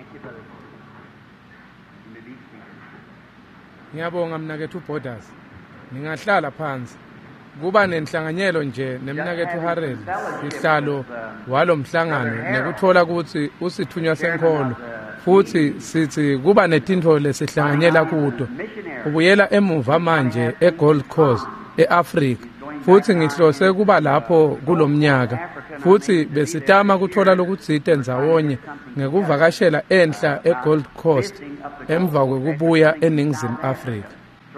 Thank you, Brother Borders. You may be seated. Ngiyabonga mnaketfu Borders. Ningahlala phansi. Kuba nenhlanganyelo nje nemnaketfu Harrel, sihlalo walomhlangano, nekuthola kutsi usithunywa senkholo, futhi sithi kuba netintfo lesihlanganyela kuto. Ubuyela emuva manje eGold Coast, eAfrica, futhi ngihlose kuba lapho kulomnyaka, futhi besitama kuthola lokutsite ndzawonye ngekuvakashela enhla eGold Coast emva kwekubuya eNingizimu Afrika.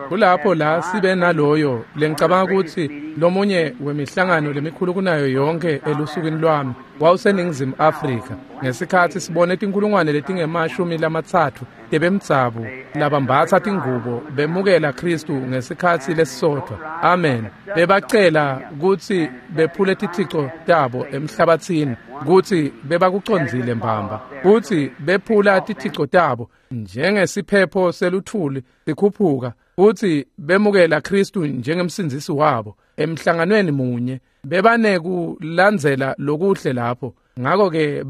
Kulapho la sibe naloyo lengicabanga kutsi lomunye wemihlangano lemikhulu kunayo yonke elusukwini lwami wawuseNingizimu Afrika, ngesikhatsi sibone tinkulungwane letingema-30 tebemdzabu labambatsa tingubo bemukela Khristu ngesikhatsi lesisodvwa. Amen. Bebacela kutsi bephule tithico tabo emhlabatsini, kutsi bebakucondzile mbamba, kutsi bephula tithico tabo njengesiphepho seluthuli sikhuphuka, futhi bemukela Khristu njengemsindzisi wabo emhlanganweni munye. Bebanekulandzela lokuhle lapho, ngako-ke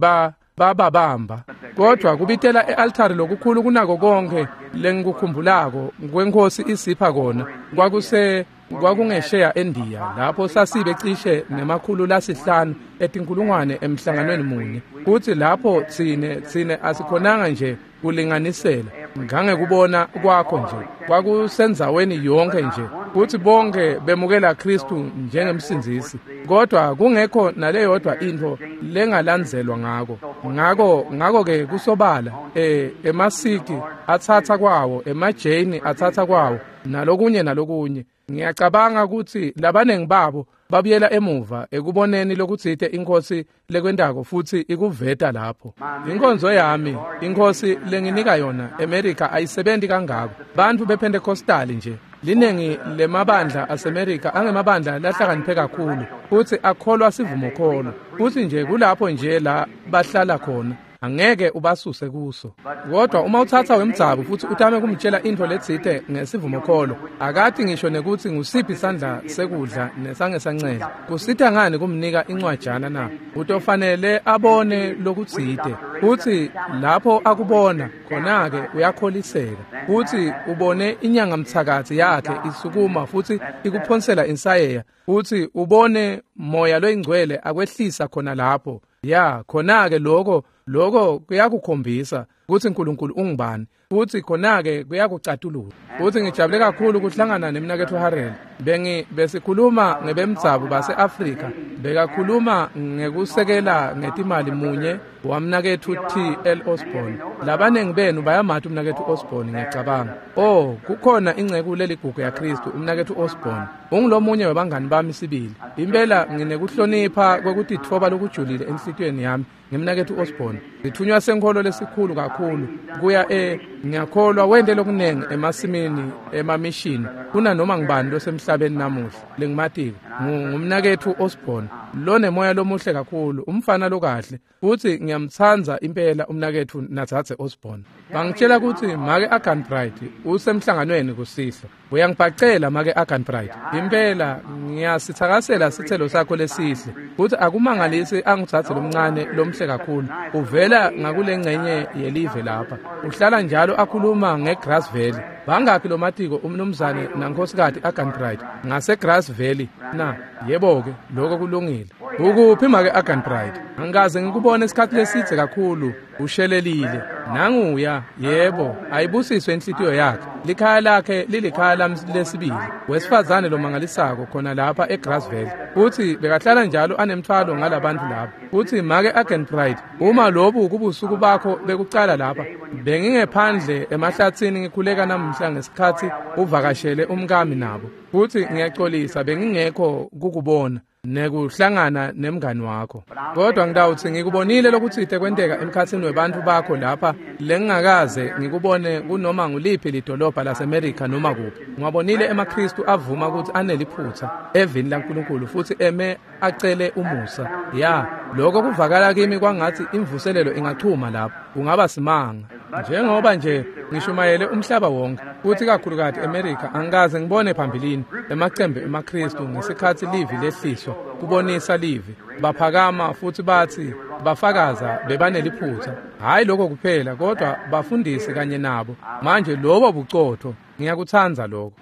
bababamba. Kodwa kubitela e-altari lokukhulu kunako konke lengikukhumbulako kweNkhosi isipha kona kwakungesheya eNdiya, lapho sasibe cishe nema-500 etinkulungwane emhlanganweni munye. Kuthi lapho tsine asikhonanga nje kulinganisela ngangekubona kwakho nje, kwakusendzaweni yonke nje, kuthi bonke bemukela Khristu njengemsindzisi, kodwa kungekho naleyodwa intfo lengalandzelwa ngako. Ngako-ke kusobala emaSikhi atsatsa kwawo, emaJaini atsatsa kwawo, nalokunye nalokunye. Ngiyacabanga kutsi labanengi babo babuyela emuva ekuboneni lokutsite iNkhosi lekwentako futhi ikuveta lapho. Inkonzo yami, iNkhosi lenginika yona eMerika ayisebenti kangako. Bantfu bePentecostal nje, linengi lemabandla aseMerika angemabandla lahlakaniphe kakhulu, futhi akholwa sivumokholo, futhi nje kulapho nje la bahlala khona. Angeke ubasuse kuso. Kodwa uma utsatsa wemdzabu futhi utame kumtshela intfo letsite ngesivumokholo, akati ngisho nekutsi ngusiphi sandla sekudla nesangesancele. Kusita ngani kumnika incwajana na? Utofanele abone lokutsite, futhi lapho akubona khona-ke uyakholiseka, futhi ubone inyangamthakathi yakhe isukuma futhi ikuphonsela insayeya, futhi ubone moya loyingcwele akwehlisa khona lapho. Ya, khona-ke lokho kuyakukhombisa kutsi uNkulunkulu ungubani, futhi khona-ke kuyakucatulula. Futhi ngijabule kakhulu kuhlangana nemnaketfu Harrel. Besikhuluma ngebemdzabu base-Afrika, bekakhuluma ngekusekela ngetimali munye wamnaketfu T.L. Osborn. Labanengi benu bayamati umnaketfu Osborn, ngiyacabanga. Oh, kukhona inceku leligugu yaKhristu, umnaketfu Osborn. Ungulomunye webangani bami sibili. Impela nginekuhlonipha kwekutitfoba lokujulile enhlitiyweni yami ngemnaketfu Osborn. Sithunywa senkholo lesikhulu kakhulu kuya ngiyakholwa wente lokunengi emasimini emamishini kunanoma ngubani losemhlabeni namuhla lengimatiko. Ngumnaketfu Osborn lonemoya lomuhle kakhulu, umfana lokahle, futhi ngiyamtsandza impela umnaketfu natsatse Osborn. Bangitshela kutsi make Aganbright usemhlanganweni kusihlwa. Uyangibhacela make Aganbright, impela ngiyasithakasela sithelo sakho lesihle, futhi akumangalisi angitsatse lomncane lomhle kakhulu. Uvela ngakulengcenye yelive lapha, uhlala njalo akhuluma ngeGrass Valley. Bangakhi lomatiko umnumzane nankhosikati Aganbright ngaseGrass Valley na? Yebo-ke, lokho kulungile. Ukuphi make Aganbright? Angikaze ngikubone isikhathi lesidze kakhulu. Ushelelile. Nanguya, yebo, ayibusiswe inhlitiyo yakhe. Likhaya lakhe lilikhaya lami lesibili. Wesifazane lomangalisako khona lapha eGrass Valley. Futhi bekahlala njalo anemthwalo ngalabantu lapha. Futhi make Aganbright, uma lobu kubusuku bakho bekucala lapha, bengingephandle emahlatsini ngikhuleka namuhla ngesikhatsi uvakashele umkami nabo. Futhi ngiyaxolisa bengingekho kukubona nekuhlangana nemngani wakho. Kodwa ngitawutsi ngikubonile lokutsite kwenteka emkhatsini webantfu bakho lapha lengingakaze ngikubone kunoma nguliphi lidolobha laseMerika noma kuphi. Ngiwabonile emaKhristu avuma kutsi aneliphutsa evini laNkulunkulu futhi eme acele umusa. Ya, lokho kuvakala kimi kwangatsi imvuselelo ingachuma lapho. Kungaba simanga. Njengoba nje ngishumayele umhlaba wonke, futhi kakhulukati eMerika, angikaze ngibone phambilini emacembe emaKristu ngesikhathi livi lehliswa kubonisa livi. Baphakama futhi bathi bafakaza bebaneliphutha. Hayi lokho kuphela, kodwa bafundisi kanye nabo. Manje lobo bucotho, ngiyakuthanda lokho.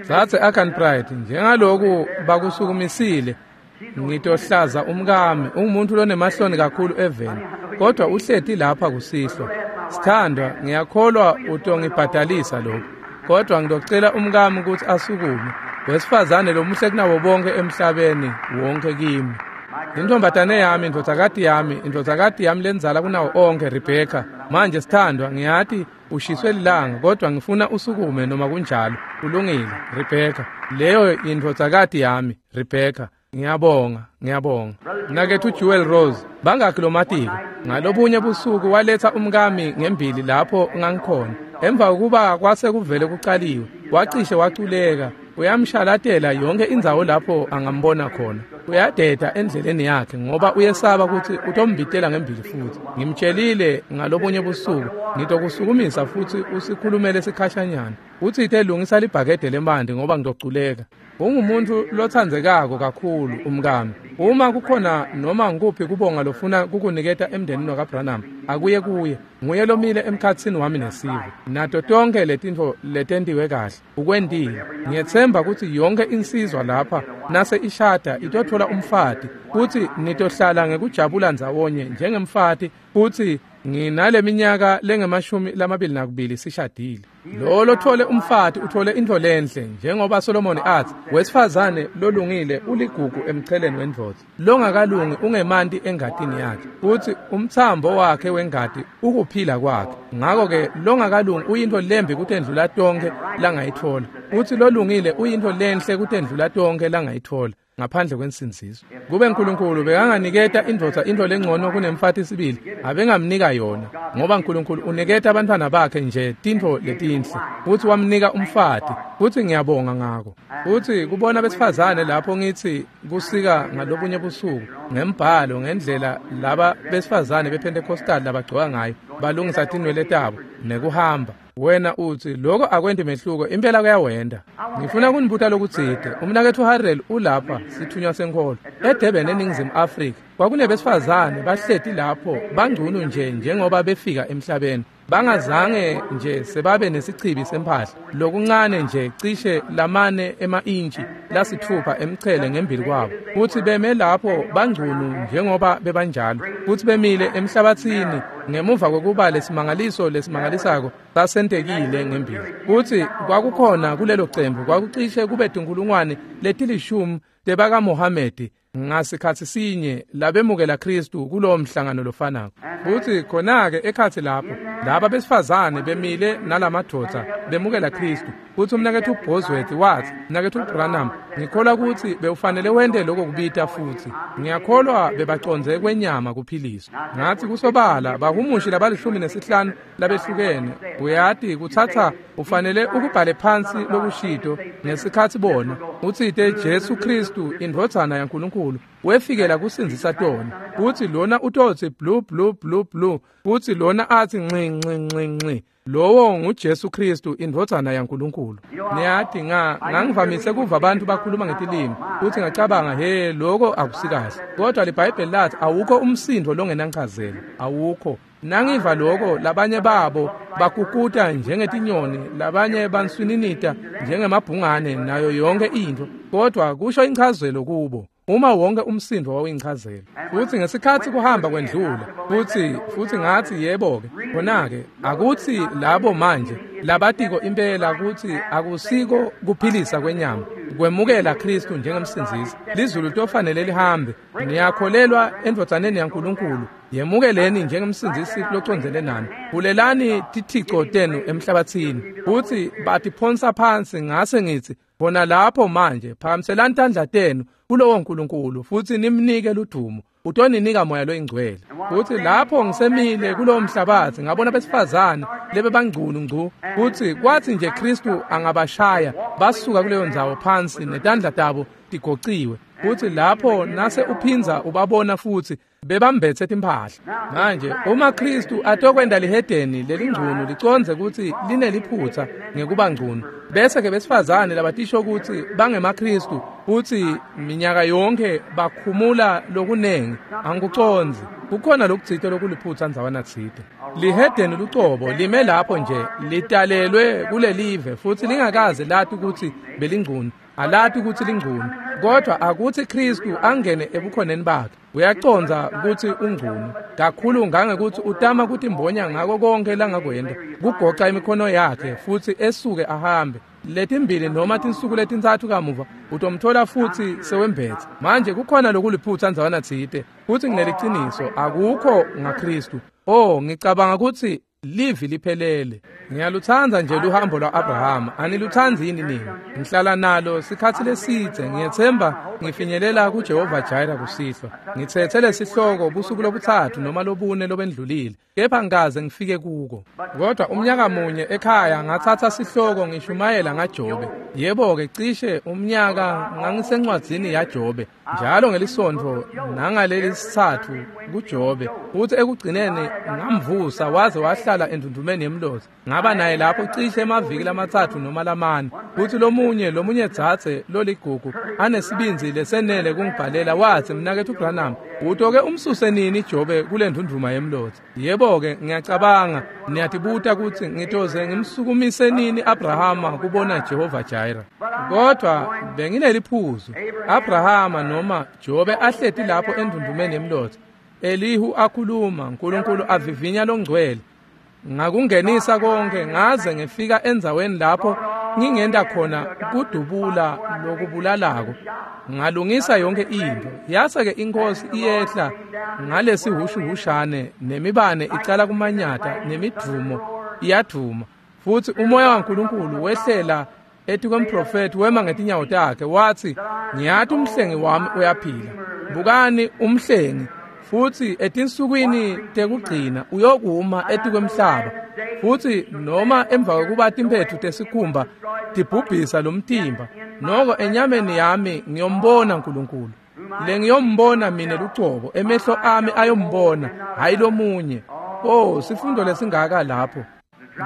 Zathe Akan Pride, njengaloku bakusukumisile, ngitohlaza umkami, ungumuntu lonemahloni kakhulu eveni, kodwa uhleti lapha kusihlwa. Sithandwa, ngiyakholwa utongibhadalisa lokho, kodwa ngitocela umkami ukuthi asukume, wesifazane lomuhle kunabo bonke emhlabeni wonke kimi. Intombatane yami, indvodzakati yami, indvodzakati yami lenzala kunawo onke, Rebecca. Manje sithandwa, ngiyati ushiswe lilanga, kodwa ngifuna usukume noma kunjalo. Kulungile, Rebecca. Leyo indvodzakati yami, Rebecca. Ngiyabonga, ngiyabonga. Mnaketfu Jewel Rose, bangakhi lomatiko. Ngalobunye busuku waletha umkami ngembili lapho ngangikhona. Emva kokuba kwase kuvele kucaliwe, wacishe waculeka. Uyamshalatela yonke indzawo lapho angambona khona. Uyadeda endleleni yakhe ngoba uyesaba ukuthi utombitela ngembili futhi. Ngimtshelile ngalobunye busuku, ngitokusukumisa futhi usikhulumele sikhashanyana. Uthi ithe lungisa libhakede lemandi ngoba ngitoculeka. Ungumuntu lothandzekako kakhulu umkami. Uma kukhona noma ngikuphi kubonga lofuna kukuniketa emndenini wakaBranham, akuye kuye. Nguye lomile emkhatsini wami nesive. Nato tonke letintfo letentiwe kahle ukwentile. Ngiyetsemba ukuthi yonke insizwa lapha nase ishada itothola umfati, futhi nitohlala ngekujabula ndzawonye njengemfati, futhi nginaleminyaka lengemashumi lamabili nakubili sishadile. Lo lothole umfati uthole intfo lenhle, njengoba Solomoni athi, wesifazane lolungile uligugu emcheleni wendvodza, longakalungi ungemanti engatini yakhe, futhi umthambo wakhe wengati ukuphila kwakhe. Ngakho-ke longakalungi uyintfo lembi kutendlula tonke langayithola, futhi lolungile uyintfo lenhle kutendlula tonke langayithola ngaphandle kwensindziso. Kube uNkulunkulu bekanganiketa indvodza intfo lengcono kunemfati sibili, abengamnika yona, ngoba uNkulunkulu uniketa abantwana bakhe nje tintfo letinhle, futhi wamnika umfati, futhi ngiyabonga ngako. Futhi kubona besifazane lapho ngithi kusika ngalobunye busuku ngembhalo ngendlela laba besifazane bePentecostal labagcoka ngayo, balungisa tinwele tabo nekuhamba. Wena uthi lokho akwenti mehluko, impela kuyawenda. Ngifuna kunibuta lokutsite. Umnaketfu Harrel ulapha, sithunywa senkholo eDurban eNingizimu Afrika. Kwakunebesifazane bahleti lapho bangcunu nje njengoba befika emhlabeni, bangazange nje sebabe nesichibi semphahla, lokuncane nje cishe lamane ema-intshi lasithupha emchele ngembili kwabo, futhi beme lapho bangcunu njengoba bebanjalo, futhi bemile emhlabathini ngemuva kokuba lesimangaliso lesimangalisako sasentekile ngembili. Futhi kwakukhona kulelo cembu kwakucishe kube tinkulungwane letilishumi tebakaMohamedi ngasikhathi sinye labemukela Kristu kulowo mhlangano lofanako. Futhi khona-ke ekhathi lapho laba besifazane bemile nalamadvodza bemukela Kristu. Futhi umnaketfu Bosworth wathi, mnaketfu Branham, ngikholwa ukuthi bewufanele wente lokho kubita, futhi ngiyakholwa bebacondze kwenyama kuphiliswa. Ngathi kusobala bahumushi labalishumi nesihlanu labehlukene, uyati kuthatha ufanele ukubhale phansi lokushito ngesikhathi bona utsite Jesu Kristu indvodzana yaNkulunkulu wefikela kusindzisa tona, futhi lona utotsi blue blue blue blue, futhi lona athi nxi nxi nxi nxi. Lowo nguJesu Kristu indvodzana yaNkulunkulu. Niyati ngangivamise kuva abantu bakhuluma ngetilimi, futhi ngacabanga, he, lokho akusikahle. Kodwa liBhayibheli lathi awukho umsindo longenanchazelo, awukho. Nangiva lokho labanye babo bakukuta njengetinyoni, labanye banswininita njengemabhungane nayo yonke into, kodwa kusho inchazelo kubo. Uma wonke umsindo wawuyinchazelo. Futhi ngesikhathi kuhamba kwendlula, futhi ngathi yebo-ke, khona-ke akuthi labo manje labatiko impela ukuthi akusiko kuphilisa kwenyama kwemukela Kristu njengemsindzisi, lizulu tofanele lihambe. Niyakholelwa endvodzaneni yaNkulunkulu, yemukeleni njengemsindzisi locondzene nani, bulelani tithico tenu emhlabathini. Futhi batiphonsa phansi, ngase ngithi bona lapho manje phakamiselani tandla tenu kulowo Nkulunkulu futhi nimnike ludumo, utoninika moya loyingcwele. Futhi lapho ngisemile kulowo mhlabathi ngabona besifazane lebe bangcunu ngcu, futhi kwathi nje Kristu angabashaya basuka kuleyo ndzawo phansi netandla tabo tigociwe. Futhi lapho nase uphinza ubabona futhi bebambethe timphahla. Manje uma Kristu atokwenda lihedeni lelingcunu licondze ukuthi lineliphutha ngekuba ngcunu, bese ke besifazane labatisho ukuthi bangemaKristu futhi minyaka yonke bakhumula lokunengi, angikucondzi. Kukhona lokutsite lokuliphutha ndzawana tsite. Lihedeni lucobo lime lapho nje litalelwe kulelive futhi lingakaze lati ukuthi belingcunu, alati ukuthi lingcunu, kodwa akuthi Kristu angene ebukhoneni bakhe. Uyacondza ukuthi ungcunu kakhulu ngangekuthi utama kutimbonya ngako konke langakwenda, kugoca imikhono yakhe futhi esuke ahambe. Letimbili noma tinsuku letintsatfu kamuva utomthola futhi sewembethe. Manje kukhona lokuliphutha ndzawana tsite, futhi ngineliciniso akukho ngaKristu. Oh, ngicabanga ukuthi livi liphelele. Ngiyaluthanda nje luhambo lwa-Abrahama. Aniluthandi yini nini? Ngihlala nalo sikhathi lesidze. Ngiyethemba ngifinyelela kuJehova Jireh kusihlwa. Ngithethe lesihloko busuku lobuthathu noma lobune lobendlulile, kepha ngikaze ngifike kuko. Kodwa umnyaka munye ekhaya ngathatha sihloko ngishumayela ngaJobe. Yebo-ke, cishe umnyaka ngangisencwadzini yaJobe njalo ngelisonto nangaleli sithathu kuJobe, futhi ekugcineni ngamvusa waze wahlala endundumeni yemlotha. Ngaba naye lapho cishe emaviki lamathathu noma lamane. Futhi lomunye dzadze loligugu anesibindzi lesenele kungibhalela wathi, "Mnaketfu Branham, utoke umsuse nini Jobe kule ndunduma yemlotha?" Yebo-ke, ngiyacabanga niyatibuta ukuthi ngitoze ngimsukumise nini Abrahama kubona Jehova Jireh. Kodwa bengineliphuzu. Abrahama noma Jobe ahleti lapho endundumeni yemlotha, Elihu akhuluma, uNkulunkulu avivinya longcwele. Ngakungenisa konke ngaze ngifika endzaweni lapho ngingenda khona kudubula lokubulalako. Ngalungisa yonke into. Yase ke inkosi iyehla ngalesihushuhushane, nemibane icala kumanyata, nemidvumo iyadvuma, futhi umoya waNkulunkulu wehlela etikwemprofethi, wema ngetinyawo takhe wathi, "Ngiyati umhlengi wami uyaphila. Bukani umhlengi, futhi etinsukwini tekugcina uyokuma etikwemhlaba, futhi noma emva kokuba timphetfu tesikhumba tibhubhisa lomtimba, noko enyameni yami ngiyombona uNkulunkulu. Lengiyombona mina lucobo, emehlo ami ayombona, hayi lomunye." Oh, sifundo lesingaka lapho.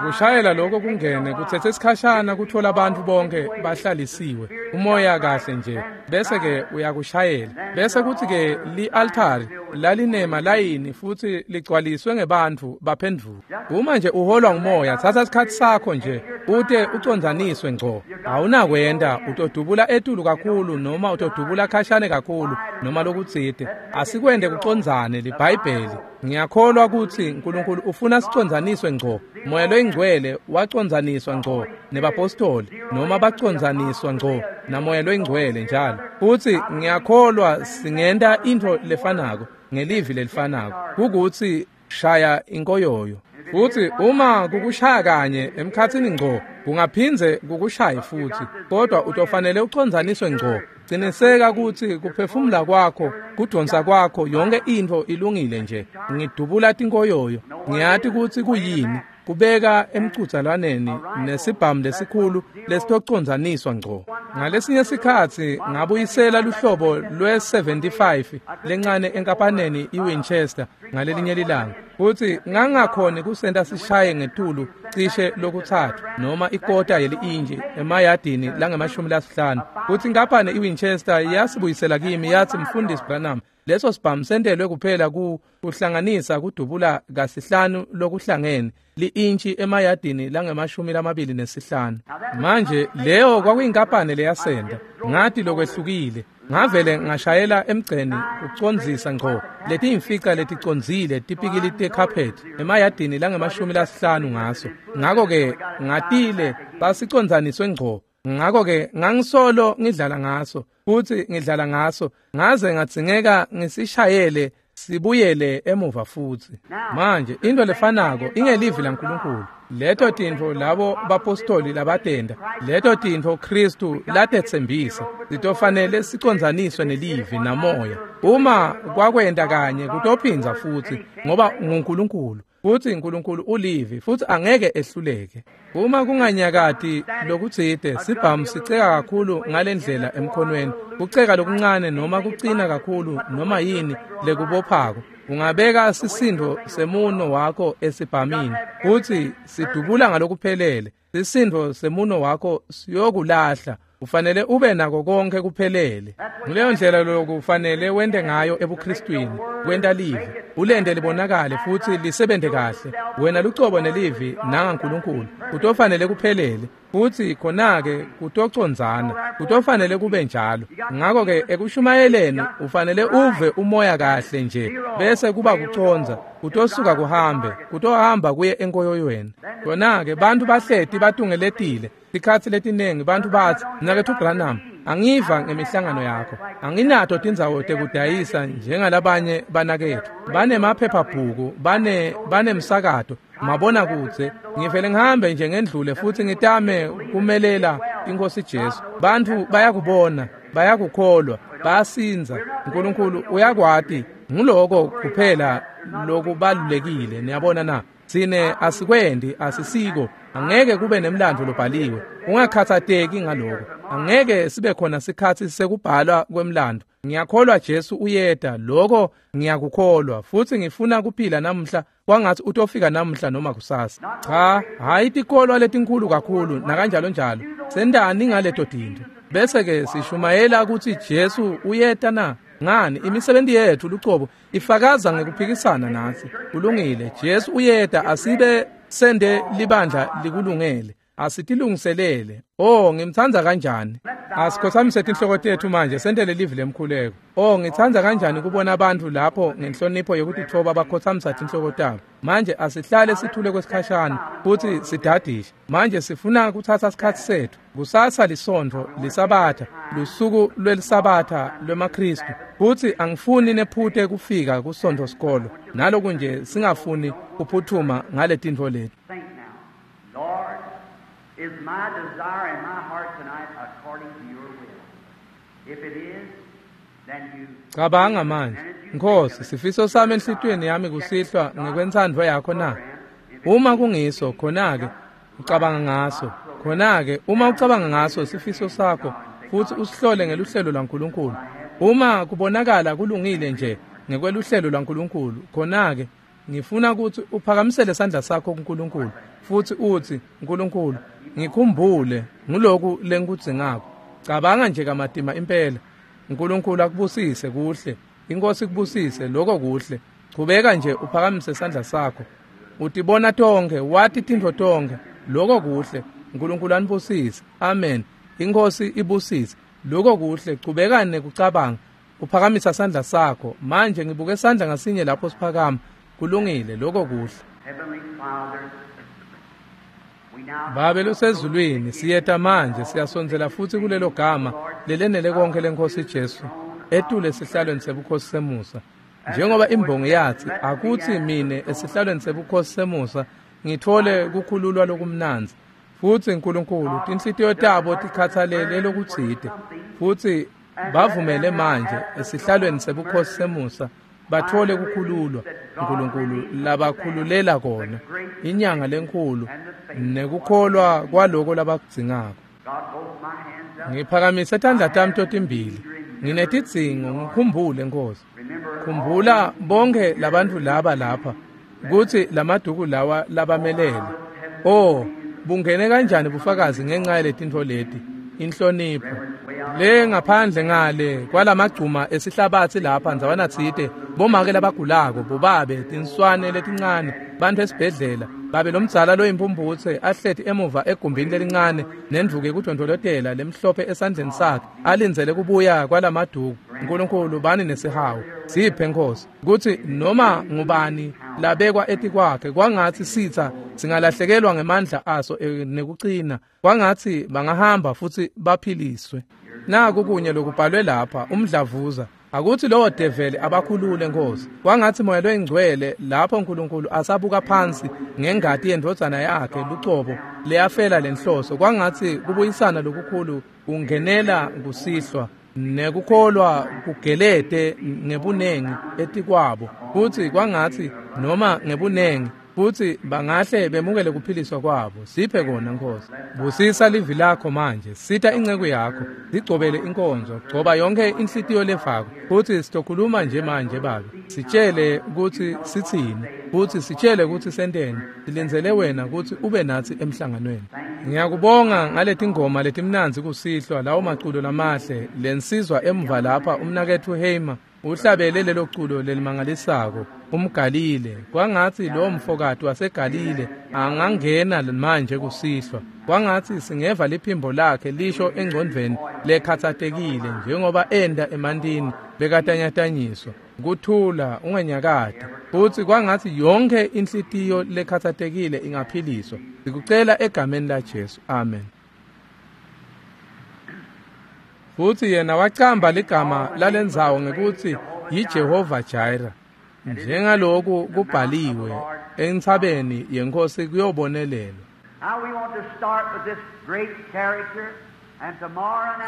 Kushayela lokho kungene kuthethe isikhashana kuthola abantu bonke bahlalisiwe umoya kahle nje, bese ke uyakushayela. Bese kuthi ke li-altari lalinema layini futhi ligcwaliswe ngebantfu baphendvuka. Uma nje uholwa ngumoya, thatha isikhathi sakho nje ute uconzaniswe ngco. Awunakwenda utodubula etulu kakhulu noma utodubula khashane kakhulu noma lokutsite. Asikwende kuconzane liBhayibheli. Ngiyakholwa ukuthi uNkulunkulu ufuna siconzaniswe ngco. Moya loyingcwele waconzaniswa ngco nebapostoli, noma baconzaniswa ngco namoya loyingcwele njalo. Futhi ngiyakholwa singenta intfo lefanako ngelivi lelifanako, kukuthi shaya inkoyoyo. Futhi uma kukushaya kanye emkhathini ngco, kungaphindze kukushaye futhi, kodwa utofanele uconzaniswe ngco. Ciniseka ukuthi kuphefumula kwakho, kudonsa kwakho, yonke intfo ilungile nje. Ngidubula tinkoyoyo, ngiyati ukuthi kuyini kubeka emcudzelwaneni nesibhamu lesikhulu lesitoconzaniswa ngco. Ngalesinye sikhatsi ngabuyisela luhlobo lwe-75 lencane enkampaneni iWinchester ngalelinye lilanga, futhi ngangakhoni kusenta sishaye ngetulu cishe lokuthathu noma ikota yeli-inji emayadini langama-50. Futhi inkampani iWinchester yasibuyisela kimi yathi, "Mfundisi Branham, leso sibhamu sentelwe kuphela kuhlanganisa kudubula kasihlanu lokuhlangene li-intshi emayadini langama-25." Manje leyo kwakuyinkampani leyasenda. Ngathi lokwehlukile. Ngavele ngashayela emgceni kucondzisa ngco letiyimfica leticondzile tipikili tecarpet emayadini langama-50 ngaso. Ngakho-ke ngatile basiconzaniswe ngco. Ngakho-ke ngangisolo ngidlala ngaso futhi ngidlala ngaso ngaze ngadzingeka ngisishayele sibuyele emuva futhi. Manje into lefanako ingelivi laNkulunkulu. Leto tintfo labo bapostoli labatenda, leto tintfo Kristu latetsembisa, sitofanele siconzaniswe nelivi namoya. Uma kwakwenta kanye kutophindza futhi, ngoba nguNkulunkulu. Futsi uNkulunkulu ulivi futsi angeke ehluleke. Uma kunganyakati lokutsite, sibhamu siceka kakhulu ngalendlela emkhonweni, kuceka lokuncane noma kucina kakhulu noma yini lekubophako. Ungabeka sisindo semuno wakho esibhamini futsi sidubula ngalokuphelele. Sisindo semuno wakho siyokulahla. Ufanele ube nako konke kuphelele. Nguleyo ndlela lokufanele wente ngayo ebuKristwini, kwenta livi ulente libonakale futsi lisebente kahle. Wena lucobo nelivi nangaNkulunkulu kutofanele kuphelele, futsi khona-ke kutocondzana, kutofanele kube njalo. Ngakho-ke ekushumayeleni ufanele uve umoya kahle nje, bese kuba kucondza, kutosuka kuhambe, kutohamba kuye enkoyoyweni. Khona-ke bantfu bahleti batungeletile. Tikhatsi letiningi bantfu batsi, Mnaketfu Branham, angiva ngemihlangano yakho. Anginato tindzawo tekudayisa njengalabanye banaketfu. Banemaphephabhuku, banemsakato, mabonakudze. Ngivele ngihambe nje ngendlule futsi ngitame kumelela iNkhosi Jesu. Bantfu bayakubona, bayakukholwa, bayasindza. uNkulunkulu uyakwati. Nguloko kuphela lokubalulekile, niyabona na? Sine asikwendi, asisiko. Angeke kube nemlando lobhaliwe. Ungakhathateki ngaloko. Angeke sibe khona sikhatsi sekubhalwa kwemlando. Ngiyakholwa Jesu uyeta, lokho ngiyakukholwa, futsi ngifuna kuphila namuhla kwangathi utofika namuhla noma kusasa. Cha, hayi tikolwa letinkhulu kakhulu nakanjalo njalo. Sendani ngaleto tintfo. Bese ke sishumayela ukuthi Jesu uyeta na? Ngani, imisebenti yethu lucobo ifakaza ngekuphikisana natsi. Kulungile, Jesu uyeta, asibe sende libandla likulungele. Asitilungiselele. Oh, ngimtsandza kanjani. Asikhothamise tinhloko tetfu manje sentele livi lemkhuleko. Oh, ngitsandza kanjani kubona abantu lapho ngenhlonipho yekutitfoba bakhothamisa tinhloko tabo. Manje asihlale sithule kwesikhashana futsi sidadishe. Manje sifuna kuthatha sikhatsi setfu. Kusasa lisontfo lisabatha, lusuku lwelisabatha lwemaKristu. Futsi angifuni nephute kufika kusontfo sikolo. Naloku nje singafuni kuphuthuma ngaletintfo leti. Lord, is my desire in my heart tonight according to your will? If it is, then you. Cabanga manje, Nkosi, sifiso sami enhlitiyweni yami kusihlwa ngekwentsandvo yakho na? Uma kungiso, khona-ke ucabanga ngaso. Khona-ke uma ucabanga ngaso sifiso sakho futsi usihlole ngeluhlelo lwaNkulunkulu. Uma kubonakala kulungile nje ngekweluhlelo lwaNkulunkulu, khona-ke ngifuna ukuthi uphakamisele sandla sakho kuNkulunkulu futsi utsi, Nkulunkulu, ngikhumbule nguloku lengikudzingako. Cabanga nje kamatima impela. uNkulunkulu akubusise kuhle. INkosi ikubusise, lokho kuhle. Chubeka nje uphakamise sandla sakho. Utibona tonke, wati tintfo tonke. Lokho kuhle. uNkulunkulu anibusise. Amen. INkosi ibusise. Lokho kuhle. Chubeka nekucabanga. Uphakamisa sandla sakho. Manje ngibuke sandla ngasinye lapho siphakama. Kulungile, lokho kuhle. Heavenly Father, we now Babe losezulwini, siyeta manje, siyasondzela futsi kulelo gama lelenele konke lenkosi Jesu, etule esihlalweni sebukhosi semusa. Njengoba imbongi yathi, akutsi mine esihlalweni sebukhosi semusa ngithole kukhululwa lokumnandzi. Futsi Nkulunkulu, tinhlitiyo tabo tikhatsalele lokutsite, futsi bavumele manje esihlalweni sebukhosi semusa bathole kukhululwa. Nkulunkulu labakhululela kona, inyanga lenkhulu nekukholwa kwaloko labakudzingako. God, both my hands up. Ngiphakamise tandla tami totimbili, nginetidzingo, ngikhumbule Nkosi. Khumbula bonke labantfu laba lapha, kutsi lamaduku lawa labamelele. Oh, bungene kanjani bufakazi ngenxa yaletintfo leti, inhlonipho. Le ngaphandle ngale kwalamagcuma esihlabatsi lapha ndzawana tsite, bomake labagulako, bobabe, tinswane letincane, bantfu esibhedlela, babe lomdzala loyimpumphutse ahleti emuva egumbini lelincane nendvuku yekudondvolotela lemhlophe esandleni sakhe, alindzele kubuya kwalamaduku. Nkulunkulu, bani nesihawu. Siphe Nkosi kutsi noma ngubani labekwa etikwakhe, kwangatsi sitsa singalahlekelwa ngemandla aso nekucina, kwangatsi bangahamba futsi baphiliswe. Naku kunye lokubhalwe lapha, umdlavuza. Akuthi lowo develi abakhulule Nkosi. Kwangatsi moya loyingcwele lapho uNkulunkulu asabuka phansi ngengati yendvodzana yakhe lucobo leyafela lenhloso, kwangatsi kubuyisana lokukhulu kungenela kusihlwa nekukholwa kugelete ngebunengi etikwabo, futsi kwangatsi noma ngebunengi Futsi bangahle bemukele kuphiliswa kwabo. Siphe kona Nkosi. Busisa livi lakho manje. Sita inceku yakho. Sigcobele inkonzo. Gcoba yonke inhlitiyo lefako. Futsi sitokhuluma nje manje Babe. Sitshele kutsi sitsini. Futsi sitshele kutsi senteni. Silindzele wena kutsi ube natsi emhlanganweni. Ngiyakubonga ngaletingoma letimnandzi kusihlwa lawo maculo lamahle lensizwa emva lapha umnaketfu Heimer uhlabele lelo culo lelimangalisako umGalile. Kwangatsi lo mfokati waseGalile angangena manje kusihlwa. Kwangatsi singeva liphimbo lakhe lisho engcondvweni lekhatsatekile njengoba enda emantini bekatanyatanyiswa. Kuthula unganyakati. Futsi kwangatsi yonke inhlitiyo lekhatsatekile ingaphiliswa. Sikucela egameni la Jesu. Amen. Futsi yena wacamba ligama lalendzawo ngekutsi yiJehova Jireh. Njengaloku kubhaliwe entsabeni yenkosi kuyobonelelwa.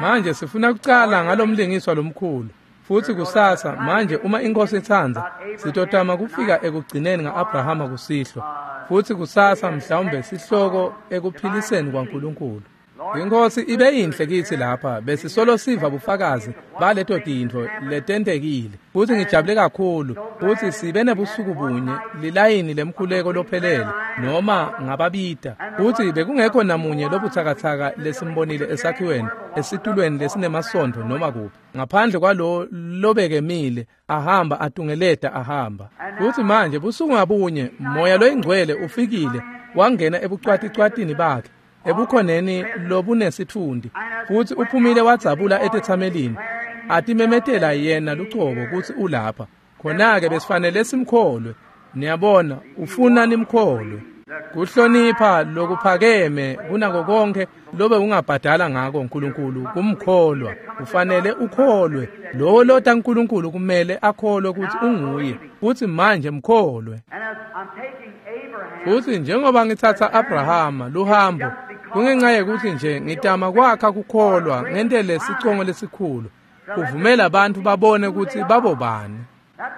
Manje sifuna kucala ngalomlingiswa lomkhulu. Futsi kusasa manje uma inkosi itsandza sitotama kufika ekugcineni ngaAbrahama kusihlwa. Futsi kusasa mhlawumbe sihloko ekuphiliseni kwaNkulunkulu. Inkosi ibe yinhle kitsi lapha besisolo siva bufakazi baleto tintfo letentekile. Futsi ngijabule kakhulu futsi sibe nebusuku bunye lilayini lemkhuleko lophelele noma ngababita. Futsi bekungekho namunye lobutsakatsaka lesimbonile esakhiweni esitulweni lesinemasondvo noma kuphi. Ngaphandle kwalo lobekemile ahamba atungeleta ahamba. Futsi manje busuku ngabunye moya loyingcwele ufikile wangena ebucwaticwatini bakhe ebukhoneni lobunesitfundi futsi uphumile wadzabula etetsamelini atimemetela yena lucobo kutsi ulapha. Khona-ke besifanele simkholwe. Niyabona ufuna nimkholwe. Kuhlonipha lokuphakeme kunako konke lobe ungabhadala ngako uNkulunkulu kumkholwa. Ufanele ukholwe. Lowo lota uNkulunkulu kumele akholwe kutsi unguye. Futsi manje mkholwe. Futsi njengoba ngitsatsa Abrahama luhambo kungenxa yekutsi nje ngitama kwakha kukholwa ngentele sicongo lesikhulu kuvumela abantu babone kutsi babobani.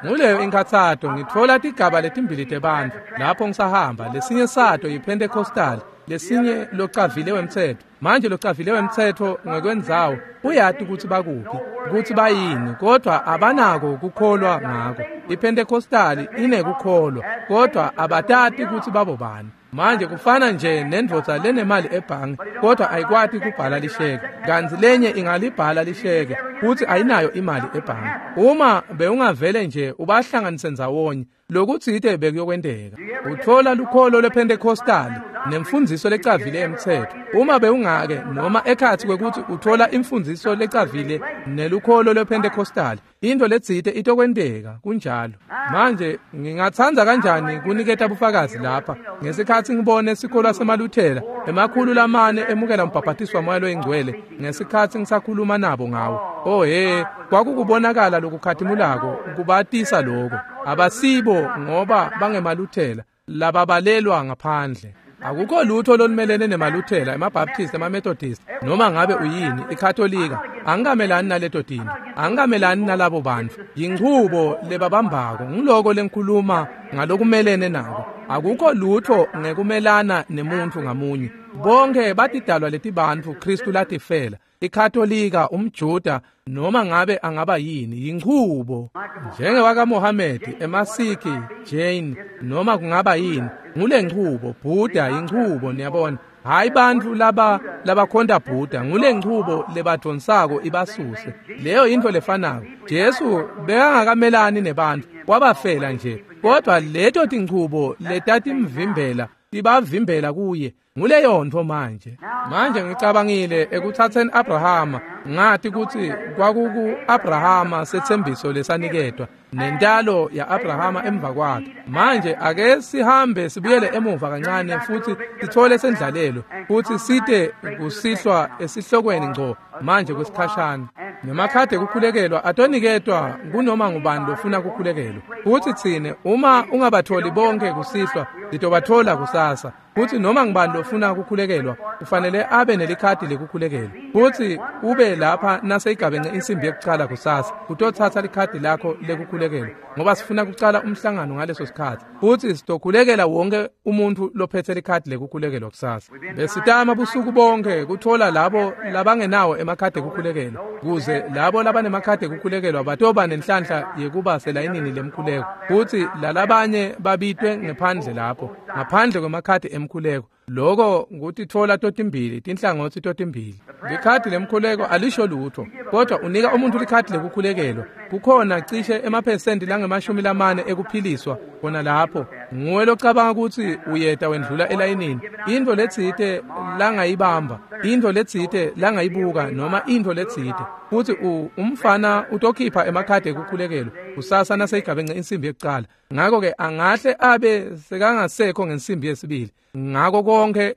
Nguleyo inkhatsato ngitfola tigaba letimbili tebantfu lapho ngisahamba. Lesinye sato yiPentecostal, lesinye locavile wemtsetfo. Manje locavile wemtsetfo ngekwendzawo uyati kutsi bakuphi, kutsi bayini, kodwa abanako kukholwa ngako. IPentecostal inekukholwa, kodwa abatati kutsi babobani. Manje kufana nje nendvodza lenemali ebhange kodwa ayikwati kubhala lisheke, kantsi lenye ingalibhala lisheke futsi ayinayo imali ebhange. Uma bewungavele nje ubahlanganise ndzawonye lokutsite bekuyokwenteka. Utfola lukholo lwePentecostal nemfundziso lecavile emtsetfo. Uma bewungake noma ekhatsi kwekutsi utfola imfundziso lecavile nelukholo lwePentecostal, into letsite itokwenteka kunjalo. Manje ngingatsandza kanjani kuniketa bufakazi lapha ngesikhatsi ngibone sikolo semaLuthela 400 emukela umbhabhatiso waMoya loyingcwele ngesikhatsi ngisakhuluma nabo ngawo. Oh he, kwakukubonakala lokukhatimulako kubatisa lokho. Abasibo ngoba bangemaLuthela lababalelwa ngaphandle. Akukho lutho lolumelene nemaLuthela, emaBaptist, emaMethodist, noma ngabe uyini, iKatolika. Angikamelani naleto tintfo. Angikamelani nalabo bantfu. Yinchubo lebabambako, ngiloko lenkhuluma ngalokumelene nako. Akukho lutho ngekumelana nemuntfu ngamunye. Bonke batidalwa letibantfu Kristu latifela. iKatolika, umJuda, noma ngabe angaba yini, yinchubo. NjengewakaMohamedi, emaSikhi, Jain, noma kungaba yini, ngulenchubo. Buddha yinchubo, niyabona. Hayi bantfu laba labakhonta Buddha, ngulenchubo lebadvonsako ibasuse. Leyo into lefanako. Jesu bekangakamelani nebantfu, wabafela nje. Kodwa leto tinchubo letatimvimbela tibavimbela kuye. Nguleyo ntfo manje. Manje ngicabangile ekuthatheni Abrahama, ngati kutsi kwakuku Abrahama setsembiso lesaniketwa nentalo ya-Abrahama emva kwakhe. Manje ake sihambe sibuyele emuva kancane futsi sithole sendlalelo futsi site kusihlwa esihlokweni ngco manje kwesikhashana. Nemakhadi ekukhulekelwa atoniketwa kunoma ngubani lofuna kukhulekelwa. Futsi tsine uma ungabatholi bonke kusihlwa, sitobathola kusasa. Futsi noma ngibani lofuna kukhulekelwa kufanele abe nelikhadi lekukhulekelwa. Futsi ube lapha naseyigabence insimbi yekucala kusasa utotsatsa likhadi lakho lekukhulekelwa, ngoba sifuna kucala umhlangano ngaleso sikhatsi. Futsi sitokhulekela wonke umuntu lophethe likhadi lekukhulekelwa kusasa. Besitama busuku bonke kuthola labo labangenawo emakhadi ekukhulekelwa, kuze labo labanemakhadi ekukhulekelwa batoba nenhlanhla yekuba selayinini lemkhuleko, futsi lalabanye babitwe ngephandle lapho ngaphandle kwemakhadi emkhuleko. Lokho ngutitfola totimbili, tinhlangotsi totimbili. Likhadi lemkhuleko alisho lutho, kodwa unika umuntu likhadi lekukhulekelwa. Kukhona cishe emaphesenti langama-40 ekuphiliswa khona lapho. Nguwe locabanga ukuthi uyeta wendlula elayinini. Intfo letsite langayibamba, intfo letsite langayibuka, noma intfo letsite. Futsi umfana utokhipha emakhadi ekukhulekelwa kusasa naseyigabence insimbi yekucala. Ngakho-ke angahle abe sekangasekho ngensimbi yesibili. Ngako konke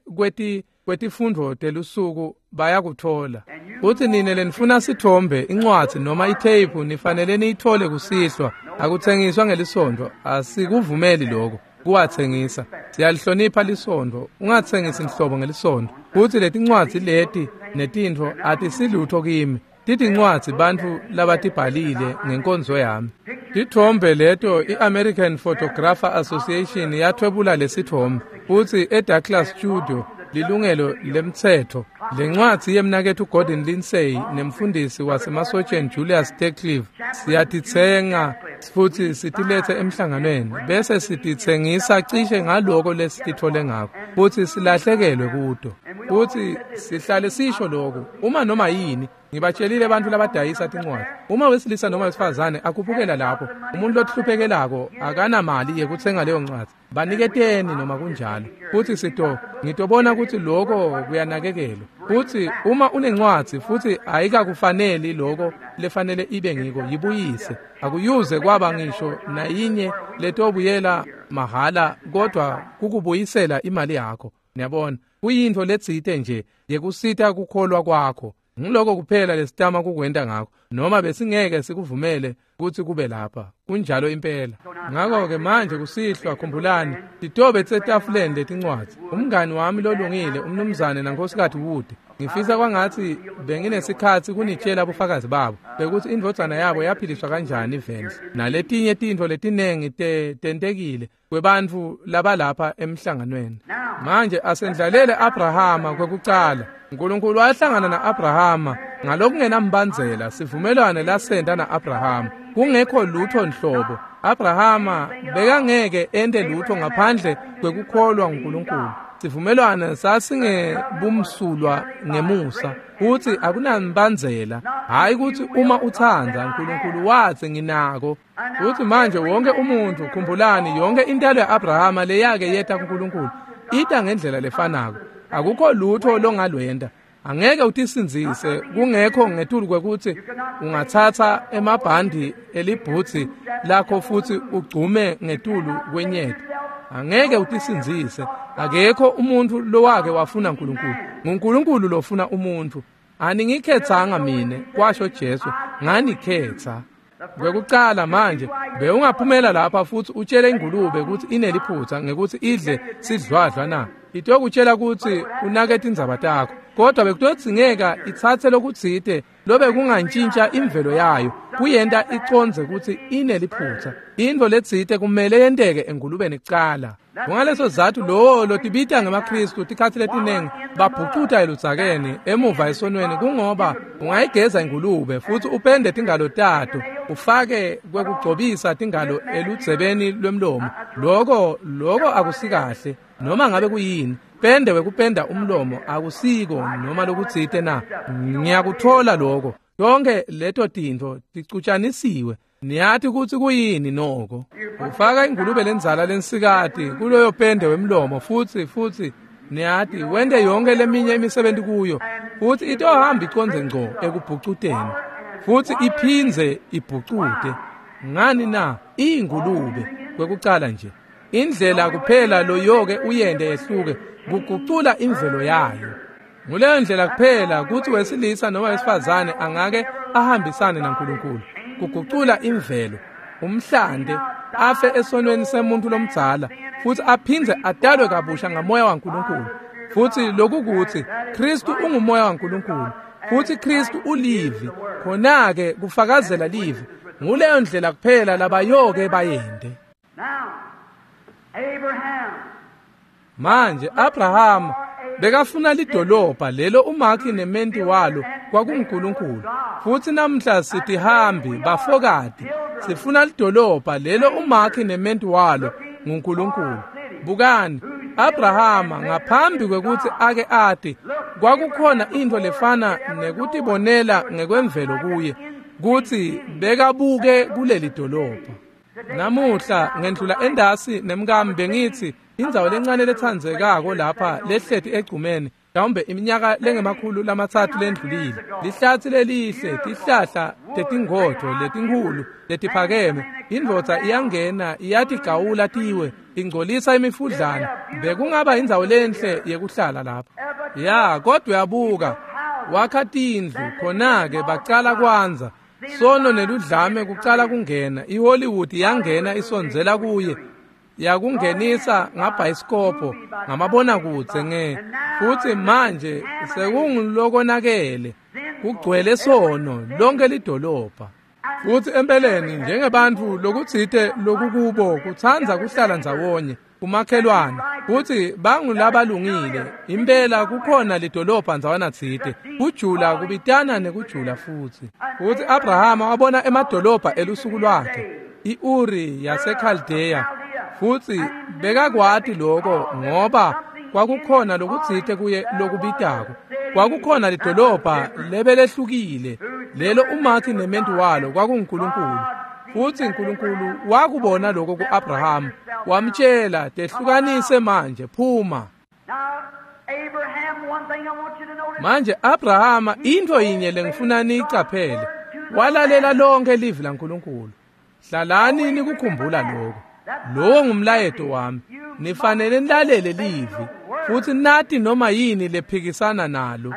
kwetifundvo telusuku bayakuthola. Futsi nine lenifuna sithombe, incwadzi noma itheyiphu nifanele niyithole kusihlwa. Akuthengiswa ngelisonto, asikuvumeli lokho kuwathengisa. Siyalihlonipha lisonto, ungathengisi nhlobo ngelisonto. Futsi letincwadzi leti netintfo atisilutho kimi. Titincwadzi bantfu labatibhalile ngenkonzo yami. Tithombe leto i-American Photographer Association yathwebula lesithombe, futsi eDouglas Studio lilungelo lemtsetfo. Lencwadzi yemnaketfu Gordon Lindsay nemfundisi wasemasotsheni Julius Teclive siyatitsenga futsi sitilethe emhlanganweni, bese sititsengisa cishe ngaloko lesitithole ngako, futsi silahlekelwe kuto. Futsi sihlale sisho lokhu uma noma yini. Ngibatshelile abantu labadayisa tincwadzi, uma wesilisa noma wesifazane akhuphukela lapho, umuntu lohluphekelako akanamali yekutsenga leyo ncwadzi, baniketeni noma kunjalo. Futsi ngitobona ukuthi lokho kuyanakekelwa. Futsi uma unencwadzi futsi ayikakufaneli lokho lefanele ibe ngiko, yibuyise. Akuyuze kwaba ngisho nayinye letobuyela mahhala, kodwa kukubuyisela imali yakho. Niyabona, kuyintfo letsite nje yekusita kukholwa kwakho. Ngiloko kuphela lesitama kukwenta ngakho, noma besingeke sikuvumele kutsi kube lapha. Kunjalo impela. Ngakho-ke manje kusihlwa, khumbulani, titobe tsetafuleni letincwadzi. Umngani wami lolungile, umnumzane nankosikazi Wood, ngifisa kwangatsi benginesikhatsi kunitshela bufakazi babo bekuthi indvodzana yabo yaphiliswa kanjani ivendle, naletinye tintfo letinengi tentekile kwebantfu labalapha emhlanganweni. Manje asendlalele Abrahama kwekucala. uNkulunkulu wahlangana na-Abrahama ngalokungenambandzela, sivumelwano lasenta na-Abrahama. Kungekho lutho nhlobo. Abrahama bekangeke ente lutho ngaphandle kwekukholwa nguNkulunkulu. Sivumelwano sasingebumsulwa ngemusa, futsi akunambandzela. Hhayi kutsi uma utsandza, uNkulunkulu watsi nginako. Futsi manje wonke umuntu, khumbulani, yonke intalo ya-Abrahama leyake yeta kuNkulunkulu ita ngendlela lefanako. Akukho lutho longalwenta. Angeke utisindzise kungekho ngetulu kwekutsi ungatsatsa emabhandi elibhutsi lakho futsi ugcume ngetulu kwenyeti. Angeke utisindzise. Akekho umuntu lowake wafuna uNkulunkulu. NguNkulunkulu lofuna umuntu. Aningikhetsanga mine, kwasho Jesu, nganikhetsa. Kwekucala manje bewungaphumela lapha futsi utshele ingulube ukuthi ineliphutha ngekuthi idle sidlwadlwa na. Itokutshela ukuthi unake tindzaba takho, kodwa bekutodzingeka itsatse lokutsite lobe kungantshintsha imvelo yayo kuyenta icondze ukuthi ineliphutha. Intfo letsite kumele yenteke engulubeni kucala. Kungaleso sizatfu lowo lotibita ngemaKhristu tikhatsi letinengi babhucuta eludzakeni emuva esonweni, kungoba ungayigeza ingulube futsi upende tingalo tato, ufake kwekugcobisa tingalo eludzebeni lwemlomo. Loko akusikahle noma ngabe kuyini. Pende wekupenda umlomo akusiko noma lokutsite na. Ngiyakuthola lokho. Yonke leto tintfo ticutshanisiwe. Niyati kutsi kuyini noko. Ufaka ingulube lendzala lensikati kuloyo pende wemlomo futsi niyati wente yonke leminye imisebenti kuyo, futsi itohamba icondze ngco ekubhucuteni futsi iphindze ibhucute. Ngani na? Ingulube kwekucala nje. Indlela kuphela loyoke uyende yehluke kugucula imvelo yayo. Nguleyo ndlela kuphela kutsi wesilisa noma wesifazane angake ahambisane naNkulunkulu, kugucula imvelo, umhlante. afe esonweni semuntu lomdzala futsi aphindze atalwe kabusha ngamoya waNkulunkulu. Futsi lokukutsi Kristu ungumoya waNkulunkulu futsi Kristu ulivi, khona-ke kufakazela livi. Nguleyo ndlela kuphela labayoke bayende. Manje Abrahama bekafuna lidolobha lelo umakhi nementi walo kwakunguNkulunkulu. Futsi namhla sitihambi bafokati sifuna lidolobha lelo umakhi nementi walo nguNkulunkulu. Bukani, Abrahama ngaphambi kwekutsi ake ati kwakukhona intfo lefana nekutibonela ngekwemvelo kuye kutsi bekabuke kuleli dolobha. Namuhla ngendlula endasi nemkami bengithi indzawo lencane letsandzekako lapha lehleti egcumeni mhlawumbe iminyaka lengama-300 lendlulile, lihlathi lelihle, tihlahla tetingodvo letinkhulu letiphakeme, indvodza iyangena iyatigawula tiwe ingcolisa imifudlana. Bekungaba indzawo lenhle yekuhlala lapha. Ya, kodwa uyabuka wakha tindlu, khona-ke bacala kwanza sono neludlame kucala kungena. iHollywood yangena isondzela kuye, yakungenisa ngabhayisikobho, ngamabonakudze nge futsi manje sekungulokonakele, kugcwele sono lonke lidolobha. Futsi empeleni njengebantfu lokutsite lokukubo kutsandza kuhlala ndzawonye kumakhelwane, futsi bangulabalungile impela. Kukhona lidolobha ndzawana tsite, kujula kubitana nekujula. Futsi Abrahama wabona emadolobha elusuku lwakhe, iUri yaseKhaldeya, futsi bekakwati lokho ngoba kwakukhona lokutsite kuye lokubitako. Kwakukhona lidolobha lebelehlukile lelo umakhi nementi walo kwakunguNkulunkulu. Futsi uNkulunkulu wakubona lokho ku-Abrahama, wamtshela, tehlukanise manje, phuma. Manje Abrahama, intfo yinye lengifuna niyicaphele, walalela lonke livi laNkulunkulu. Hlalani nikukhumbula lokho. Lowo ngumlayeto wami. Nifanele nilalele livi futsi nati noma yini lephikisana nalo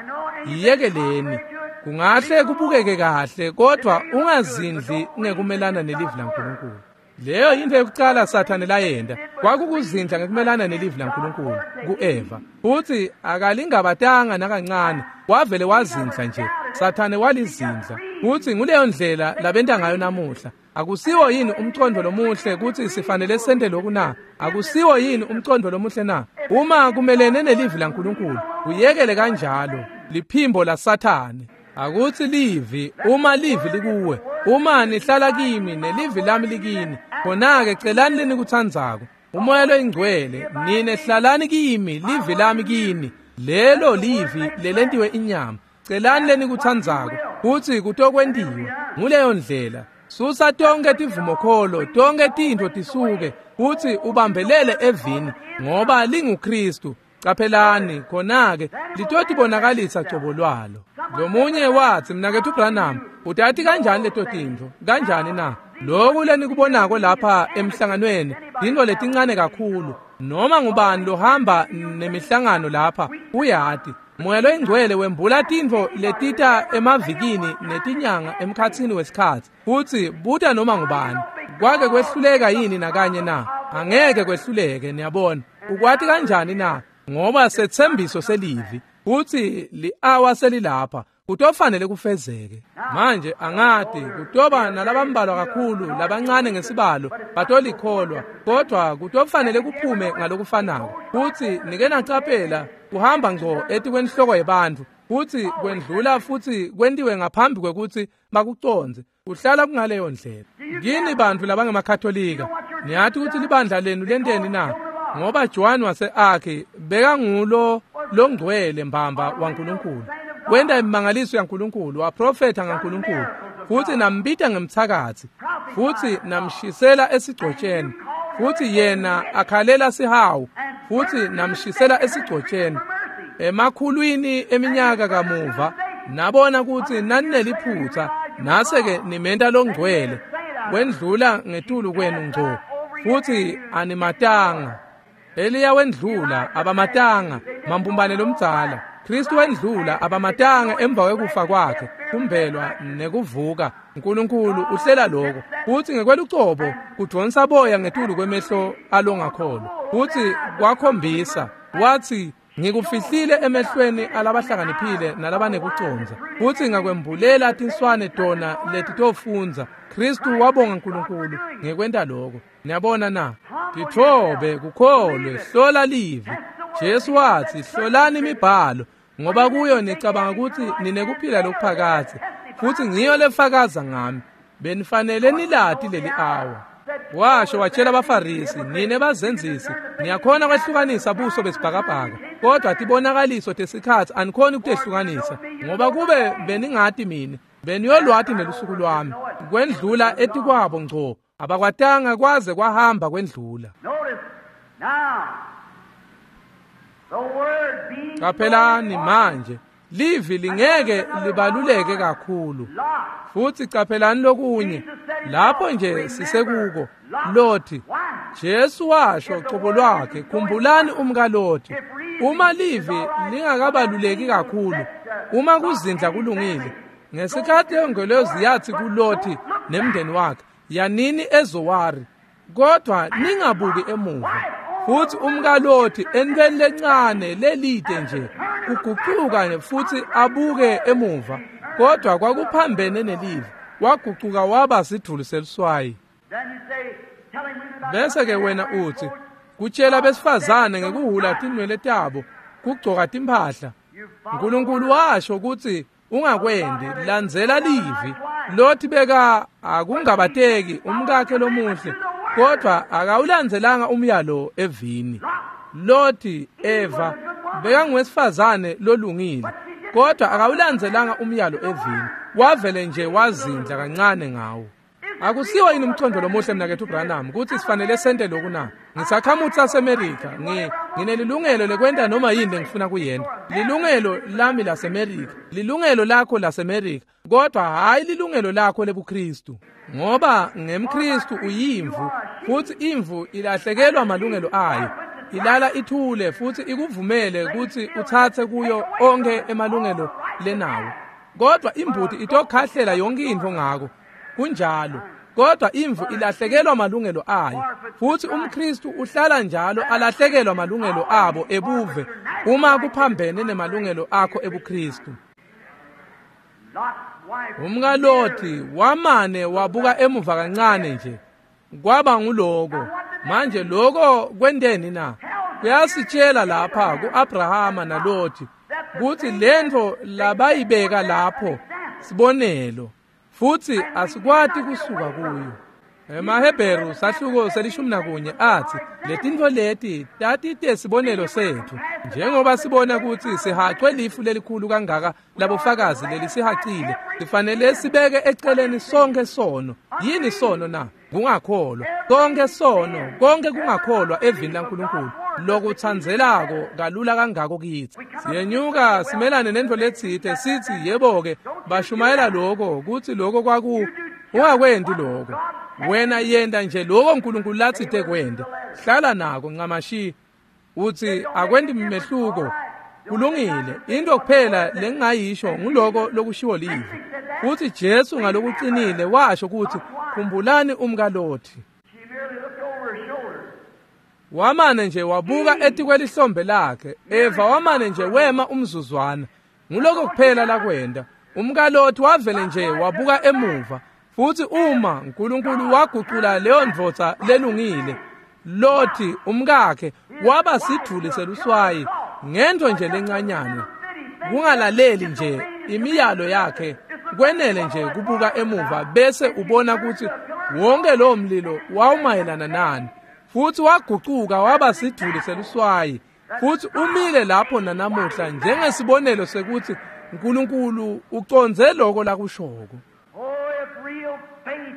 yiyekeleni. Kungahle kubukeke kahle, kodwa ungazindli ngekumelana nelivi laNkulunkulu. Leyo yintfo yokucala Sathane layenta, kwakukuzindla ngekumelana nelivi laNkulunkulu ku-Eva. Futsi akalingabatanga nakancane, wavele wazindla nje. Sathane walizindla. Futsi nguleyo ndlela labenta ngayo namuhla. Akusiwo yini umcondvo lomuhle kutsi sifanele sente lokhu na? Akusiwo yini umcondvo lomuhle na? Uma kumelene nelivi laNkulunkulu, uyekele kanjalo, liphimbo laSathane. Akutsi livi, uma livi likuwe, uma nihlala kimi nelivi lami likini, khona-ke celani lenikutsandzako. Umoya loyingcwele, nine hlalani kimi, livi lami kini, lelo livi lelentiwe inyama. Celani lenikutsandzako, kutsi kutokwentiwa. Nguleyo ndlela. Susa tonke tivumokholo, tonke tintfo tisuke, kutsi ubambelele evini, ngoba linguKristu. Caphelani, khona-ke litotibonakalisa cobo lwalo. Lomunye watsi, mnaketfu Branham, utati kanjani leto tintfo? Kanjani na? Loku lenikubonako lapha emhlanganweni, tintfo letincane kakhulu. Noma ngubani lohamba nemihlangano lapha uyati. Moya loyingcwele wembula tintfo letita emavikini netinyanga emkhatsini wesikhatsi. Futsi buta noma ngubani, kwake kwehluleka yini nakanye na? Angeke kwehluleke, niyabona. Ukwati kanjani na? Ngoba setsembiso selivi kutsi li-awa selilapha, kutofanele kufezeke. Manje angati kutoba nalabambalwa kakhulu labancane ngesibalo batolikholwa, kodwa kutofanele kuphume ngalokufanako. Futsi nike nacaphela kuhamba ngco etikwenhloko yebantfu, futsi kwendlula futsi kwentiwe ngaphambi kwekutsi bakucondze. Kuhlala kungaleyo ndlela. Kini bantfu labangemakatholika, niyati kutsi libandla lenu lenteni na? Ngoba Joan wase-Arki bekangulo longcwele mbamba waNkulunkulu, wenta imimangaliso yaNkulunkulu, waprofetha ngaNkulunkulu, futsi nambita ngemtsakatsi, futsi namshisela esigcotsheni, futsi yena akhalela sihawu, futsi namshisela esigcotsheni. Emakhulwini eminyaka kamuva nabona kutsi nanineliphutsa, nase-ke nimenta longcwele wendlula ngetulu kwenu ngco, futsi animatanga. Eliya wendlula, abamatanga, mambumbane lomdzala. Kristu wendlula abamatanga emva kwekufa kwakhe, kumbelwa nekuvuka. uNkulunkulu uhlela lokho futhi ngekwelucobo kudonsa boya ngetulu kwemehlo alongakholwa. Futhi kwakhombisa wathi ngikufihlile emehlweni alabahlakaniphile nalabanekucondza, futhi ngakwembulela tinswane tona letitofundza. Kristu wabonga uNkulunkulu ngekwenta lokho. Niyabona na? Tithobe kukholwe, hlola livi. Jesu wathi hlolani imibhalo ngoba kuyo nicabanga ukuthi ninekuphila lokuphakadze, futhi ngiyo lefakaza ngami. Benifanele nilati leli awa. Washo watshela abaFarisi, nine bazenzisi niyakhona kwehlukanisa buso besibhakabhaka, kodwa tibonakaliso tesikhatsi anikhoni ukutehlukanisa, ngoba kube beningati mina beniyolwati nelusuku lwami. Kwendlula etikwabo ngco, abakwatanga kwaze kwahamba kwendlula. Qaphelani manje, livi lingeke libaluleke kakhulu. Futhi qaphelani lokunye lapho nje sisekuko Loti. Jesu washo cobo lwakhe, khumbulani umkaLoti. Uma livi lingakabaluleki kakhulu, uma kuzindla kulungile, ngesikhathi ingelosi yathi kuLoti nemndeni wakhe, yanini eZowari, kodwa ningabuki emuva. Futhi umkaLoti entweni lencane lelide nje kuguquka futhi abuke emuva, kodwa kwakuphambene nelivi, waguquka waba sidvuli seluswayi. Bese ke wena uthi kutshela besifazane ngekuhula tinwele tabo, kugcoka timphahla. uNkulunkulu washo ukuthi ungakwendi, landzela livi. Loti beka akungabateki umkakhe lomuhle, kodwa akawulandzelanga umyalo evini. Loti Eva bekangowesifazane lolungile, kodwa akawulandzelanga umyalo evini, wavele nje wazindla kancane ngawo. Akusiwo yini umcondo lomuhle mnakethu Branham ukuthi sifanele sente lokhu na? Ngisakhamuzi saseMerika, nginelilungelo lekwenta noma yini lengifuna kuyenta. Lilungelo lami laseMerika, lilungelo lakho laseMerika, kodwa hayi lilungelo lakho lebuKristu. Ngoba ngemKristu uyimvu, futhi imvu ilahlekelwa malungelo ayo. Ilala ithule futhi ikuvumele ukuthi uthathe kuyo onke emalungelo lenawo. Kodwa imbuti itokhahlela yonke into ngako. Kunjalo, kodwa imvu ilahlekelwa malungelo ayo. Futhi umKristu uhlala njalo alahlekelwa malungelo abo ebuve uma kuphambene nemalungelo akho ebuKristu. UmkaLoti wamane wabuka emuva kancane nje, kwaba nguloko. Manje lokho kwenteni na? Kuyasitshela lapha kuAbrahama naLoti kuthi lento labayibeka lapho sibonelo, futhi asikwati kusuka kuyo. EmaHebheru sahluko se-11 athi letintfo leti tatite sibonelo sethu, njengoba sibona ukuthi sihacwe lifu lelikhulu kangaka labofakazi lelisihacile, sifanele sibeke eceleni sonke sono. Yini sono na? Kungakholwa. Konke sono, konke kungakholwa evini laNkulunkulu lokuthandzelako kalula kangako kithi. Siyenyuka simelane nento letsite sithi yebo-ke bashumayela lokho kuthi lokho kwaku ungakwendi lokho. Wena yenda nje lokho uNkulunkulu latsite kwende, hlala nako ncamashi. Uthi akwendi mehluko, kulungile. Into kuphela lengingayisho nguloko lokushiwo livi. Futhi Jesu ngalokuqinile washo ukuthi khumbulani umkaLoti. Wamane nje wabuka etikwelihlombe lakhe. Eva wamane nje wema umzuzwana. Nguloko kuphela lakwenda. UmkaLoti wavele nje wabuka emuva. Futhi uma uNkulunkulu waguqula leyo ndvodza lelungile, Loti umkakhe waba sidvuli seluswayi ngento nje lencanyane. Kungalaleli nje imiyalo yakhe, kwenele nje kubuka emuva bese ubona ukuthi wonke lo mlilo wawumayelana nani. Futhi waguquka waba sidvuli seluswayi, futhi umile lapho nanamuhla njengesibonelo sekuthi uNkulunkulu uconze lokho lakushoko.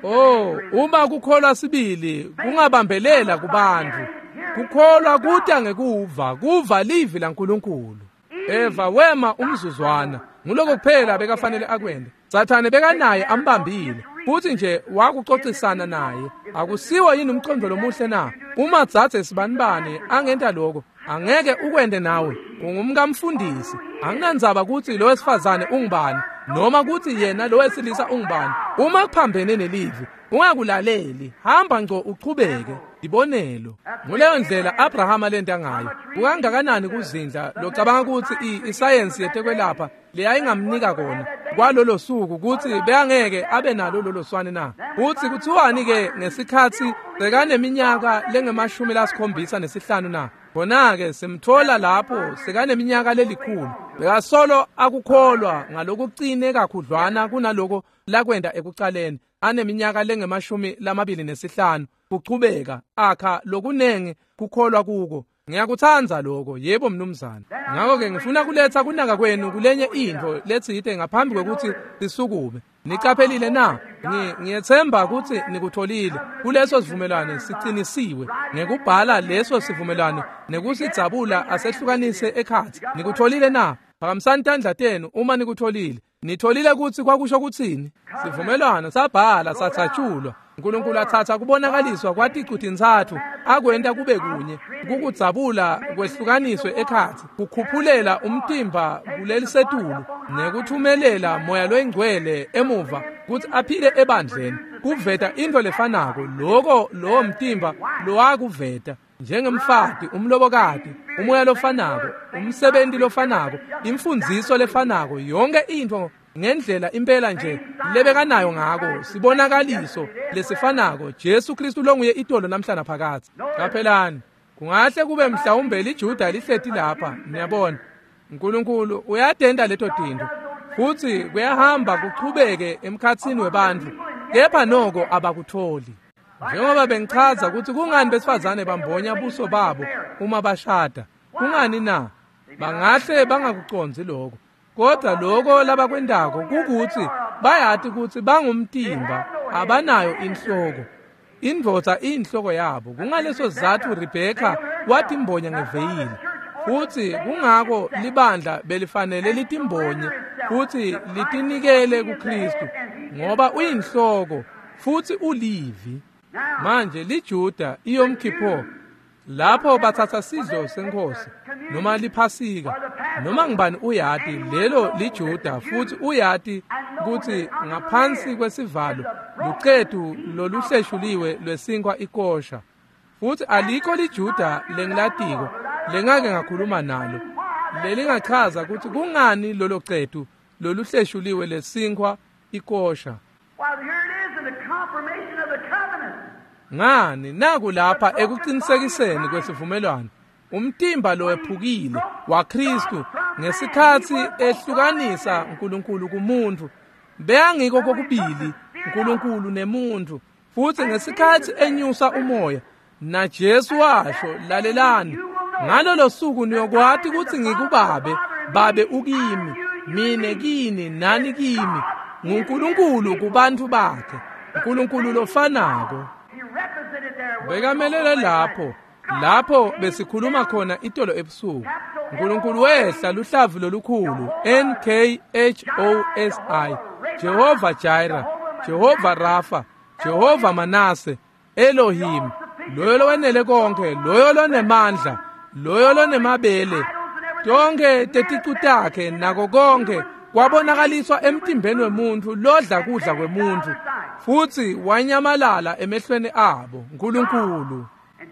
Oh, uma kukholwa sibili kungabambelela kubantu. Kukholwa kuta ngekuva, kuva livi laNkulunkulu. Eva wema umzuzwana, nguloko kuphela bekafanele akwende. Sathane bekanaye ambambile, futhi nje wakuxoxisana naye. Akusiwo yini umcondo lomuhle na? Uma dzadze sibanibani angenta lokho, Angeke ukwente nawe, ungumkamfundisi. Anginandzaba kutsi lo wesifazane ungubani noma kutsi yena lo wesilisa ungubani. Uma kuphambene nelivi, ungakulaleli, hamba ngco uchubeke. Ibonelo. Nguleyo ndlela Abrahama lenta ngayo. Kukangakanani kuzindla locabanga kutsi isayensi yetekwelapha leyayingamnika kona kwalolo suku kutsi beyangeke abe nalo lolo swane na? Utsi kuthiwani ke ngesikhatsi sekaneminyaka lengemashumi 75 na? Khona-ke simthola lapho sekaneminyaka lelikhulu. Bekasolo akukholwa ngalokucine kakhudlwana kunaloko lakwenta ekucaleni, aneminyaka lengemashumi 25 kuchubeka akha lokunengi kukholwa kuko. Ngiyakutsandza lokho, yebo mnumzane. Ngakho-ke ngifuna kuletsa kunaka kwenu kulenye intfo letsite ngaphambi kwekutsi sisukume. Nicaphelile na? Ngiyetsemba kutsi nikutholile. Kuleso sivumelwano sicinisiwe ngekubhala leso sivumelwano nekusidzabula asehlukanise ekhatsi. Nikutholile na? Phakamisani tandla tenu uma nikutholile. Nitholile kutsi kwakusho kutsini? Sivumelwano sabhala sathatshulwa. uNkulunkulu athatha kubonakaliswa kwaticu-tintsatfu akwenta kube kunye, kukudzabula kwehlukaniswe ekhatsi, kukhuphulela umtimba kulelisetulu nekuthumelela moya loyingcwele emuva kutsi aphile ebandleni, kuveta intfo lefanako loko lowo mtimba lowakuveta njengemfati, umlobokati, umoya lofanako, umsebenti lofanako, imfundziso lefanako, yonke intfo ngendlela impela nje lebekanayo ngako, sibonakaliso lesifanako, Jesu Kristu longuye itolo namhla naphakadze. Qaphelani, kungahle kube mhlawumbe liJuda lihleti lapha, niyabona. uNkulunkulu uyatenta leto tintfo futsi kuyahamba kuchubeke emkhatsini webantfu, kepha noko abakutholi. Njengoba bengichaza kutsi kungani besifazane bambonya buso babo uma bashada, kungani na? Bangahle bangakucondzi lokho, kodwa lokho labakwentako kukutsi bayati kutsi bangumtimba, abanayo inhloko. Indvodza iyinhloko yabo. Kungaleso sizatfu Rebheka watimbonya ngeveyili, futsi kungako libandla belifanele litimbonye futsi litinikele kuKristu, ngoba uyinhloko futsi ulivi. Manje liJuda iYom Kippur, lapho bathatha sidlo senkosi noma liphasika noma ngibani uyati lelo liJuda, futsi uyati kutsi ngaphansi kwesivalo lucetu loluhleshuliwe lwesinkwa ikosha. Futsi alikho liJuda lengilatiko lengake ngakhuluma nalo lelingachaza kutsi kungani lolo cetu loluhleshuliwe lesinkwa ikosha. Why, here it is in the confirmation of the covenant. Ngani, naku lapha ekucinisekiseni kwesivumelwano, umtimba lowephukile waKristu ngesikhatsi ehlukanisa uNkulunkulu kumuntu. Beyangiko kokubili uNkulunkulu nemuntu, futsi ngesikhatsi enyusa umoya naJesu washo, lalelani, ngalolo suku niyokwati kutsi ngikubabe, babe ukimi, mine kini, nani kimi. NguNkulunkulu kubantfu bakhe, uNkulunkulu lofanako. He represented there. Bekamelele lapho, lapho besikhuluma khona itolo ebusuku. uNkulunkulu wehla luhlavu lolukhulu NKHOSI, Jehova Jireh, Jehova Rafa, Jehova Manase, Elohim, loyo lowenele konke, loyo lonemandla, loyo lonemabele, tonke teticu takhe nako konke kwabonakaliswa emtimbeni wemuntfu lodla kudla kwemuntfu, futsi wanyamalala emehlweni abo. uNkulunkulu.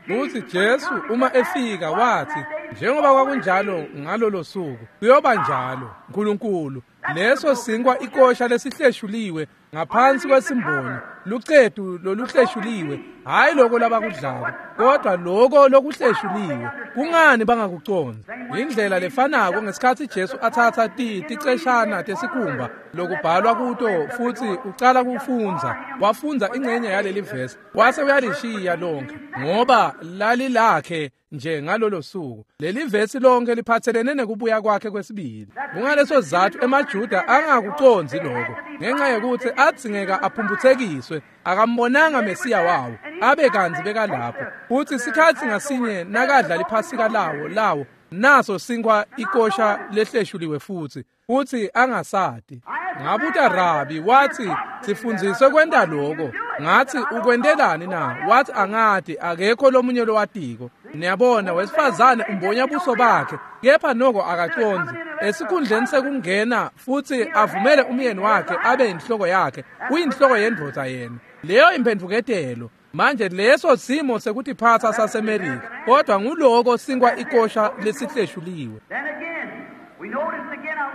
Futhi Jesu uma efika wathi, njengoba kwakunjalo ngalolo suku, kuyoba njalo. uNkulunkulu, leso sinkwa ikosha lesihleshuliwe ngaphansi kwesimbonyo, lucetu loluhleshuliwe, hayi lokho labakudlako, kodwa lokho lokuhleshuliwe. Kungani bangakucondzi? Indlela lefanako ngesikhatsi Jesu athatha ticeshana tesikhumba lokubhalwa kuto futsi ucala kufundza, wafundza ingcenye yaleli vesi wase uyalishiya lonke, ngoba lalilakhe nje ngalolo suku. Leli vesi lonke liphathelene nekubuya kwakhe kwesibili. Kungaleso sizatfu emaJuda angakucondzi lokho, ngenxa yokuthi adzingeka aphumphutsekiswe, akambonanga Mesiya wawo abe kantsi bekalapho. Futsi sikhatsi ngasinye nakadla liphasika lawo naso sinkwa ikosha lehleshuliwe futsi angasati. Ngabuta Rabi, wathi sifundziswe kwenta lokho. Ngathi ukwentelani na? Wathi angati, akekho lomunye lowatiko. Niyabona, wesifazane umbonya buso bakhe, kepha noko akacondzi. Esikhundleni sekungena futsi avumele umyeni wakhe abe inhloko yakhe, uyinhloko yendvodza yena. Leyo imphendvuketelo. Manje leso simo sekutiphatsa saseMerika, kodwa nguloko sinkwa ikosha lesihleshuliwe.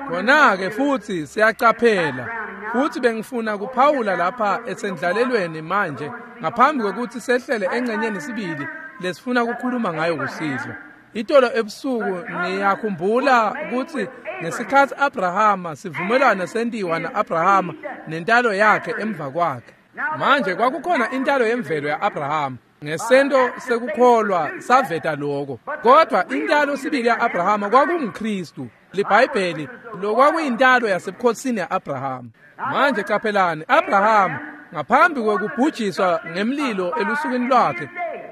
Khona-ke futhi siyacaphela, futhi bengifuna kuphawula lapha esendlalelweni manje ngaphambi kwekuthi sehlele engcenyeni sibili lesifuna ukukhuluma ngayo kusihlwa. Itolo ebusuku niyakhumbula ukuthi ngesikhathi Abrahama sivumelwano sentiwa na-Abrahama nentalo yakhe emva kwakhe. Manje kwakukhona intalo yemvelo ya-Abrahama ngesento sekukholwa saveta lokho, kodwa intalo sibili ya-Abrahama kwakunguKristu. LiBhayibheli lokwakuyintalo yasebukhosini ya-Abrahama. Manje qaphelani, Abrahama ngaphambi kwekubhujiswa ngemlilo elusukwini lwakhe,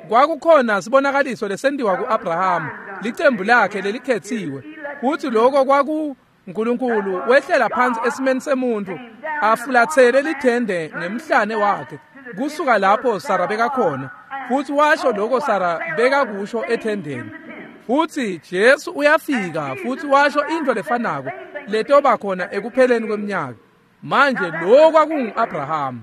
kwakukhona sibonakaliso lesentiwa ku-Abrahama, licembu lakhe lelikhethiwe. Kuthi lokho kwaku uNkulunkulu wehlela phansi esimeni semuntu, afulathele lithende ngemhlane wakhe kusuka lapho Sara bekakhona, futhi washo lokho Sara bekakusho ethendeni. Futhi Jesu uyafika futhi washo into lefanako letoba khona ekupheleni kweminyaka. Manje lokho kwakungu-Abrahama.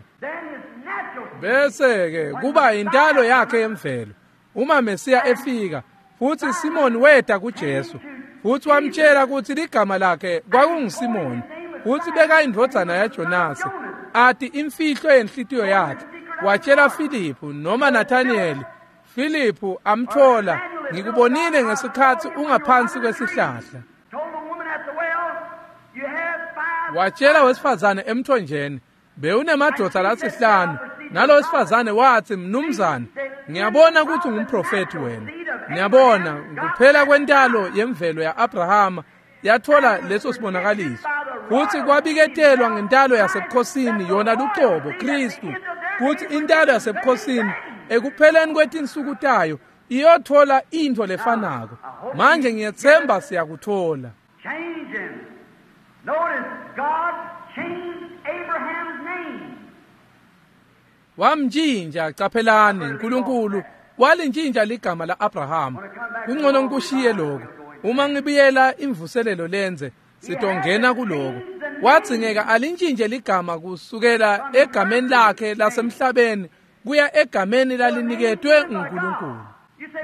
Bese-ke kuba intalo yakhe yemvelo uma Mesiya efika. Futhi Simoni weta kuJesu futhi wamtshela ukuthi ligama lakhe kwakunguSimoni, futhi bekayindvodzana yaJonase, athi imfihlo yenhlitiyo yakhe. Watshela Filiphu noma Nathanieli. Filiphu amthola, ngikubonile ngesikhathi ungaphansi kwesihlahla. Watshela wesifazane emthonjeni, bewunemadoda lasihlanu. Nalo wesifazane wathi, mnumzane, ngiyabona ukuthi ungumprofethi wena. Ngiyabona kuphela kwentalo yemvelo ya-Abrahama yathola leso sibonakaliso. Futhi kwabiketelwa ngentalo yasebukhosini yona lucobo Kristu, kuthi intalo yasebukhosini ekupheleni kwetinsuku tayo iyothola into lefanako. Manje ngiyethemba siyakuthola. Wamntshintsha, caphelani, uNkulunkulu walintshintsha ligama la-Abrahama. Kungcono ngikushiye lokho. Uma ngibuyela imvuselelo lenze, sitongena kuloko. Wadzingeka alintshintshe ligama kusukela egameni lakhe lasemhlabeni kuya egameni laliniketwe nguNkulunkulu.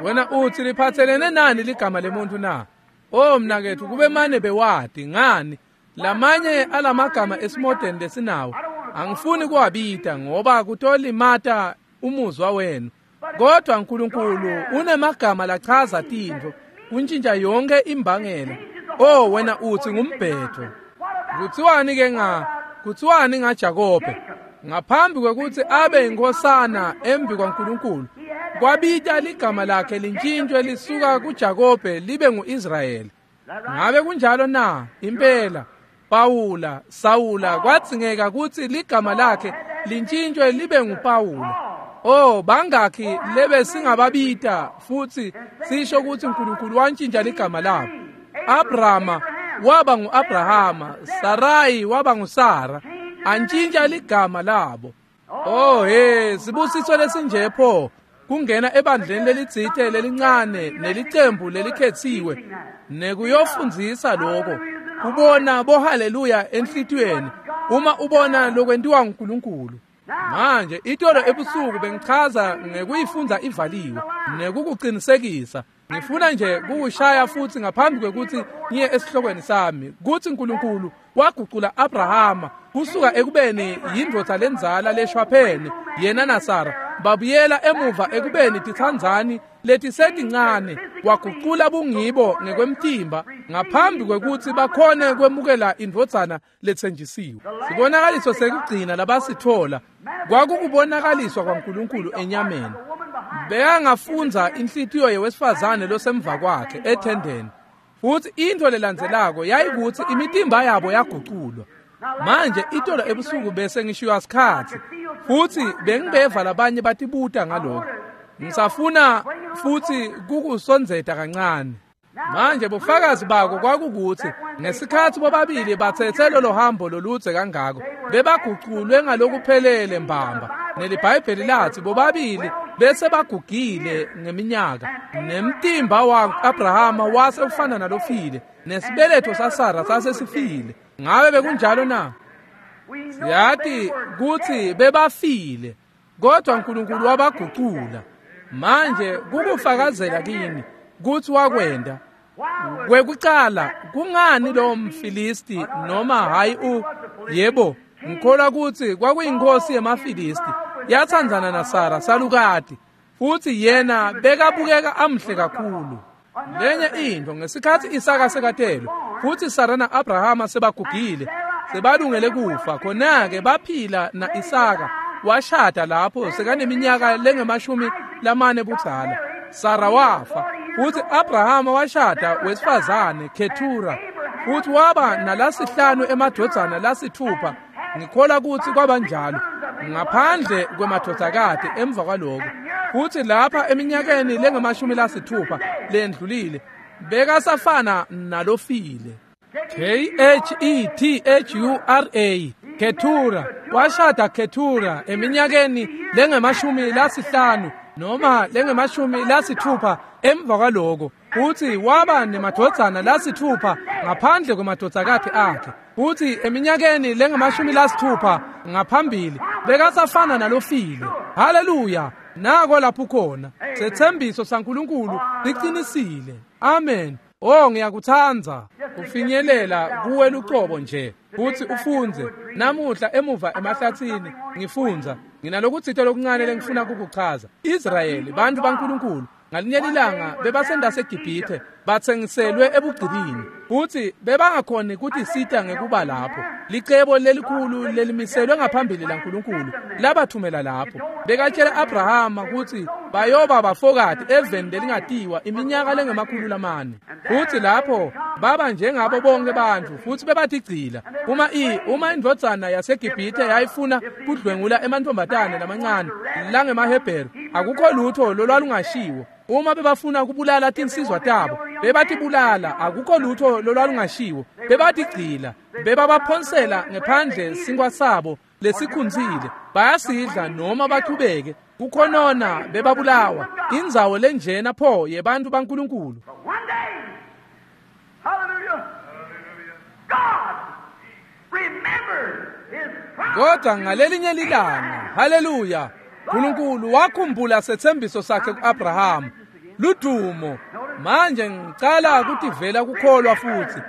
Wena uthi liphathelene nani ligama lemuntu na? Oh mnakethu, kube mane bewadi ngani lamanye alamagama esimodeni lesinawo angifuni kuwabita ngoba kutolimata umuzwa wenu. Kodwa uNkulunkulu unemagama lachaza tintfo, kuntshintsha yonke imbangela. Oh wena uthi ngumbhedo. Kuthiwani ke kuthiwani ngaJakobe? Ngaphambi kwekuthi abe inkosana embi kwaNkulunkulu, kwabita ligama lakhe lintshintshwe lisuka kuJakobe libe nguIsrayeli. Ngabe kunjalo na? Impela. Pawula, Sawula kwadzingeka kutsi ligama lakhe lintshintshwe libe nguPawula. Oh bangakhi lebe singababita futhi sisho ukuthi uNkulunkulu wantshintsha ligama labo. Abrahama waba nguAbrahama, Sarai waba nguSara, antshintsha ligama labo. Oh hey, sibusiso lesinje pho kungena ebandleni lelitsite lelincane nelicembu lelikhethiwe nekuyofundzisa lokho, ubona bo haleluya enhlitiyweni uma ubona lokwentiwa nguNkulunkulu. Manje itolo ebusuku bengichaza ngekuyifundza ivaliwe nekukuqinisekisa. Ngifuna nje kukushaya futhi ngaphambi kwekuthi ngiye esihlokweni sami kuthi uNkulunkulu wagucula Abrahama kusuka ekubeni yindvodza lenzala leshwaphene yena naSara babuyela emuva ekubeni titsandzani letisetincane, wagucula bungibo ngekwemtimba ngaphambi kwekuthi bakhone kwemukela indvodzana letsenjisiwe. Sibonakaliso sekugcina labasithola kwakukubonakaliswa kwaNkulunkulu enyameni. Bekangafundza inhlitiyo yewesifazane losemva kwakhe ethendeni, futhi into lelandzelako yayikuthi imitimba yabo yaguculwa. Manje itolo ebusuku bese ngishiywa sikhatsi futhi bengibeva labanye batibuta ngalokho. Ngisafuna futhi kukusondzeta kancane. Manje bufakazi bako kwakukuthi ngesikhathi bobabili bathethe lolo hambo loludze kangako, bebaguculwe ngalokuphelele mbamba. NeliBhayibheli lathi bobabili bese bagugile ngeminyaka, nemtimba wa-Abrahama wase ufana nalofile, nesibeletho saSara sasesifile. Ngabe bekunjalo na? Siyati kutsi bebafile, kodwa uNkulunkulu wabagucula. Manje kukufakazela kini kutsi wakwenda. Kwekucala, kungani lo mFilisti noma hayi yebo, ngikholwa kutsi kwakuyinkosi yemaFilisti yatsandzana naSara salukati, futsi yena bekabukeka amhle kakhulu. Lenye intfo, ngesikhatsi Isaka sekatelwe futsi Sara na-Abrahama sebagugile sebalungele kufa, khona-ke baphila na-Isaka washada lapho sekaneminyaka lengama-40 budzala. Sara wafa, futsi Abrahama washada wesifazane Ketura, futsi waba nalasihlanu emadvodzana lasithupha. Ngikholwa kutsi kwabanjalo ngaphandle kwemadvodzakati emva kwaloko. Futsi lapha eminyakeni lengama-60 lendlulile bekasafana nalofile. K-H-E-T-H-U-R-A, Ketura washada Ketura eminyakeni lengama-50 noma lengama-60 emva kwaloko, futsi waba nemadvodzana lasithupha ngaphandle kwemadvodzakati akhe. Futsi eminyakeni lengama-60 ngaphambili bekasafana nalofile. Haleluya! Nako lapho khona setsembiso saNkulunkulu siqinisile. Amen. Oh, ngiyakutsandza kufinyelela kuwe lucobo nje futsi ufundze. Namuhla emuva emahlatsini ngifundza, nginalokutsite lokuncane lengifuna kukuchaza. Israyeli, bantfu baNkulunkulu, ngalinye lilanga bebasendaseGibhithe, batsengiselwe ebugqilini, futsi bebangakhoni kutisita ngekuba lapho. Licebo lelikhulu lelimiselwe ngaphambili laNkulunkulu labathumela lapho. Bekatshela Abrahama kutsi bayoba bafokati eveni lelingatiwa iminyaka lengama-400. Futsi lapho baba njengabo bonke bantfu, futsi bebatigcila. Uma indvodzana yaseGibhithe yayifuna kudlwengula emantfombatane lamancane langemaHebheru, akukho lutho lolwalungashiwo. Uma bebafuna kubulala tinsizwa tabo, bebatibulala, akukho lutho lolwalungashiwo. Bebatigcila, bebabaphonsela ngephandle sinkwa sabo lesikhunzile, bayasidla noma bachubeke kukhonona, bebabulawa. Indzawo lenjena pho yebantfu baNkulunkulu. Kodwa ngalelinye lilanga, haleluya, uNkulunkulu wakhumbula setsembiso sakhe ku-Abrahama. Ludumo. Manje ngicala kutivela kukholwa futhi.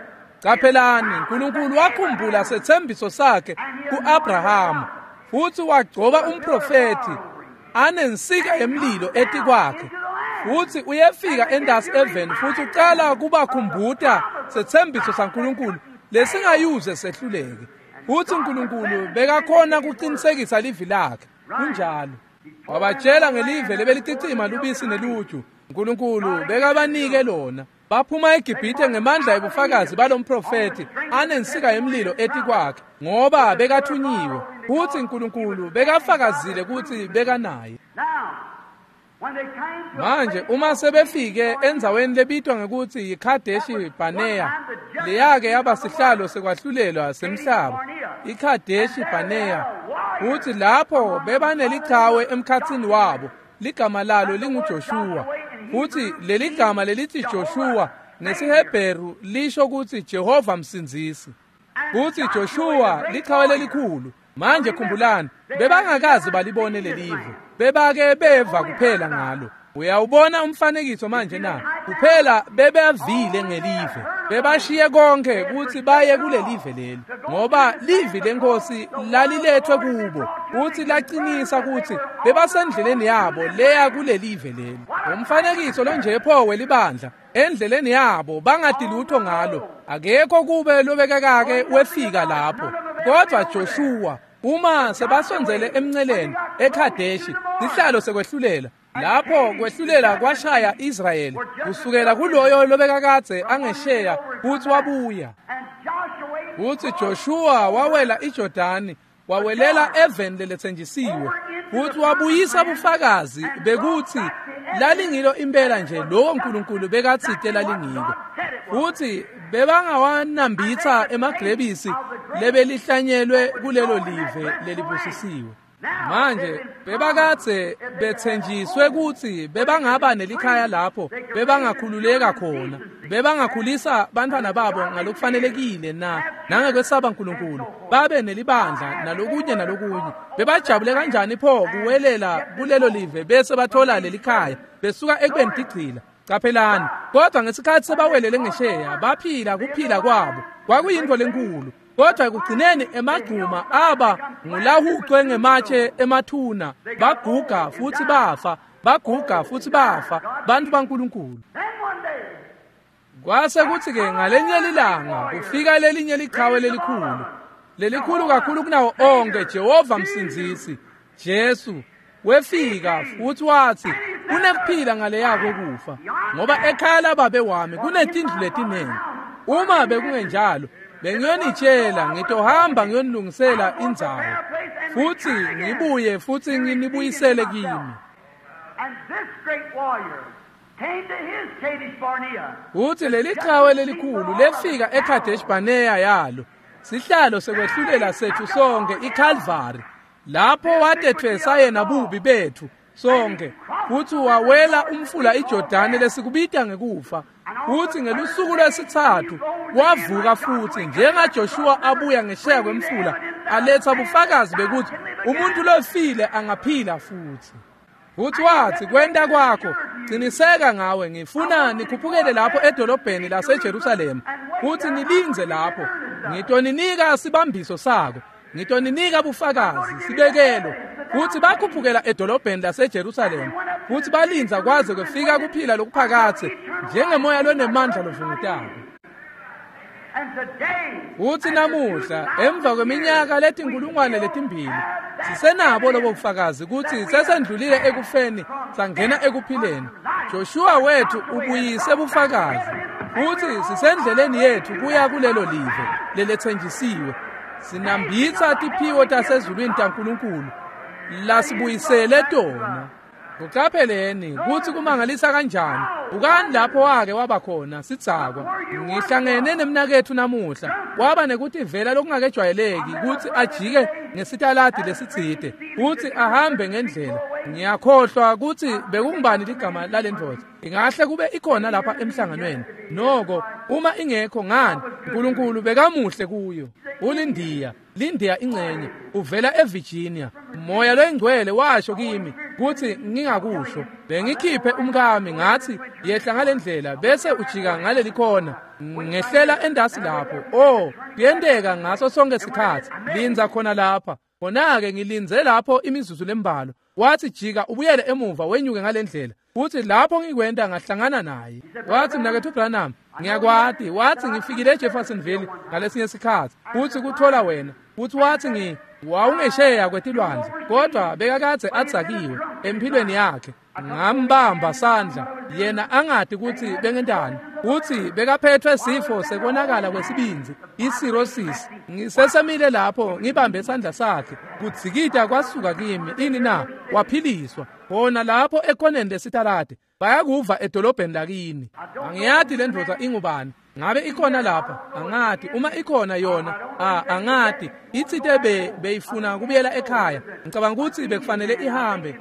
Caphelani, uNkulunkulu wakhumbula setsembiso sakhe ku-Abrahama, futsi wagcoba umprofethi anensika yemlilo etikwakhe. Futsi uyefika endasi eveni futsi ucala kubakhumbuta setsembiso saNkulunkulu lesingayuze sehluleke. Futsi uNkulunkulu bekakhona kuqinisekisa livi lakhe. Kunjalo. Wabatshela ngelive lebelicicima lubisi neluju. uNkulunkulu bekabanike lona. Baphuma eGibhithe ngemandla ebufakazi balomprofethi anensika yemlilo etikwakhe, ngoba bekathunyiwe. Futsi uNkulunkulu bekafakazile kutsi bekanaye. Manje uma sebefike endzaweni lebitwa ngekutsi yiKhadeshi Barnea, leyake yaba sihlalo sekwahlulelwa semhlaba, iKhadeshi Barnea, futsi lapho bebanelichawe emkhatsini wabo, ligama lalo linguJoshuwa. Futsi leligama lelithi Joshua ngesiHebheru lisho kutsi Jehova msindzisi. Futsi Joshua lichawe lelikhulu. Manje khumbulani, bebangakaze balibone lelive, bebake beva kuphela ngalo. Uyawubona umfanekiso manje na? Kuphela bebavile ngelive, bebashiye konke kutsi baye kulelive leli, ngoba livi lenkosi lalilethwe kubo futsi laqinisa kutsi bebasendleleni yabo leya kulelive leli. Umfanekiso lonje pho welibandla endleleni yabo bangati lutho ngalo, akekho kube lobekakake wefika lapho. Kodwa Joshua uma sebasondzele emnceleni eKhadeshi, sihlalo sekwehlulela, lapho kwehlulela kwashaya Israyeli kusukela kuloyo lobekakadze angesheya futsi wabuya. Futsi Joshua wawela iJordani, wawelela eveni leletsenjisiwe, futsi wabuyisa bufakazi bekuthi lalingilo impela nje lowo Nkulunkulu bekatsite lalingilo. Futsi bebangawanambitsa emagrebisi lebelihlanyelwe kulelo live lelibusisiwe. Manje bebakadze bethenjiswe kutsi bebangaba nelikhaya lapho bebangakhululeka khona, bebangakhulisa bantfwana babo ngalokufanelekile na nangekwesaba uNkulunkulu, babe nelibandla nalokunye nalokunye. Bebajabule kanjani pho kuwelela kulelo live bese bathola lelikhaya besuka ekubeni tigcila. Caphelani, kodwa ngesikhathi sebawelele ngesheya baphila kuphila kwabo kwakuyintfo lenkulu. Kodwa ekugcineni emagcuma aba ngulahucwe ngematshe emathuna, baguga futhi bafa, baguga futhi bafa, bantu baNkulunkulu. Kwase kuthi-ke ngalenye lilanga kufika lelinye liqhawe lelikhulu, lelikhulu kakhulu kunawo onke, Jehova Msindzisi, Jesu. Wefika futhi wathi kunekuphila ngaleya kokufa, ngoba ekhaya lababe wami kunetindlu letiningi. Uma bekungenjalo bengiyonitshela, ngitohamba ngiyonilungisela indzawo futhi ngibuye futhi nginibuyisele kimi. Uthi leli qhawe lelikhulu lefika eKadesh Barnea yalo, sihlalo sekwehlulela sethu sonke, iCalvary, lapho watethwesa yena bubi bethu sonke, futhi wawela umfula iJordani lesikubita ngekufa. Futhi ngelusuku lwesithathu wavuka futhi, njengaJoshua abuya ngesheya kwemfula aletha bufakazi bekuthi umuntu lofile angaphila futhi. Futhi wathi, kwenta kwakho qiniseka ngawe, ngifuna nikhuphukele lapho edolobheni laseJerusalema futhi nilindze lapho, ngitoninika sibambiso sako, ngitoninika bufakazi, sibekelo. Futhi bakhuphukela edolobheni laseJerusalema futhi balindza kwaze kwefika kuphila lokuphakathe njengemoya lonemandla lovungutako. Futhi namuhla emva kweminyaka letinkulungwane letimbili sisenabo lobo bufakazi kutsi sesendlulile ekufeni sangena ekuphileni. Joshua wethu ubuyise bufakazi futhi sisendleleni yethu kuya kulelo live lelethenjisiwe. Sinambitsa tiphiwo tasezulwini taNkulunkulu lasibuyisele tona. Kuqapheleni kutsi kumangalisa kanjani. Bukani lapho wake waba khona sidzakwa. Ngihlangene nemnaketfu namuhla, waba nekutivela lokungakejwayeleki kutsi ajike ngesitaladi lesitsite kutsi ahambe ngendlela. Ngiyakhohlwa kutsi bekungubani ligama lalendvodza. Ingahle kube ikhona lapha emhlanganweni. Noko uma ingekho, ngani, uNkulunkulu bekamuhle kuyo. Ulindiya, Lindiya ingcenye, uvela eVirginia. Moya loyingcwele washo kimi kutsi ngingakusho. Bengikhiphe umkami ngathi yehla ngalendlela bese ujika ngaleli khona. Ngehlela endasi lapho. Oh, kuyenteka ngaso sonke sikhatsi. Lindza khona lapha. Khona-ke ngilindze lapho imizuzu lembalwa. Wathi jika ubuyele emuva wenyuke ngalendlela. Futhi lapho ngikwenta ngahlangana naye. Wathi, mnaketfu Branham, ngiyakwati. Wathi ngifikile eJeffersonville ngalesinye sikhatsi futhi kuthola wena. Futhi wathi wawungesheya kwetilwandle, kodwa bekakadze adzakiwe empilweni yakhe. Ngambamba sandla yena angati kutsi bengentani. Uthi bekaphethwe sifo sekonakala kwesibindzi, i-cirrhosis. Ngisesemile lapho ngibambe isandla sakhe, kudzikita kwasuka kimi. Ini na? Waphiliswa khona lapho ekoneni lesitaladi. Bayakuva edolobheni lakini. Angiyati le ndvodza ingubani. Ngabe ikhona lapha? Angati. Uma ikhona yona, angati. Itsite beyifuna kubuyela ekhaya. Ngicabanga ukuthi bekufanele ihambe.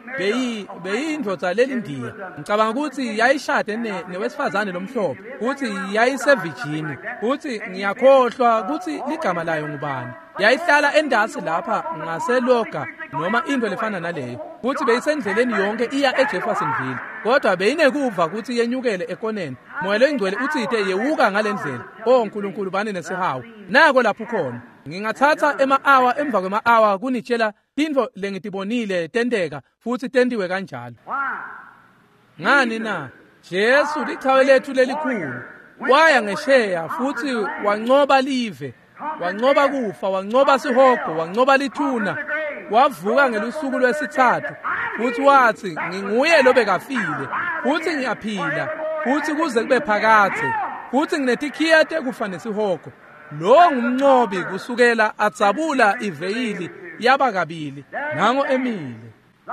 Beyindvodza lelindiya. Ngicabanga ukuthi yayishade newesifazane lomhlophe. Uthi yayiseVirginia. Uthi ngiyakhohlwa ukuthi ligama layo ngubani. Yayihlala endasi lapha ngaseLoga noma into lefana naleyo. Futhi beyisendleleni yonke iya eJeffersonville. Kodwa beyinekuva ukuthi yenyukele ekoneni. Moya loyingcwele utsite yewuka ngalendlela. Oh Nkulunkulu, bani nesihawu. Nako lapho khona. Ngingathatha ema-awa emva kwema-awa kunitshela tintfo lengitibonile tenteka futhi tentiwe kanjalo. Ngani na? Jesu lichawe lethu lelikhulu waya ngesheya futhi wancoba live, wancoba kufa, wancoba sihogo, wancoba lithuna, wavuka ngelusuku lwesithathu futhi wathi nginguye lobekafile futhi ngiyaphila futhi kuze kube phakadze futhi nginetikhiya tekufa nesihogo. Lo ngumncobi kusukela adzabula iveyili yaba kabili, nango emile.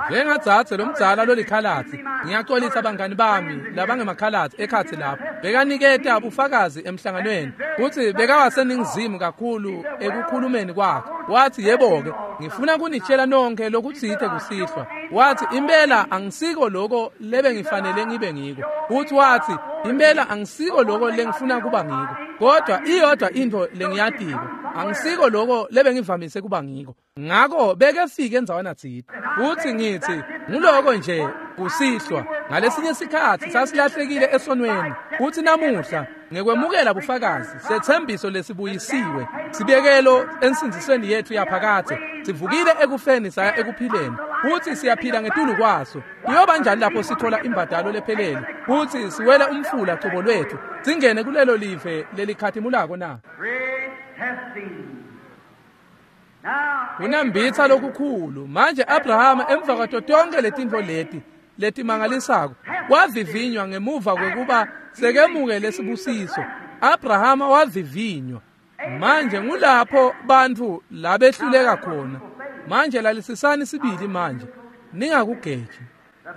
Njengadzadze lomdzala lolikhalatsi, ngiyaxolisa bangani bami labangemakhalatsi ekhatsi lapho, bekaniketa bufakazi emhlanganweni kutsi bekawaseningizimu kakhulu ekukhulumeni kwakhe. Wathi, yebo-ke, ngifuna kunitshela nonke lokutsite kusihlwa. Wathi, impela angisiko loko lebengifanele ngibe ngiko. Futhi wathi, impela angisiko loko lengifuna kuba ngiko, kodwa iyodwa intfo lengiyatiko, angisiko loko lebengivamise kuba ngiko. Ngako bekefike endzaweni tsite. Futhi ngithi nguloko nje kusihlwa. Ngalesinye sikhatsi sasilahlekile esonweni, futhi namuhla ngekwemukela bufakazi sethembiso lesibuyisiwe, sibekelo ensindzisweni yetfu yaphakadze, sivukile ekufeni saya ekuphileni, futhi siyaphila ngetulu kwaso. Kuyoba njani lapho sithola imbadalo lephelele futhi siwele umfula cobo lwethu singene kulelo live lelikhatimulako na? Kunambitsa lokukhulu. Manje Abrahama emva kwato tonke letintfo leti letimangalisako wavivinywa ngemuva kwekuba sekemukele sibusiso. Abrahama wavivinywa. Manje ngulapho bantfu labehluleka khona. Manje lalisisani sibili manje, ningakugeji.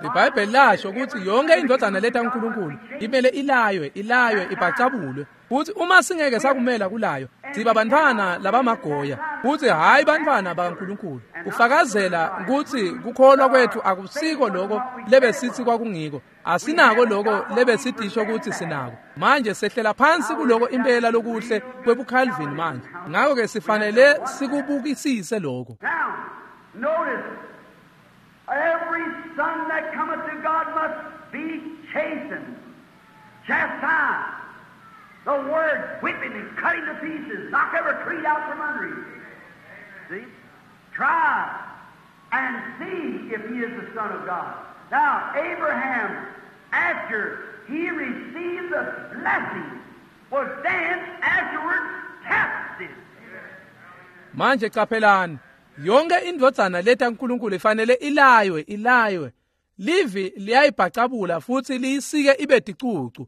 IBhayibheli lasho ukuthi yonke indvodzana leta uNkulunkulu imele ilaywe, ilaywe, ibhacabulwe. Futhi uma singeke sakumela kulayo, siba bantfwana labamagoya, futhi hhayi bantfwana bakaNkulunkulu. Kufakazela ukuthi kukholwa kwethu akusiko loko lebesithi kwakungiko, asinako loko lebesitisho ukuthi sinako. Manje sehlela phansi kuloko impela lokuhle kwebuCalvin manje. Ngakho-ke sifanele sikubukisise lokho. Every son that cometh to God must be chastened, chastised. The word whipping and cutting to pieces, knock every creed out from under him. See? Try and see if he is the Son of God. Now, Abraham, after he received the blessing, was then afterwards tested. Manje qaphelani, yonke indvodzana leta uNkulunkulu ifanele ilaywe, ilaywe. Livi liyayibhacabula futhi liyisike ibe ticucu.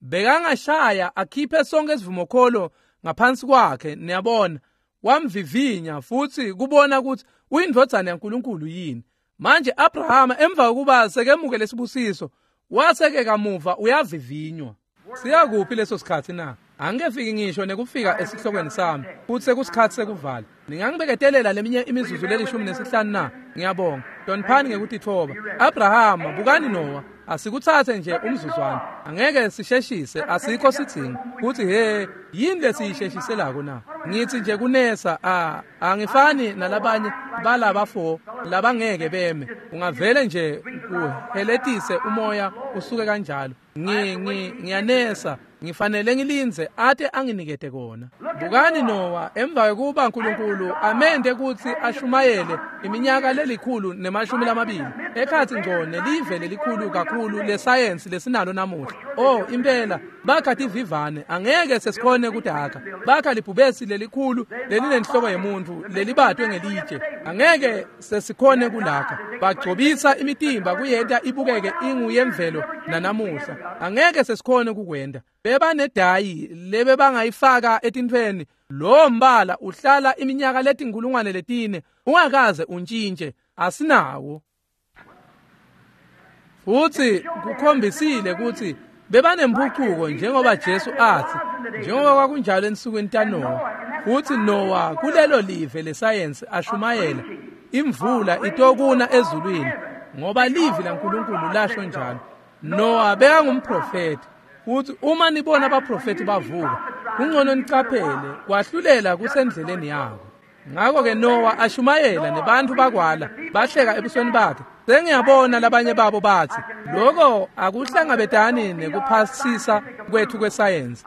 Bekangashaya akhiphe sonke isivumokholo ngaphansi kwakhe, niyabona. Wamvivinya futhi kubona ukuthi uyindvodzana yaNkulunkulu yini. Manje Abrahama emva kokuba sekemukele isibusiso, waseke kamuva uyavivinywa. Siyakuphi leso sikhathi na? Angikefiki ngisho nekufika esihlokweni sami, futhi sekusikhathi sekuvala. Ningangibeketelela leminye imizuzu le15 na? Ngiyabonga. Hloniphani ngekutitfoba. Abrahama, bukani Noah, asikuthathe nje umzuzwana. Angeke sisheshise, asikho sidzingo. Kuthi he, yini lesiyisheshiselako na? Ngithi nje kunesa, angifani nalabanye balabafo labangeke beme. Ungavele nje uheletise umoya usuke kanjalo. Ngiyanesa, ngifanele ngilindze ate anginikete kona. Bukani Noah emva kokuba uNkulunkulu amende ukuthi ashumayele iminyaka 120 ekhathi ngco nelive lelikhulu kakhulu lesayensi lesinalo namuhla. Oh impela bakha tivivane, angeke sesikhone kudakha. Bakha libhubesi lelikhulu lelinenhloko yemuntu lelibatwe ngelitshe, angeke sesikhone kulakha. Bagcobisa imitimba kuyenta ibukeke inguyemvelo nanamuhla, angeke sesikhone kukwenda. Bebanedayi lebebangayifaka etintfweni, lo mbala uhlala iminyaka 4,000 ungakaze untshintshe, asinawo. Futhi kukhombisile ukuthi bebanempucuko njengoba Jesu athi, njengoba kwakunjalo ensukwini taNoah. Futhi Noah kulelo live lesayensi ashumayela imvula itokuna ezulwini ngoba livi laNkulunkulu lasho njalo. Noah bekangumprofeti. Futhi uma nibona abaprofeti bavuka, kungcono nicaphele kwahlulela kusendleleni yako. Ngakho-ke Noah ashumayela nebantu bakwala, bahleka ebusweni bakhe. Sengiyabona labanye babo bathi, lokho akuhlangabetani nekuphasisa kwethu kwesayensi.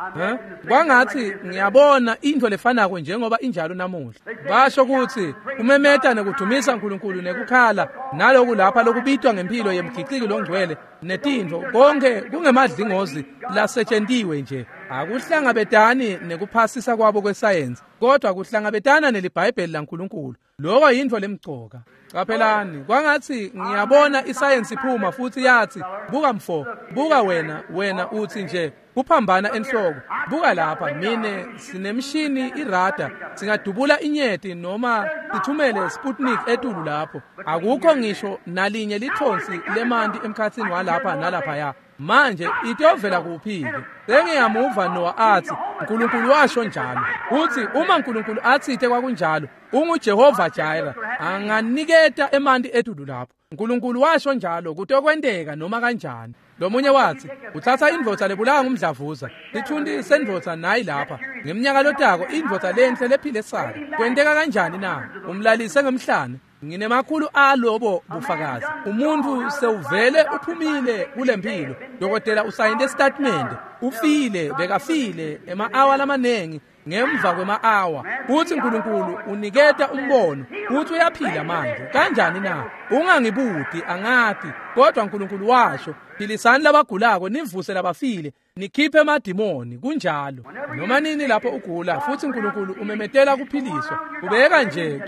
Kwangathi ngiyabona into lefanako njengoba injalo namuhla. Basho ukuthi umemeta nekudumisa uNkulunkulu nekukhala naloku lapha lokubitwa ngempilo yemgiciki longcwele netintfo konke kungemadlingozi lasetshentiwe nje. Akuhlangabetani nekuphasisa kwabo kwesayensi, kodwa kuhlangabetana neliBhayibheli laNkulunkulu. Lokho yintfo lemcoka. Qaphelani, kwangatsi ngiyabona isayensi iphuma futhi yathi, buka mfo, buka wena uthi nje kuphambana enhloko. Buka lapha, mine sinemshini irada, singadubula inyeti noma sithumele Sputnik etulu lapho. Akukho ngisho nalinye lithonsi lemanti emkhatsini walapha nalaphaya. Manje itovela kuphi-ke? Sengiyamuva Noah athi, uNkulunkulu washo njalo. Uthi uma uNkulunkulu athite kwakunjalo, unguJehova Jireh, anganiketa emanti etulu lapho. uNkulunkulu washo njalo, kutokwenteka noma kanjani. Lomunye wathi, uthatha indvodza lebulawa ngumdlavuza, sithunti sendvodza nayi lapha. Ngeminyaka lotako indvodza lenhle lephile saka. Kwenteka kanjani na? Umlalise ngemhlane. Nginemakhulu alobo bufakazi. Umuntu sewuvele uphumile kulempilo. Dokotela usayinde statement. Ufile, bekafile ema-awa lamanengi ngemva kwema-awa. Uthi uNkulunkulu uniketa umbono, uthi uyaphila manje. Kanjani na? Ungangibuti, angati, kodwa uNkulunkulu washo, philisani labagulako, nivuse labafile, nikhiphe emadimoni. Kunjalo. Noma nini lapho ugula futhi uNkulunkulu umemetela kuphiliswa,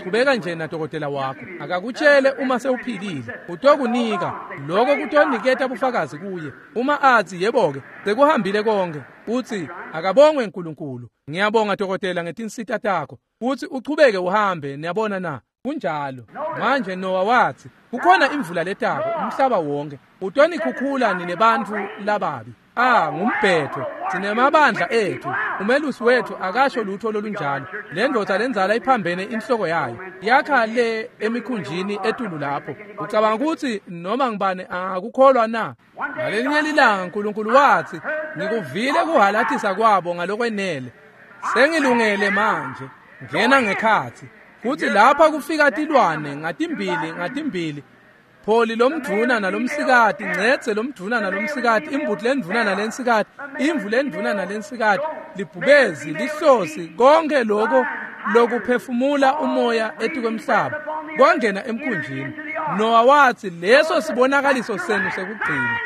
qhubeka nje nadokotela wakho. Akakutshele uma sewuphilile, utokunika lokho, kutoniketa bufakazi kuye. Uma athi yebo-ke sekuhambile konke, uthi akabongwe uNkulunkulu, ngiyabonga dokotela ngetinsita takho, uthi uchubeke uhambe. Niyabona na? Kunjalo. Manje Noah wathi kukhona imvula letako umhlaba wonke, utonikhukhula nine bantfu lababi. Ngumbhetho, sinemabandla ethu, umelusi wethu akasho lutho lolunjalo. Le ndoda lenzala iphambene inhloko yayo, yakha le emikhunjini etulu lapho. Ucabanga ukuthi noma ngibani angakukholwa na? Ngalelinye lilanga uNkulunkulu wathi, ngikuvile kuhalathisa kwabo ngalokwenele, sengilungele manje, ngena ngekhathi. Futhi lapha kufika tilwane ngatimbili, pholi lomdvuna nalomsikati, ncedze lomdvuna nalomsikati, imbuti lendvuna nalensikati, imvu lendvuna nalensikati, libhubezi, lihlosi, konke lokho lokuphefumula umoya etikwemhlaba kwangena emkhunjini. Noah wathi leso sibonakaliso senu sekugcina,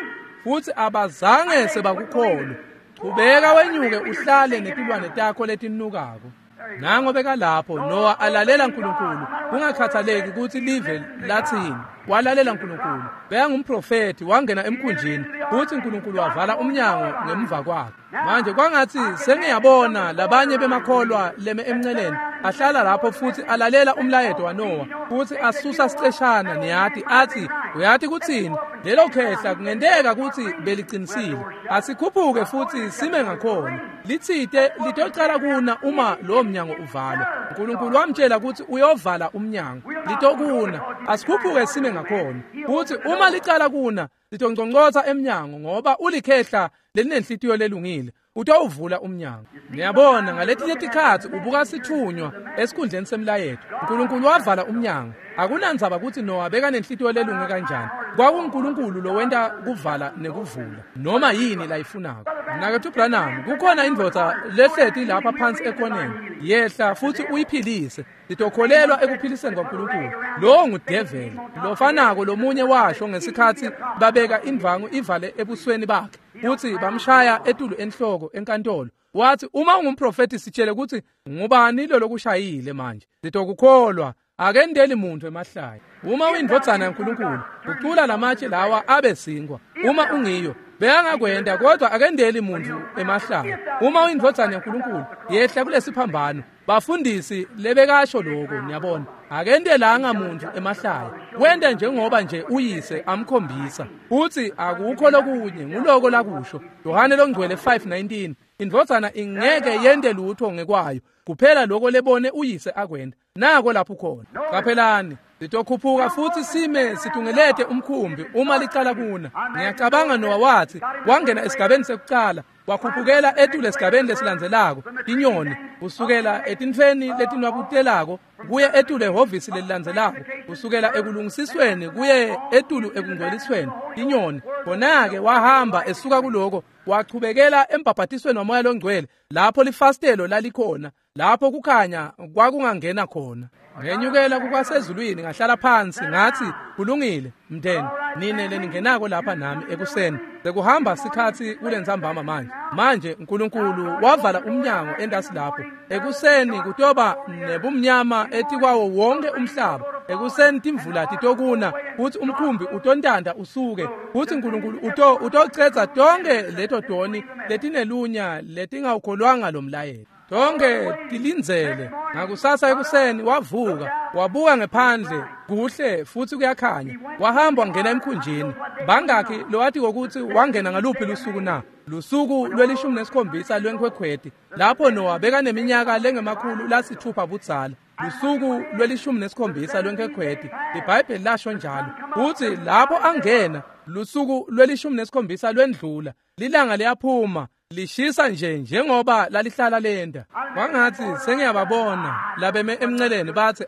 futhi abazange sebakukholwa. Chubeka wenyuke uhlale netilwane takho letinukako. Nango bekalapho Noah alalela uNkulunkulu, kungakhathaleki ukuthi live lathini, walalela uNkulunkulu. Bekangumprofeti, wangena emkhunjini, futhi uNkulunkulu wavala umnyango ngemva kwakhe. Manje kwangathi sengiyabona labanye bemakholwa leme emnceleni ahlala lapho futhi alalela umlayeto waNoah, futhi asusa siceshana, niyati, athi uyathi kuthini lelo khehla kungenteka ukuthi belicinisile, asikhuphuke futhi sime ngakhona. Lithite litocala kuna uma lo mnyango uvalwa. uNkulunkulu wamtshela ukuthi uyovala umnyango, litokuna, asikhuphuke sime ngakhona. Futhi uma licala kuna, litongqongqotha emnyango, ngoba ulikhehla lelinenhlitiyo lelungile, utawuvula umnyango. Niyabona, ngaletinye tikhatsi ubuka sithunywa esikhundleni semlayeto. uNkulunkulu wavala umnyango. Akunandzaba ukuthi Noah bekanenhlitiyo lelunge kanjani, kwakunguNkulunkulu lowenta kuvala nekuvula noma yini layifunako. Mnaketfu Branham, kukhona indvodza lehleti lapha phansi ekoneni, yehla futhi uyiphilise. Litokholelwa ekuphiliseni kwaNkulunkulu. Lowo ngudeveli lofanako lomunye washo ngesikhatsi babeka indvangu ivale ebusweni bakhe, futhi bamshaya etulu enhloko enkantolo. Wathi, uma ungumprofeti sitshele ukuthi ngubani lo lokushayile manje, litokukholwa. Akendeli muntu emahlaya. Uma uyindvodzana yaNkulunkulu, ucula lamatshe lawa abe sinkwa. Uma ungiyo, beyangakwenda, kodwa akendeli muntu emahlaya. Uma uyindvodzana yaNkulunkulu, yehla kulesiphambano. Bafundisi lebekasho lokho, niyabona, akendelanga muntu emahlaya. Wenda njengoba nje uyise amkhombisa. Uthi akukho lokunye, nguloko lakusho. Yohane longcwele 5:19, indvodzana ingeke yente lutho ngekwayo, kuphela lokho lebone uyise akwenda. Nako lapho khona. Qaphelani, sitokhuphuka futhi sime situngelete umkhumbi uma licala kuna. Ngiyacabanga Noah wathi wangena esigabeni sekucala, wakhuphukela etulu esigabeni lesilandzelako, inyoni, kusukela etintfweni letinwabutelako kuye etulu ehhovisi lelilandzelako, kusukela ekulungisisweni kuye etulu ekungcwelisweni, inyoni. Khona-ke wahamba esuka kuloko, wachubekela embhabhatisweni waMoya loNgcwele, lapho lifastelo lalikhona, lapho kukhanya kwakungangena khona. Ngenyukela kukwasezulwini, ngahlala phansi, ngathi kulungile. Mndeni, nine leningenako lapha nami ekuseni, sekuhamba sikhatsi kulentsambama manje. Manje uNkulunkulu wavala umnyango entasi lapho. Ekuseni kutoba nebumnyama etikwawo wonke umhlaba. Ekuseni timvula titokuna, kutsi umkhumbi utontanta usuke, kutsi uNkulunkulu utocedza tonke leto toni letinelunya letingawukholwanga lo mlayelo. Tonke tilindzele. Ngakusasa ekuseni wavuka, wabuka ngephandle, kuhle futsi kuyakhanya. Wahamba wangena emkhunjini. Bangakhi lowati ukuthi wangena ngaluphi lusuku na? Lusuku lwe-17 lweNkhwekhweti, lapho Noah bekaneminyaka lengama-600 budzala. Lusuku lwe-17 lweNkhwekhweti, iBhayibheli lasho njalo. Kutsi lapho angena, lusuku lwe-17 lwendlula, lilanga liyaphuma, lishisa nje njengoba lalihlala lenda. Kwangatsi sengiyababona labeme emnceleni batsi,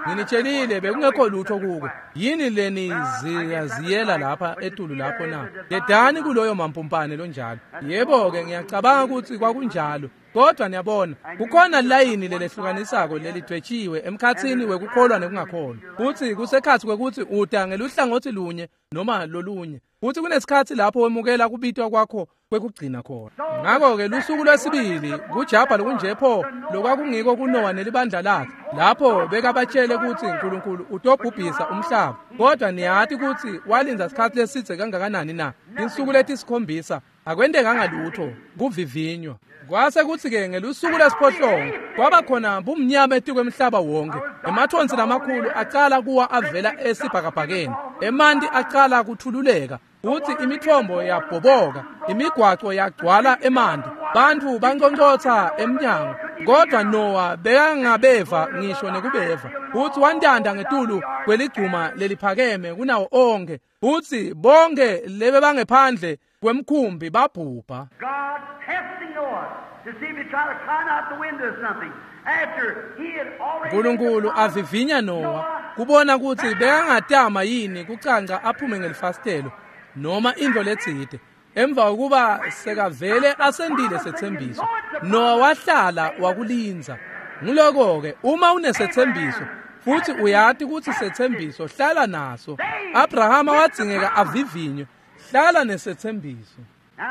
nginitshelile bekungekho lutho kuko. Yini leniziyaziyela lapha etulu lapho na? Dedani kuloyo mampumpane lonjalo. Yebo-ke, ngiyacabanga ukuthi kwakunjalo. Kodwa niyabona, kukhona layini lelehlukanisako lelidwetshiwe emkhatsini wekukholwa nekungakholwa. Futsi kusekhatsi kwekutsi uta ngeluhlangotsi lunye noma lolunye. Futsi kunesikhatsi lapho wemukela kubitwa kwakho kwekugcina khona. Ngakho-ke lusuku lwesibili kujabha lokunje pho lokwakungiko kuNowa nelibandla lakhe, lapho bekabatshele kutsi uNkulunkulu utobhubhisa umhlaba. Kodwa niyati kutsi walindza sikhatsi lesidze kangakanani na? Tinsuku letisikhombisa akwentekanga lutho, kuvivinywa. Kwase kutsi-ke ngelusuku lwesiphohlongo kwaba khona bumnyama etikwemhlaba wonke. Emathonsi lamakhulu acala kuwa avela esibhakabhakeni, emanti acala kuthululeka, kutsi imithombo yabhoboka, imigwaco yagcwala emanti, bantfu banconcotsa emnyango. Kodwa Noah bekangabeva ngisho nekubeva. Kutsi wantanta ngetulu kweligcuma leliphakeme kunawo onke, kutsi bonke lebebangephandle kwemkhumbi babhubha. God testing Noah to see if he tried to climb out the window or something. After he had already uNkulunkulu avivinya Noah kubona kutsi bekangatama yini kucanca aphume ngelifasitelo noma intfo letsite. Emva kokuba sekavele asendile setsembiso, Noah wahlala wakulindza. Nguloko-ke, uma unesetsembiso futsi uyati kutsi setsembiso, hlala naso. Abrahama wadzingeka avivinywe, hlala nesetsembiso.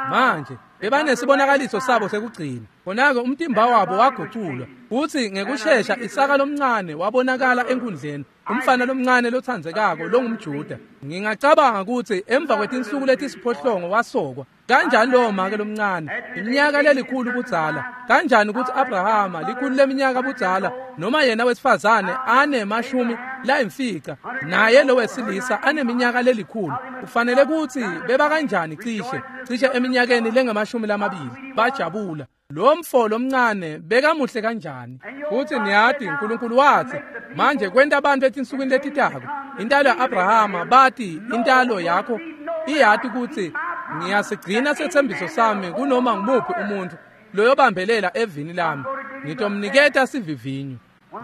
Manje bebanesibonakaliso sabo sekugcina. Khona-ke umtimba wabo waguculwa, futsi ngekushesha Isaka lomncane wabonakala enkundleni, umfana lomncane lotsandzekako longumJuda. Ngingacabanga kutsi emva kwetinsuku letisiphohlongo wasokwa. Kanjani lowo make lomncane, iminyaka lelikhulu budzala, kanjani kutsi Abrahama likhulu leminyaka budzala, noma yena wesifazane anemashumi layimfica, naye lo wesilisa aneminyaka lelikhulu, kufanele kutsi beba kanjani cishe eminyakeni lengama-20 bajabula. Lo mfo lomncane bekamuhle kanjani. Futsi niyati uNkulunkulu watsi manje kwenta abantu etinsukwini letitako, intalo ya-Abrahama bati intalo yakho iyati kutsi ngiyasigcina setsembiso sami kunoma ngumuphi umuntfu loyobambelela evini lami, ngitomniketa sivivinyo.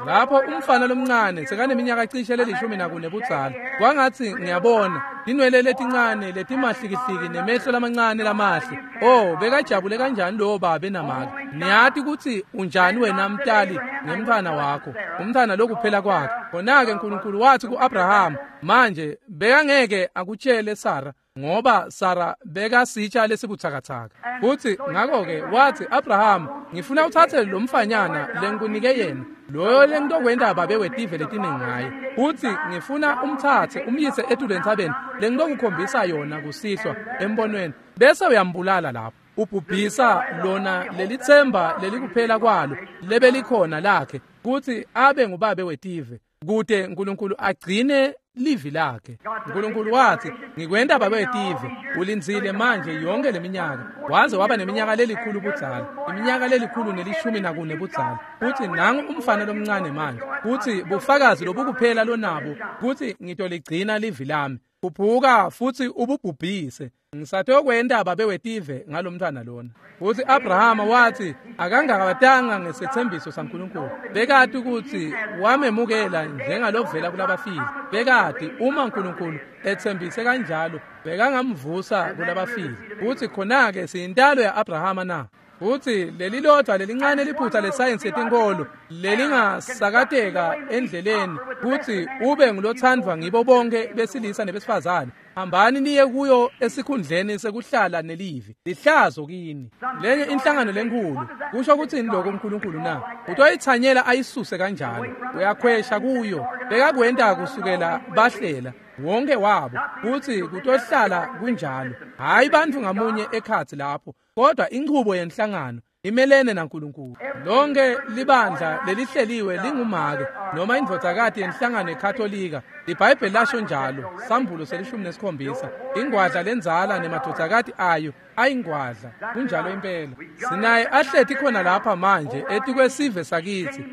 Lapho umfana lomncane sekaneminyaka cishe leli-14 budzala, kwangatsi ngiyabona tinwele letincane letimahlikihliki nemehlo lamancane lamahle. Oh, bekajabule kanjani lowo babe namake. Niyati kutsi unjani wena mtali ngemntfwana wakho, umntfwana lokuphela kwakhe. Khona-ke uNkulunkulu watsi ku-Abrahama, manje bekangeke akutshele Sara, ngoba Sara bekasitsha lesibutsakatsaka. Futsi ngakho-ke watsi, Abrahama, ngifuna uthathe lo mfanyana lengikunike yena, loyo lengitokwenta babe wetive letiningi ngaye. Futsi ngifuna umthathe umyise etulu entsabeni lengitokukhombisa yona kusihlwa embonweni, bese uyambulala lapho. Ubhubhisa lona lelitsemba lelikuphela kwalo lebelikhona lakhe, kutsi abe ngubabe wetive, kute uNkulunkulu agcine livi lakhe. uNkulunkulu watsi, ngikwenta babe wetive. Ulindzile manje yonke leminyaka, waze waba neminyaka lelikhulu budzala, iminyaka 114 budzala. Futsi nangu umfana lomncane manje, kutsi bufakazi lobukuphela lonabo kutsi ngitoligcina livi lami. Khuphuka futsi ububhubhise, ngisatokwenta babe wetive ngalomntfwana lona. Futsi Abrahama watsi akangakabatanga ngesethembiso saNkulunkulu. Bekati kutsi wamemukela njengalovela kulabafile. Bekati uma uNkulunkulu etsembise kanjalo, bekangamvusa kulabafile. Futsi khona-ke siyintalo ya-Abrahama na? Futsi lelilodwa lelincane liphutha lesayensi yetinkholo lelingasakateka endleleni kutsi ube ngulothandwa ngibo bonke besilisa nebesifazane. Hambani niye kuyo esikhundleni sekuhlala nelivi. Lihlazo kini. Lenye inhlangano lenkhulu kusho kutsini lokho uNkulunkulu na? Utoyithanyela ayisuse kanjalo. Uyakhwesha kuyo. Bekakwenta kusukela bahlela wonke wabo kutsi kutohlala kunjalo. Hayi bantfu ngamunye ekhatsi lapho, kodwa inchubo yenhlangano imelene naNkulunkulu. Lonke libandla lelihleliwe lingumake noma indvodzakati yenhlangano eKatolika. LiBhayibheli lasho njalo, Sambulo 17. Ingwadla lendzala nemadvodzakati ayo ayingwadla. Kunjalo impela. Sinaye ahleti khona lapha manje etikwesive sakitsi.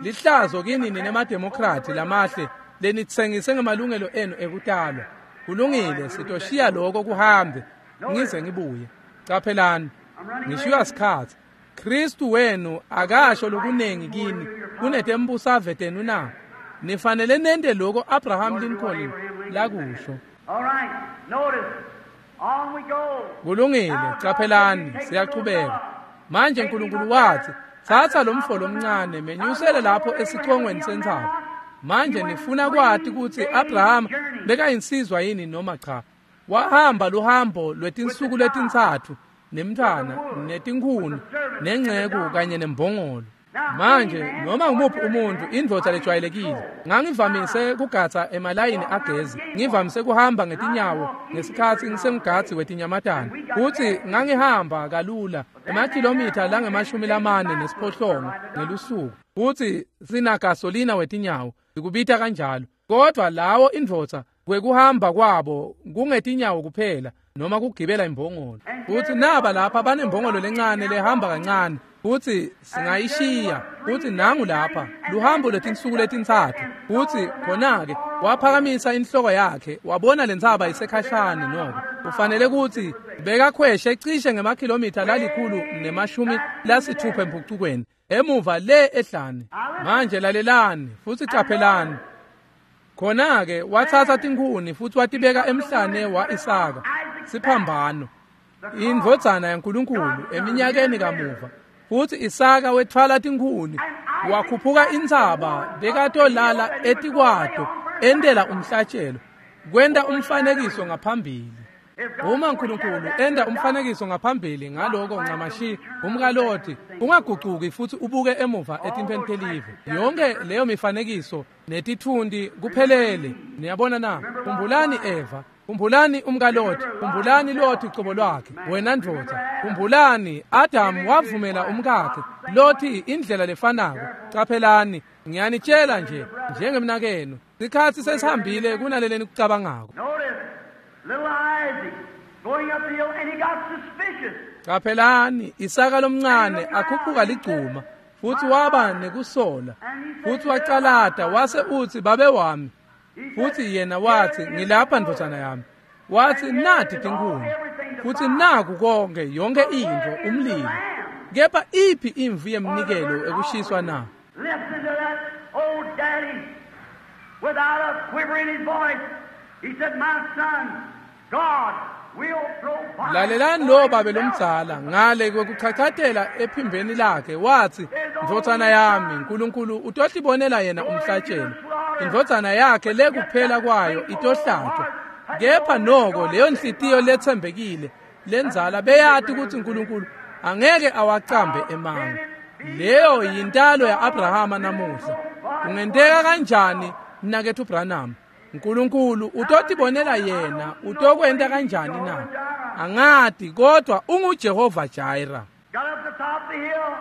Lihlazo kini nine mademokrati lamahle lenitsengise ngemalungelo enu ekutalwa. Kulungile, sitoshiya lokho kuhambe ngize ngibuye. Caphelani, ngishiywa sikhatsi. Kristu wenu akasho lokunengi kini kunetembusave tenu na? Nifanele nente lokho Abraham Lincoln lakusho. All right, notice. On we go. Kulungile, caphelani, siyachubeka. Manje uNkulunkulu wathi, thatha lo mfo lomncane menyusele lapho esichongweni sentsaba. Manje nifuna kwati kutsi Abraham bekayinsizwa yini noma cha. Wahamba luhambo lwetinsuku letintsatfu nemntfwana, netinkhuni, nengceku kanye nembongolo. Manje noma ngumuphi umuntu, indvodza lejwayelekile, ngangivamise kugatsa emalayini agezi, ngivamise kuhamba ngetinyawo ngesikhatsi ngisemgadzi wetinyamatane. Futsi ngangihamba kalula emakhilomitha langama-48 ngelusuku. Futsi sinagasolina wetinyawo, sikubita kanjalo. Kodwa lawo indvodza kwekuhamba kwabo kungetinyawo kuphela noma kugibela imbongolo. Futsi naba lapha banembongolo lencane lehamba kancane, futsi singayishiya. Futsi nangu lapha luhambo lwetinsuku letintsatfu. Futsi khona-ke waphakamisa inhloko yakhe wabona lentsaba isekhashane. Noko kufanele kutsi bekakhweshe cishe ngemakhilomitha 160 empucukweni emuva le ehlane. Manje lalelani futsi caphelani. Khona-ke watsatsa tinkhuni futsi watibeka emhlane wa-Isaka, siphambano, indvodzana yaNkulunkulu eminyakeni kamuva. Futsi Isaka wetfwala tinkhuni wakhuphuka intsaba bekatolala etikwato entela umhlatshelo, kwenta umfanekiso ngaphambili. Uma uNkulunkulu enda umfanekiso ngaphambili ngaloko ncamashi umkaLoti, ungagucuki futsi ubuke emuva etimpheni telive. Yonke leyo mifanekiso netitfundi kuphelele. Niyabona na? Khumbulani Eva, khumbulani umkaLoti, khumbulani Loti cobo lwakhe, wena ndvodza. Khumbulani Adam wavumela umkakhe Loti indlela lefanako. Caphelani, ngiyanitshela nje njengemnakenu, sikhatsi sesihambile kunaleleni kucabangako. Little Isaac going up the hill, and he got suspicious. Caphelani, Isaka lomncane akhuphuka ligcuma, futsi waba nekusola, futsi wacalata wase utsi, babe wami. Futsi yena watsi, ngilapha ndvodzana yami. Watsi, nati tinkhuni, futsi naku konke, yonke intfo, umlilo. Kepha iphi imvu yemnikelo ekushiswa na? Listen to that old daddy without a quiver in his voice. He said, my son, God will provide. Lalelani lo babe lomdzala ngale kwekuchachatela ephimbeni lakhe, watsi, ndvodzana yami, uNkulunkulu utohlibonela yena umhlatshelo. Indvodzana yakhe lekuphela kwayo itohlatshwa. Kepha noko leyo nhliziyo letsembekile lendzala beyati kutsi uNkulunkulu angeke awacambe emanga. Leyo yintalo ya-Abrahama namuhla. Kungenteka kanjani, mnaketfu Branham? uNkulunkulu utotibonela yena, utokwenta kanjani na? Angati, kodwa unguJehova Jireh. Got up the top of the hill.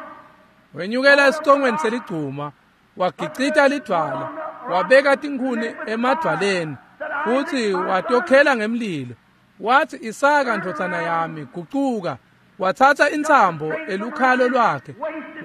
Wenyukela esicongweni seligcuma, wagicita lidvwala, wabeka tinkhuni emadvwaleni, futsi watokhela ngemlilo. Watsi, Isaka ndvodzana yami, gucuka. Watsatsa intsambo elukhalo lwakhe,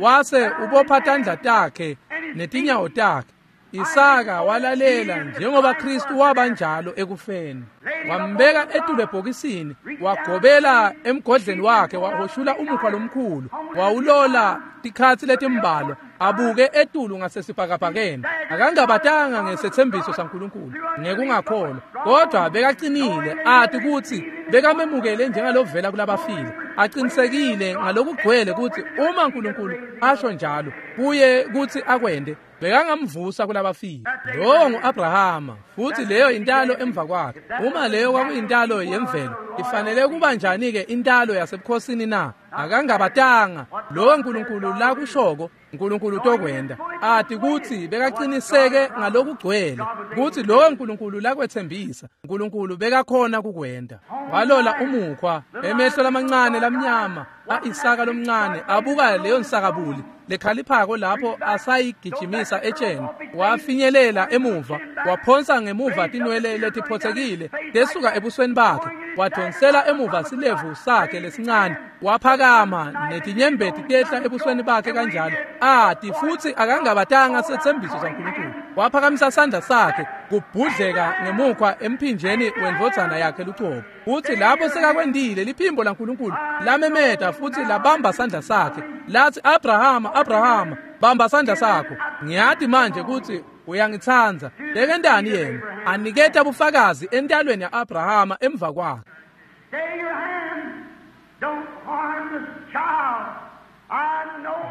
wase ubopha tandla takhe netinyawo takhe. Isaka walalela njengoba Kristu waba njalo ekufeni. Wambeka etulu ebhokisini, wagobela emgodleni wakhe, wahoshula umukhwa lomkhulu, wawulola tikhatsi letimbalwa, abuke etulu ngasesibhakabhakeni. Akangabatanga ngesethembiso saNkulunkulu ngekungakholwa, kodwa bekacinile ati kutsi bekamemukele njengalovela kulabafile. Aqinisekile ngalokugcwele kutsi uma uNkulunkulu asho njalo kuye kutsi akwende, bekangamvusa kulabafile. Lowo ngu-Abrahama, futhi leyo intalo emva kwakhe. Uma leyo kwakuyintalo yemvelo, ifanele kuba njani-ke intalo yasebukhosini na? Akangabatanga lowo uNkulunkulu lakushoko, uNkulunkulu utokwenda. Ati kutsi bekaqiniseke ngalokugcwele kutsi lowo uNkulunkulu lakwetsembisa, uNkulunkulu bekakhona kukwenda. Walola umukhwa, emehlo lamancane lamnyama a-Isaka lomncane abuka leyo nsakabuli lekhaliphako lapho asayigijimisa etsheni. Wafinyelela emuva, waphonsa ngemuva tinwele letiphotsekile lesuka ebusweni bakhe, wadonsela emuva silevu sakhe lesincane, waphakama netinyembeti tehla ebusweni bakhe kanjalo. Ati futhi akangabatanga setsembiso saNkulunkulu. Waphakamisa sandla sakhe kubhudleka ngemukhwa emphinjeni wendvodzana yakhe lucobo. Futhi lapho sekakwendile, liphimbo laNkulunkulu lamemeta futhi labamba sandla sakhe, lathi, Abrahama, Abrahama, bamba sandla sakho. Ngiyati manje kutsi uyangitsandza. Bekentani yena? Aniketa bufakazi entalweni ya-Abrahama emva kwakhe.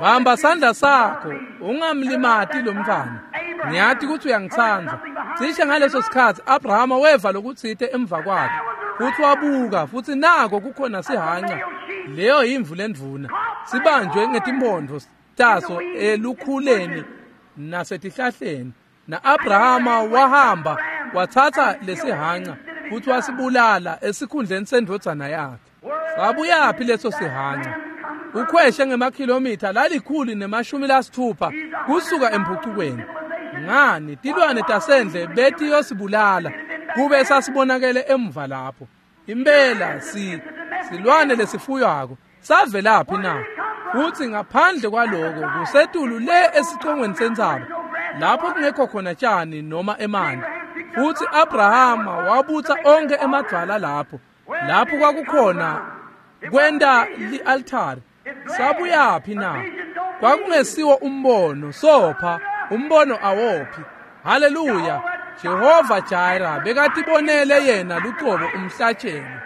Bamba sandla sakho, ungamlimati lo mntfwana. Ngiyati kutsi uyangitsandza. Cishe ngaleso sikhatsi Abrahama weva lokutsite emva kwakhe, futhi wabuka, futhi nako kukhona sihanca. Leyo yimvu lendvuna, sibanjwe ngetimphondvo taso elukhuleni nasetihlahleni. Na-Abrahama wahamba watsatsa lesihanca futhi wasibulala esikhundleni sendvodzana yakhe. Sabuyaphi leso sihanca? Ukhweshe ngemakhilomitha 160 kusuka emphucukweni. Ngani, tilwane tasendle betiyosibulala kube sasibonakele emva lapho. Impela silwane lesifuywako savelaphi na? Futhi ngaphandle kwaloko kusetulu le esicongweni sentsaba lapho kungekho khona tshani noma emanti. Futhi Abrahama wabutsa onke emadvwala lapho kwakukhona kwenta li-altari. Sabuyaphi na? Kwakungesiwo umbono, sopha umbono awophi. Haleluya! Jehova Jireh bekatibonele yena lucobo umhlatshelo.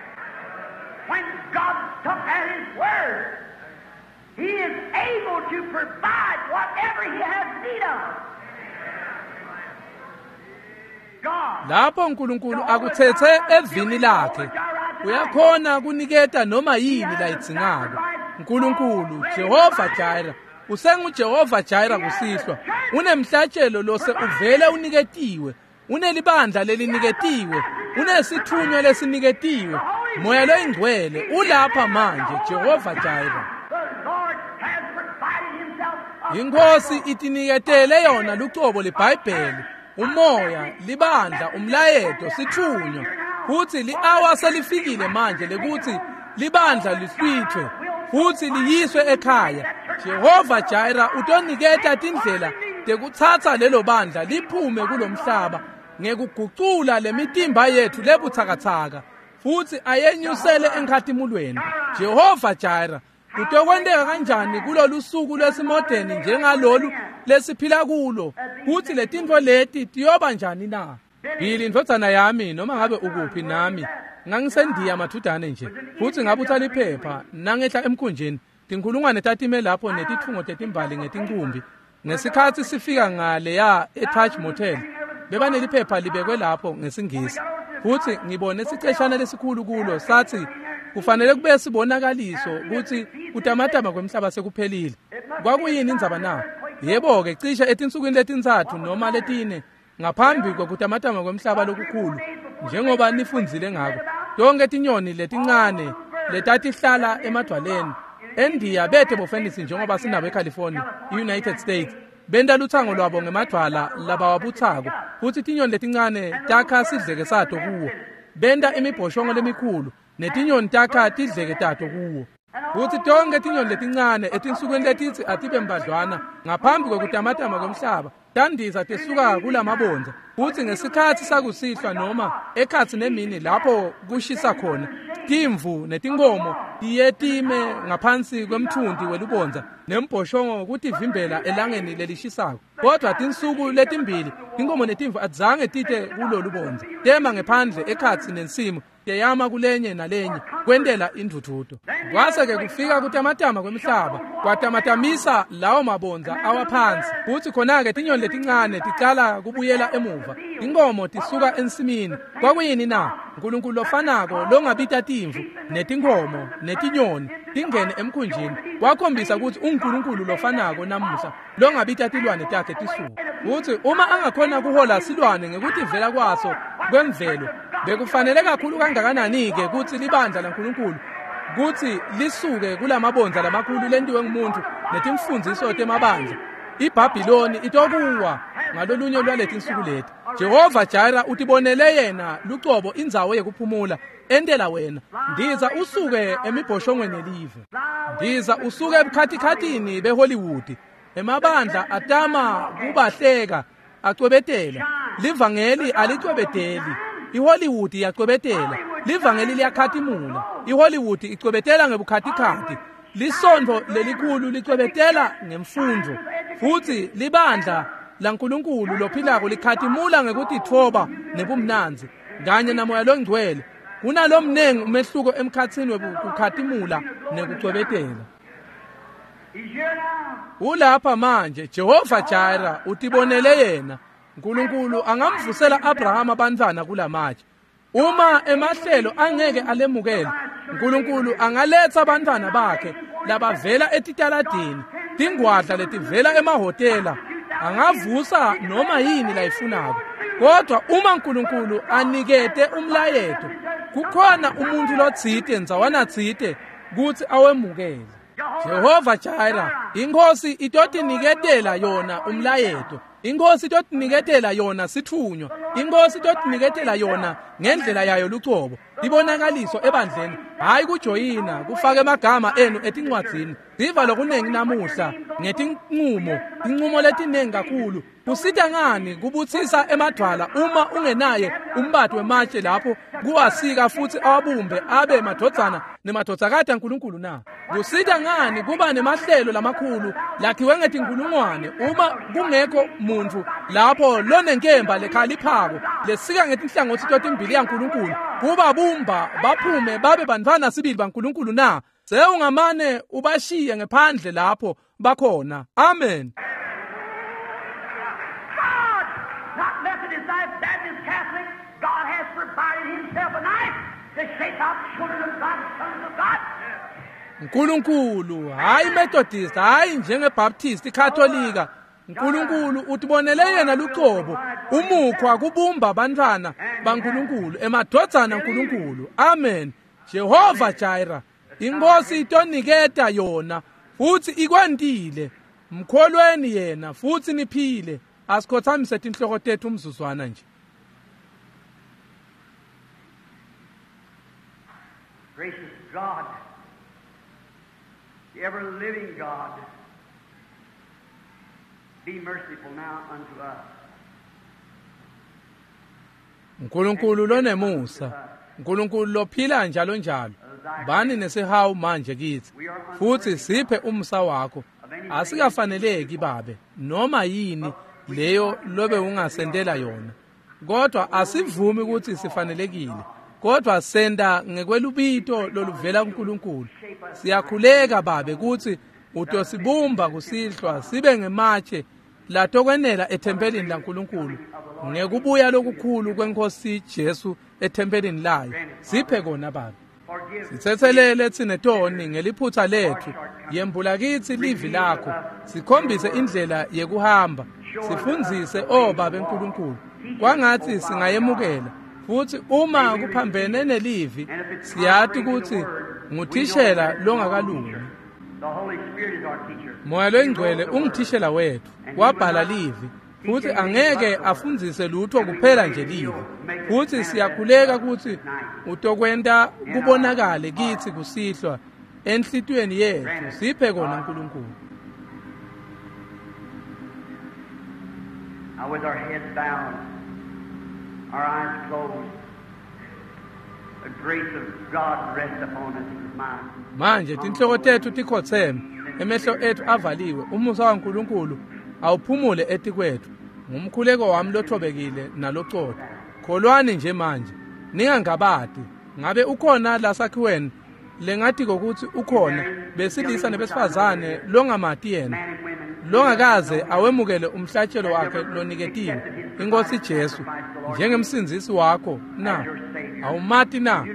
When God took at his word, he is able to provide whatever he has need of. Lapho uNkulunkulu akutsetse evini lakhe, uyakhona kuniketa noma yini layidzingako. uNkulunkulu Jehova Jireh usenguJehova Jireh kusihlwa. Unemhlatshelo lose uvele uniketiwe, unelibandla leliniketiwe, unesithunywa lesiniketiwe. Moya loyingcwele ulapha manje, Jehova Jireh. Inkosi itiniketele yona lucobo leBhayibheli, umoya, libandla, umlayeto, sithunywa. Futhi li-hour selifikile manje lekuthi libandla lihlwithwe futhi liyiswe ekhaya. Jehova Jireh utoniketa tindlela tekutsatsa lelo bandla liphume kulomhlaba ngekugucula lemitimba yethu lebutsakatsaka futhi ayenyusele enkhatimulweni. Jehova Jireh kutokwenteka kanjani kulolu suku lwesimodeni njengalolu lesiphila kulo, kuthi letintfo leti tiyoba njani na? Bili indvodzana yami, noma ngabe ukuphi nami, ngangisendiya mathudane nje, futhi ngabutha liphepha nangehla emkhunjini. Tinkhulungwane tatime lapho netitfungo tetimbali ngetincumbi. Ngesikhatsi sifika ngaleya eTaj Motel, bebaneliphepha libekwe lapho ngesingisi, futhi ngibone siceshana lesikhulu kulo sathi kufanele kube sibonakaliso kutsi kutamatama kwemhlaba sekuphelile. Kwakuyini indzaba na? Yebo-ke, cishe etinsukwini letintsatfu noma letine ngaphambi kwekutamatama kwemhlaba lokukhulu, njengoba nifundzile ngako, tonke tinyoni letincane letatihlala emadvwaleni eNdiya bete bofenisi njengoba sinabo eCalifornia, i-United States, benta lutsango lwabo ngemadvwala labawabutsako, futhi tinyoni letincane takha sidleke sato kuwo. Benta imibhoshongo lemikhulu netinyoni takha tidleke tato kuwo. Futhi tonke tinyoni letincane etinsukwini letitsi atibe mbadlwana ngaphambi kwekutamatama kwemhlaba Tandiza tesuka kulamabondza kutsi ngesikhatsi sakusihlwa noma ekhatsi nemini lapho kushisa khona, timvu netinkomo tiye time ngaphansi kwemthunti welubondza nembhoshongo kutivimbela elangeni lelishisako. Kodwa tinsuku letimbili tinkomo netimvu azange tite kulolubondza, tema ngephandle ekhatsi nensimu, teyama kulenye nalenye kwentela indvudvuto. Kwase-ke kufika kutamatama kwemhlaba, kwatamatamisa lawo mabondza awaphansi, kutsi khona-ke tinyoni letincane ticala kubuyela emuva, tinkomo tisuka ensimini. Kwakuyini na? Nkulunkulu lofanako longabita timvu netinkomo netinyoni tingene emkhunjini, wakhombisa kutsi unguNkulunkulu lofanako namuhla longabita tilwane takhe tisuke. Kutsi uma angakhona kuhola silwane ngekutivela kwaso kwemvelo, bekufanele kakhulu kangakanani-ke kutsi libandla laNkulunkulu kutsi lisuke kulamabondza lamakhulu lentiwe ngumuntu netimfundziso temabandla. IBhabhiloni itokuwa ngalolunye lwaletinsuku leti. Jehova Jira utibonele yena lucobo indzawo yekuphumula entela wena. Ndiza usuke emibhoshongweni yelive, ndiza usuke ebukhatikhatini beHollywood. Emabandla atama kubahleka acwebetela, livangeli alicwebeteli. iHollywood iyacwebetela, livangeli liyakhatimula. iHollywood icwebetela ngebukhatikhathi, lisontfo lelikhulu licwebetela ngemfundvo, futsi libandla laNkulunkulu lophilako likhatimula ngekutitfoba nebumnandzi kanye namoya longcwele. Kunalomnengi umehluko emkhatsini wekukhatimula nekucwebetela. Ulapha manje Jehova Jira utibonele yena. Nkulunkulu angamvusela Abrahama abantwana kulamatshe. Uma emahlelo angeke alemukele, Nkulunkulu angaletsa abantwana bakhe labavela etitaladini, tingwadla letivela emahhotela, angavusa noma yini layifunako. Kodwa uma Nkulunkulu anikete umlayeto, kukhona umuntu lotsite ndzawana tsite kutsi awemukele. Jehova Jira, inkosi itotiniketela yona umlayeto, inkosi itotiniketela yona sithunywa, inkosi itotiniketela yona ngendlela yayo lucobo, ibonakaliso ebandleni, hayi kujoyina kufaka emagama enu etincwadzini. Siva lokunengi namuhla ngetinqumo, tinqumo letinengi kakhulu. Kusita ngani kubutsisa emadvwala uma ungenaye umbati wematshe lapho kuwasika futsi awabumbe abe madvodzana nemadvodzakati aNkulunkulu na? Kusita ngani kuba nemahlelo lamakhulu lakhiwe ngetinkulungwane uma kungekho muntfu lapho lonenkemba lekhaliphako lesika ngetinhlangotsi totimbili yaNkulunkulu kubabumba baphume babe bantfwana sibili baNkulunkulu na? Sewungamane ubashiye ngephandle lapho bakhona. Amen. God, not Methodist, not Baptist, Catholic, God has provided himself a knife to shape out children of God, sons of God. Nkulunkulu, hayi Methodist, hayi njengeBaptist, iKatolika. Nkulunkulu utibonele yena lucobo umukhwa kubumba abantwana baNkulunkulu, emadvodzana aNkulunkulu. Amen. Jehova Jira, inkosi itoniketa yona futsi ikwentile. Mkholweni yena futsi niphile. Asikhothamise tinhloko tethu umzuzwana nje. Gracious God, the ever-living God, be merciful now unto us. Nkulunkulu lonemusa, Nkulunkulu lophila njalo njalo, bani nesihawu manje kitsi futsi siphe umusa wakho. Asikafaneleki babe noma yini leyo lobe ungasentela yona, kodwa asivumi ukuthi sifanelekile, kodwa senta ngekwelubito loluvela kuNkulunkulu. Siyakhuleka babe kutsi utosibumba kusihlwa sibe ngematshe latokwenela ethempelini laNkulunkulu ngekubuya lokukhulu kwenkosi Jesu ethempelini layo. Siphe kona babe. Sitsetselele tsine toni ngeliphutha lethu, yembula kitsi livi lakho, sikhombise indlela yekuhamba, sifundzise o babe Nkulunkulu. Kwangatsi singayemukela futsi uma kuphambene nelivi siyati kutsi nguthishela longakalungi. The Holy Spirit is our teacher. Moya loyingcwele ungithishela wethu, wabhala livi futsi angeke afundzise lutho kuphela nje livi. Futsi siyakhuleka kutsi utokwenta kubonakale kitsi kusihlwa enhlitiyweni yethu. Siphe kona Nkulunkulu. Now with our heads bowed, our eyes closed, the grace of God rest upon us is mine. Manje tinhloko tetfu tikhotseme, emehlo etfu avaliwe, umusa waNkulunkulu awuphumule etikwetfu. Ngumkhuleko wami lothobekile nalocotho. Kholwani nje manje, ningangabati. Ngabe ukhona lasakhiweni lengatiko kutsi ukhona besilisa nebesifazane longamati yena, longakaze awemukele umhlatshelo wakhe loniketiwe iNkosi Jesu njengemsindzisi wakho na? Awumati na?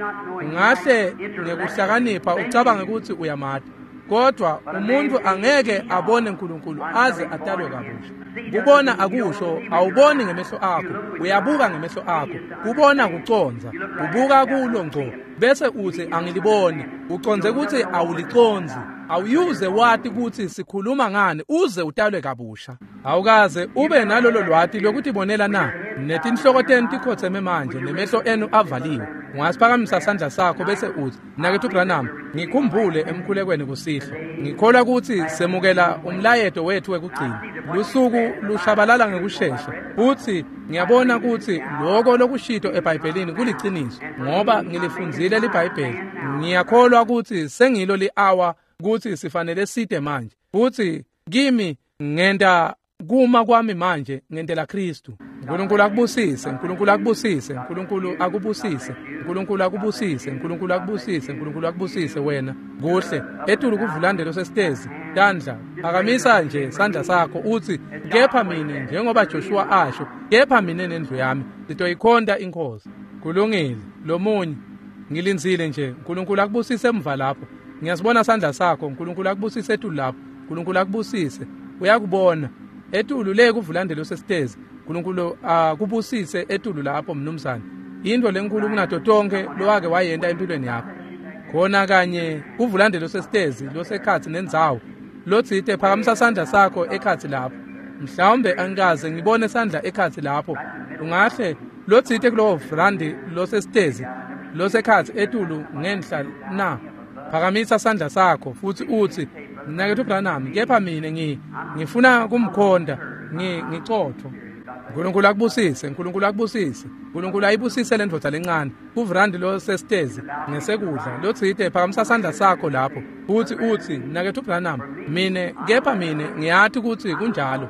Ungahle ngekuhlakanipha ucabange kutsi uyamati, kodwa umuntu angeke abone uNkulunkulu aze atalwe kabusha. Kubona akusho awuboni ngemehlo akho, uyabuka ngemehlo akho. Kubona kucondza, ubuka kulo ngco bese uthi angiliboni, ucondze kutsi awulicondzi. Awuyuze wati kutsi sikhuluma ngani uze utalwe kabusha. Awukaze ube nalolo lwati lokutibonela na? Netinhloko tenu tikhotseme manje nemehlo enu avaliwe. Ungasiphakamisa sandla sakho bese uthi, Mnaketfu Branham, ngikhumbule emkhulekweni kusihlwa. Ngikholwa kutsi semukela umlayeto wetfu wekugcina. Lusuku lushabalala ngekushesha. Futsi ngiyabona kutsi loko lokushito eBhayibhelini kuliciniso, ngoba ngilifundzile liBhayibheli. Ngiyakholwa kutsi sengilo li-hour kutsi sifanele site manje. Futsi kimi ngenta kuma kwami manje ngentela Kristu. uNkulunkulu akubusise, uNkulunkulu akubusise, uNkulunkulu akubusise, uNkulunkulu akubusise, uNkulunkulu akubusise, uNkulunkulu akubusise wena. Kuhle, etulu kuvulandelo sesitezi, tandla, phakamisa nje sandla sakho uthi, kepha mine njengoba Joshua asho, kepha mine nendlu yami sitoyikhonta iNkosi. Kulungile, lomunye ngilindzile nje. uNkulunkulu akubusise emva lapho. Ngiyasibona sandla sakho. uNkulunkulu akubusise etulu lapho. uNkulunkulu akubusise. Uyakubona etulu le kuvulandelo sesitezi. uNkulunkulu akubusise etulu lapho mnumzane. Into lenkulu kunato tonke lowake wayenta empilweni yakho. Khona kanye kuvulandelo sesitezi losekhatsi nendzawo. Lotsite phakamisa sandla sakho ekhatsi lapho. Mhlawumbe angikaze ngibone sandla ekhatsi lapho. Ungahle lotsite kulowo vrandi losesitezi losekhatsi etulu ngenhla na. Phakamisa sandla sakho futhi uthi, Mnaketfu Branham, kepha mine ngifuna kumkhonta, ngicotho. uNkulunkulu akubusise, uNkulunkulu akubusise. uNkulunkulu ayibusise le ndvodza lencane. Kuvrandi losesitezi ngesekudla lotsite phakamisa sandla sakho lapho futhi uthi, Mnaketfu Branham, mine kepha mine ngiyati kutsi kunjalo.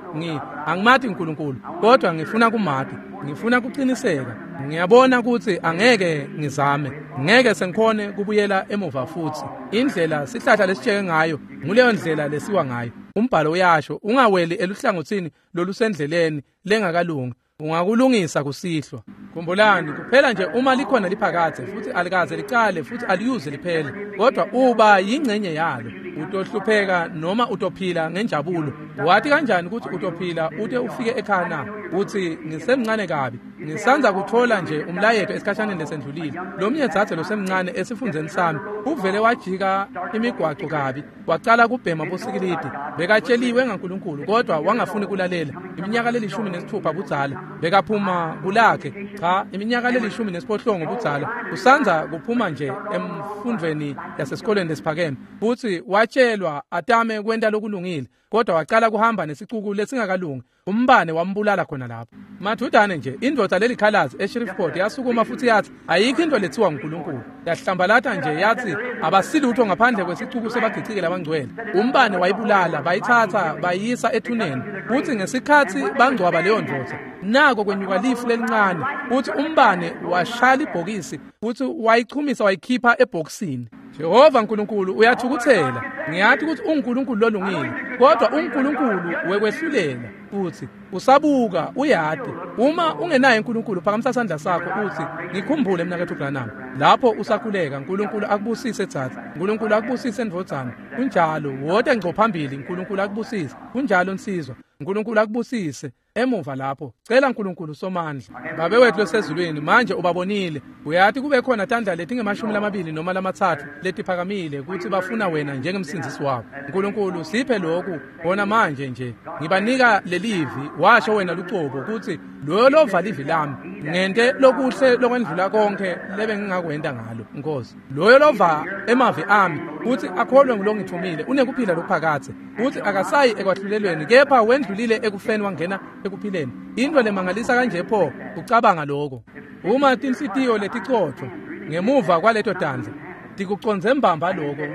Angimati uNkulunkulu, kodwa ngifuna kumati. Ngifuna kuqiniseka. Ngiyabona kutsi angeke ngizame, ngeke sengikhone kubuyela emuva futhi. Indlela sihlahla lesitsheke ngayo nguleyo ndlela lesiwa ngayo. Umbhalo uyasho, ungaweli eluhlangotsini lolusendleleni lengakalungi, ungakulungisa kusihlwa. Khumbulani, kuphela nje uma likhona liphakadze futhi alikaze licale futhi aliyuze liphele, kodwa uba yingcenye yalo. Utohlupheka noma utophila ngenjabulo. Wati kanjani ukuthi utophila ute ufike ekhaya na? Uthi ngisemncane kabi, ngisanza kuthola nje umlayeto esikhashaneni lesendlulile. Lomnye dzadze losemncane esifundzeni sami uvele wajika imigwaco kabi, wacala kubhema bosikilidi. Bekatsheliwe ngaNkulunkulu kodwa wangafuni kulalela. Iminyaka le16 budzala bekaphuma kulakhe. Cha, iminyaka le18 budzala usanza kuphuma nje emfundweni yasesikoleni lesiphakeme, futhi watshelwa atame kwenta lokulungile, kodwa wacala kuhamba nesicuku lesingakalungi. Umbane wambulala khona lapho. Mathudane nje indvodza lelikhalazi eShreveport yasukuma futhi yathi ayikho into lethiwa nguNkulunkulu. Yahlambalata nje yathi abasilutho ngaphandle kwesicuku sebagicike labangcwele. Umbane wayibulala, bayithatha bayisa ethuneni. Futhi ngesikhathi bangcwaba leyo ndvodza, nako kwenyuka lifu lelincane, futhi umbane washaya ibhokisi futhi wayichumisa wayikhipha ebhokisini. Jehova uNkulunkulu uyathukuthela. Ngiyathi ukuthi uNkulunkulu lolungile, kodwa uNkulunkulu wekwehlulela futhi usabuka uyati. Uma ungenaye uNkulunkulu, phakamisa sandla sakho uthi, ngikhumbule mnaketfu Branham. Lapho usakhuleka, uNkulunkulu akubusise dzadze, uNkulunkulu akubusise ndvodzana. Kunjalo, wote ngco phambili, uNkulunkulu akubusise. Kunjalo nsizwa, uNkulunkulu akubusise. Emuva lapho, cela uNkulunkulu somandla. Babe wethu losezulwini, manje ubabonile. Uyati kube khona tandla letingama-20 noma 3 letiphakamile kutsi bafuna wena njengemsindzisi wabo. uNkulunkulu siphe lokhu bona manje nje. Ngibanika leli lelivi washo wena lucobo kutsi loyo lova livi lami ngente lokuhle lokwendlula konke lebengingakwenta ngalo Nkosi. Loyo lova emavi ami kutsi akholwe ngulongithumile unekuphila lokuphakadze, kutsi akasayi ekwahlulelweni kepha wendlulile ekufeni wangena ekuphileni. Into lemangalisa kanje pho ucabanga lokho. Uma tinhlitiyo leticotfo ngemuva kwaleto tandla tikucondze mbamba lokho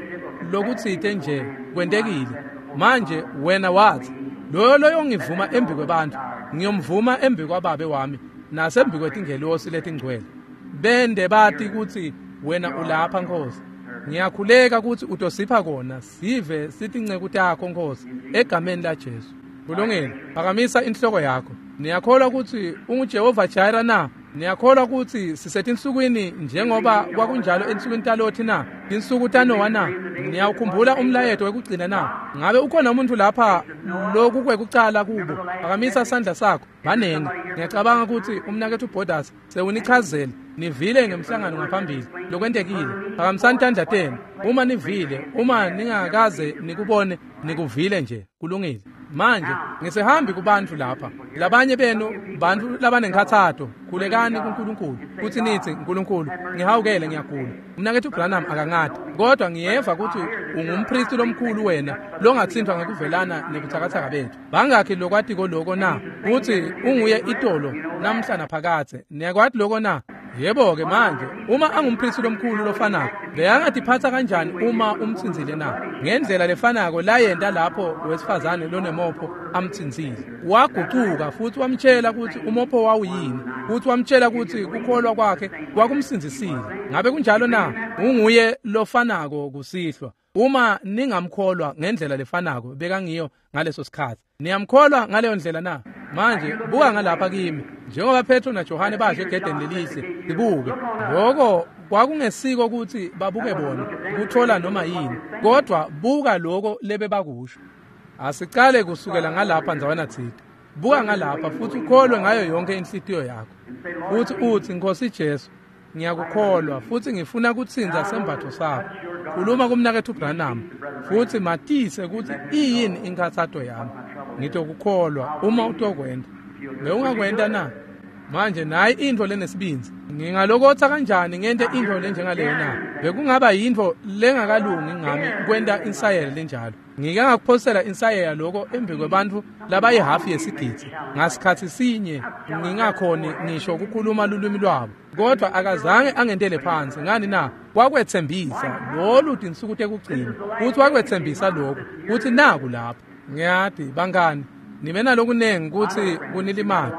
lokutsite nje kwentekile. Manje wena wathi loyo loyongivuma embi kwebantfu ngiyomvuma embi kwababe wami nasembi kwetingelosi letingcwele. Bende bati kutsi wena ulapha Nkosi. Ngiyakhuleka kutsi utosipha kona sive sitinceku takho Nkosi egameni la Jesu. Kulungile, phakamisa inhloko yakho. Niyakholwa kutsi unguJehova Jireh na? Niyakholwa kutsi sisetinsukwini njengoba kwakunjalo ensukwini taLothi na? Tinsuku taNowa na? Niyawukhumbula umlayeto wekugcina na? Ngabe ukhona umuntu lapha loku kwekucala kubo? Phakamisa sandla sakho. Banengi. Ngiyacabanga kutsi umnaketfu Borders sewunichazele. Nivile ngemhlangano ngaphambili lokwentekile. Phakamisani tandla tenu. Uma nivile, uma ningakaze nikubone, nikuvile nje. Kulungile. Manje ngisehambi kubantfu lapha. Labanye benu bantfu labanenkhatsato, khulekani kuNkulunkulu kutsi nitsi Nkulunkulu ngihawukele ngiyagula. Umnaketfu Branham akangati, kodwa ngiyeva kutsi ungumpristi lomkhulu wena longatsintfwa ngekuvelana nebutsakatsaka betfu. Bangakhi lokwatiko loko na? Kutsi unguye itolo namhla naphakadze. Niyakwati loko na? Yebo-ke manje uma angumpristi lomkhulu lofanako beyangatiphatsa kanjani uma umtsintsile na? Ngendlela lefanako layenta lapho wesifazane lonemopho amtsintsile. Wagucuka futhi wamtshela kutsi umopho wawuyini, futhi wamtshela kutsi kukholwa kwakhe kwakumsindzisile. Ngabe kunjalo na? Unguye lofanako kusihlwa. Uma ningamkholwa ngendlela lefanako bekangiyo ngaleso sikhatsi. Niyamkholwa ngaleyo ndlela na? Manje buka ngalapha kimi njengoba Petro naJohane basho egedeni lelihle, sibuke. Lokho kwakungesiko kutsi babuke bona kuthola noma yini, kodwa buka lokho lebebakusho. Asicale kusukela ngalapha ndzawana tsite. Buka ngalapha futhi ukholwe ngayo yonke inhlitiyo yakho. Futhi uthi Nkosi Jesu, ngiyakukholwa futhi ngifuna kutsintsa sembatfo sakho. Khuluma kumnaketfu Branham futhi matise kutsi iyini inkhatsato yami. Ngitokukholwa uma utokwenta. Bewungakwenta na? Manje nayi intfo lenesibindzi. Ngingalokotsa kanjani ngente intfo lenjengaleyo na? Bekungaba yintfo lengakalungi ngami kwenta insayela lenjalo. Ngike ngakuphosela insayeya lokho embi kwebantfu labayihafu yesigidzi ngasikhatsi sinye ngingakhoni ngisho kukhuluma lulwimi lwabo, kodwa akazange angentele phansi. Ngani na? Wakwetsembisa lolu tinsuku tekugcina futhi wakwetsembisa lokhu kutsi naku lapho. Ngiyati bangani, nibe nalokunengi kutsi kunilimate,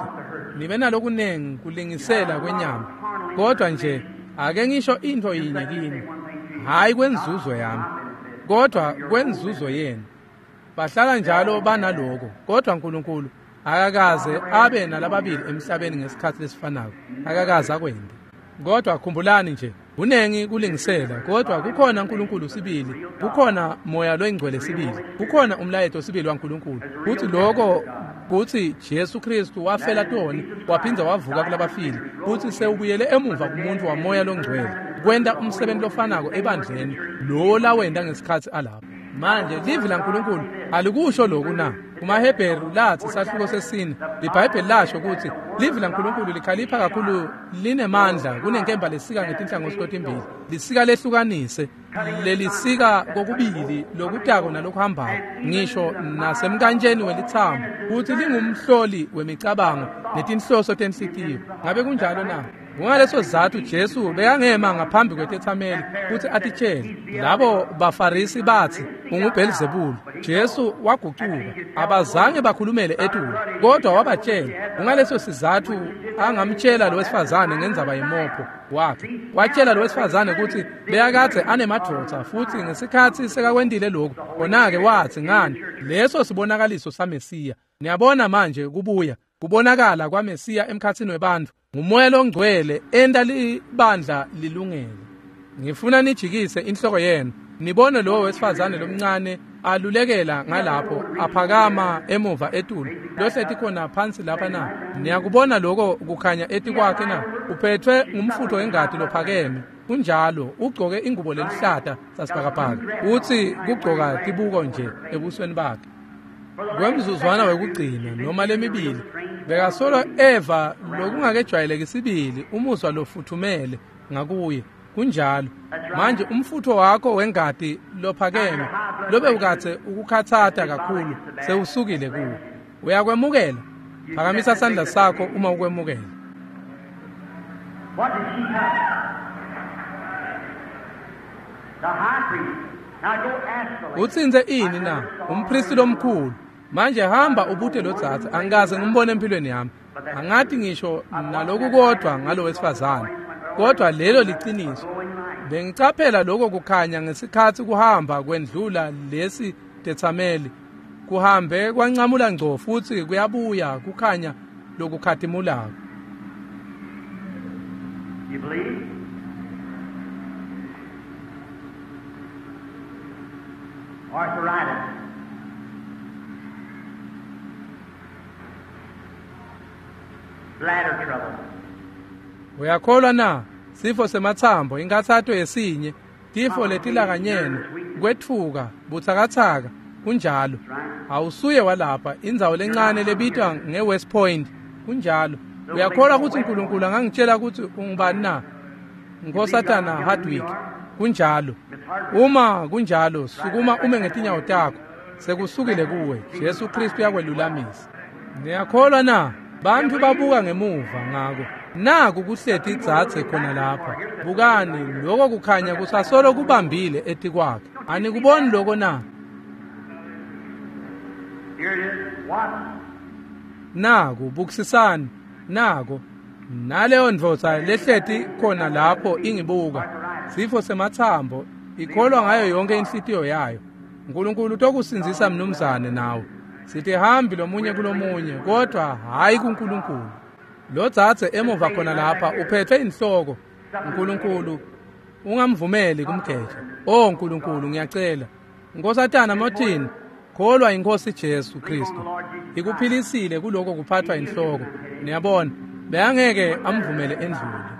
nibe nalokunengi kulingisela kwenyama, kodwa nje ake ngisho intfo yinye kini, hhayi kwenzuzo yami kodwa kwenzuzo yenu. Bahlala njalo banaloko, kodwa uNkulunkulu akakaze abe nalababili emhlabeni ngesikhatsi lesifanako, akakaze akwente. Kodwa khumbulani nje, kunengi kulingisela, kodwa kukhona uNkulunkulu sibili, kukhona moya loyingcwele sibili, kukhona umlayeto sibili waNkulunkulu. Kuthi lokho kuthi Jesu Kristu wafela toni waphindza wavuka kulabafile, kuthi sewubuyele emuva kumuntu wamoya longcwele kwenta umsebenzi lofanako ebandleni lo lawenta ngesikhatsi alapho. Manje livi laNkulunkulu alikusho lokhu na? KumaHebheru lathi sahluko sesine iBhayibheli lasho ukuthi livi laNkulunkulu likhalipha kakhulu, linemandla kunenkemba lesika ngetinhlangothi totimbili, lisika lehlukanise, lelisika kokubili lokutako nalokuhambako, ngisho nasemkantsheni welithambo, futhi lingumhloli wemicabango netinhloso tenhlitiyo. Ngabe kunjalo na? Kungaleso sizatfu Jesu bekangema ngaphambi kwetetsameli kutsi atitshele. Labo baFarisi batsi unguBhelzebule. Jesu wagucuka, abazange bakhulumele etulu, kodwa wabatshela. Kungaleso sizatfu angamtshela lo wesifazane ngendzaba yemopho wakhe. Watshela lo wesifazane kutsi bekakadze anemadvodza, futhi ngesikhatsi sekakwentile lokhu, khona-ke watsi ngani, leso sibonakaliso saMesiya. Niyabona manje kubuya kubonakala kwaMesiya emkhatsini webantfu ngumoya longcwele enta libandla lilungele. Ngifuna nijikise inhloko yenu nibone lowo wesifazane lomncane alulekela ngalapho aphakama emuva etulu lohleti khona phansi lapha na? Niyakubona lokho kukhanya etikwakhe na? Uphethwe ngumfutho wengati lophakeme. Kunjalo, ugcoke ingubo lelihlata sasibhakabhaka, utsi kugcoka tibuko nje ebusweni bakhe. Kwemzuzwana wekugcina noma lemibili bekasolo eva lokungakejwayeleki sibili umuzwa lofuthumele ngakuye. Kunjalo. Manje umfutho wakho wengati lophakeme lobe ukathe ukukhathata kakhulu sewusukile kuwe. Uyakwemukela? Phakamisa sandla sakho uma ukwemukela. What did she touch? The high priest. Now go ask the lady. Utsintse ini na? Umpristi lomkhulu. Manje hamba ubute lo dzadze, angikaze ngimbone empilweni yami. Angathi ngisho naloku kodwa ngalo wesifazane. Kodwa lelo liciniso. Bengicaphela lokho kukhanya ngesikhathi kuhamba kwendlula lesi tethameli. Kuhambe kwancamula ngco futhi kuyabuya kukhanya lokukhatimulako. You believe? Arthritis. Bladder trouble. Uyakholwa na? Sifo semathambo, inkathato yesinye, tifo letilakanyene, kwetfuka, butsakatsaka, kunjalo. Awusuye walapha, indzawo lencane lebitwa nge-West Point, kunjalo. Uyakholwa ukuthi uNkulunkulu angangitshela ukuthi ungubani na? Nkosatana Hardwick, kunjalo. Uma kunjalo, sukuma ume ngetinyawo takho. Sekusukile kuwe. Jesu Kristu uyakwelulamisa. Niyakholwa na? Bantu babuka ngemuva ngako. Naku kuhleti idzadze khona lapha. Bukani, lokho kukhanya kusasolo kubambile etikwakhe. Anikuboni lokho na? Here it is. What? Naku bukisisani, nako. Naleyo ndvodza lehleti khona lapho ingibuka. Sifo semathambo, ikholwa ngayo yonke inhlitiyo yayo. uNkulunkulu utokusindzisa mnumzane nawe. Sithi hambi lomunye kulomunye, kodwa hayi kuNkulunkulu. Lo dzadze emuva khona lapha uphethwe inhloko. uNkulunkulu ungamvumeli kumgeja. Oh uNkulunkulu, ngiyacela. Nkosatana Martin, kholwa inkosi Jesu Kristu. Ikuphilisile kuloko kuphathwa inhloko. Niyabona, beyangeke amvumele endlule.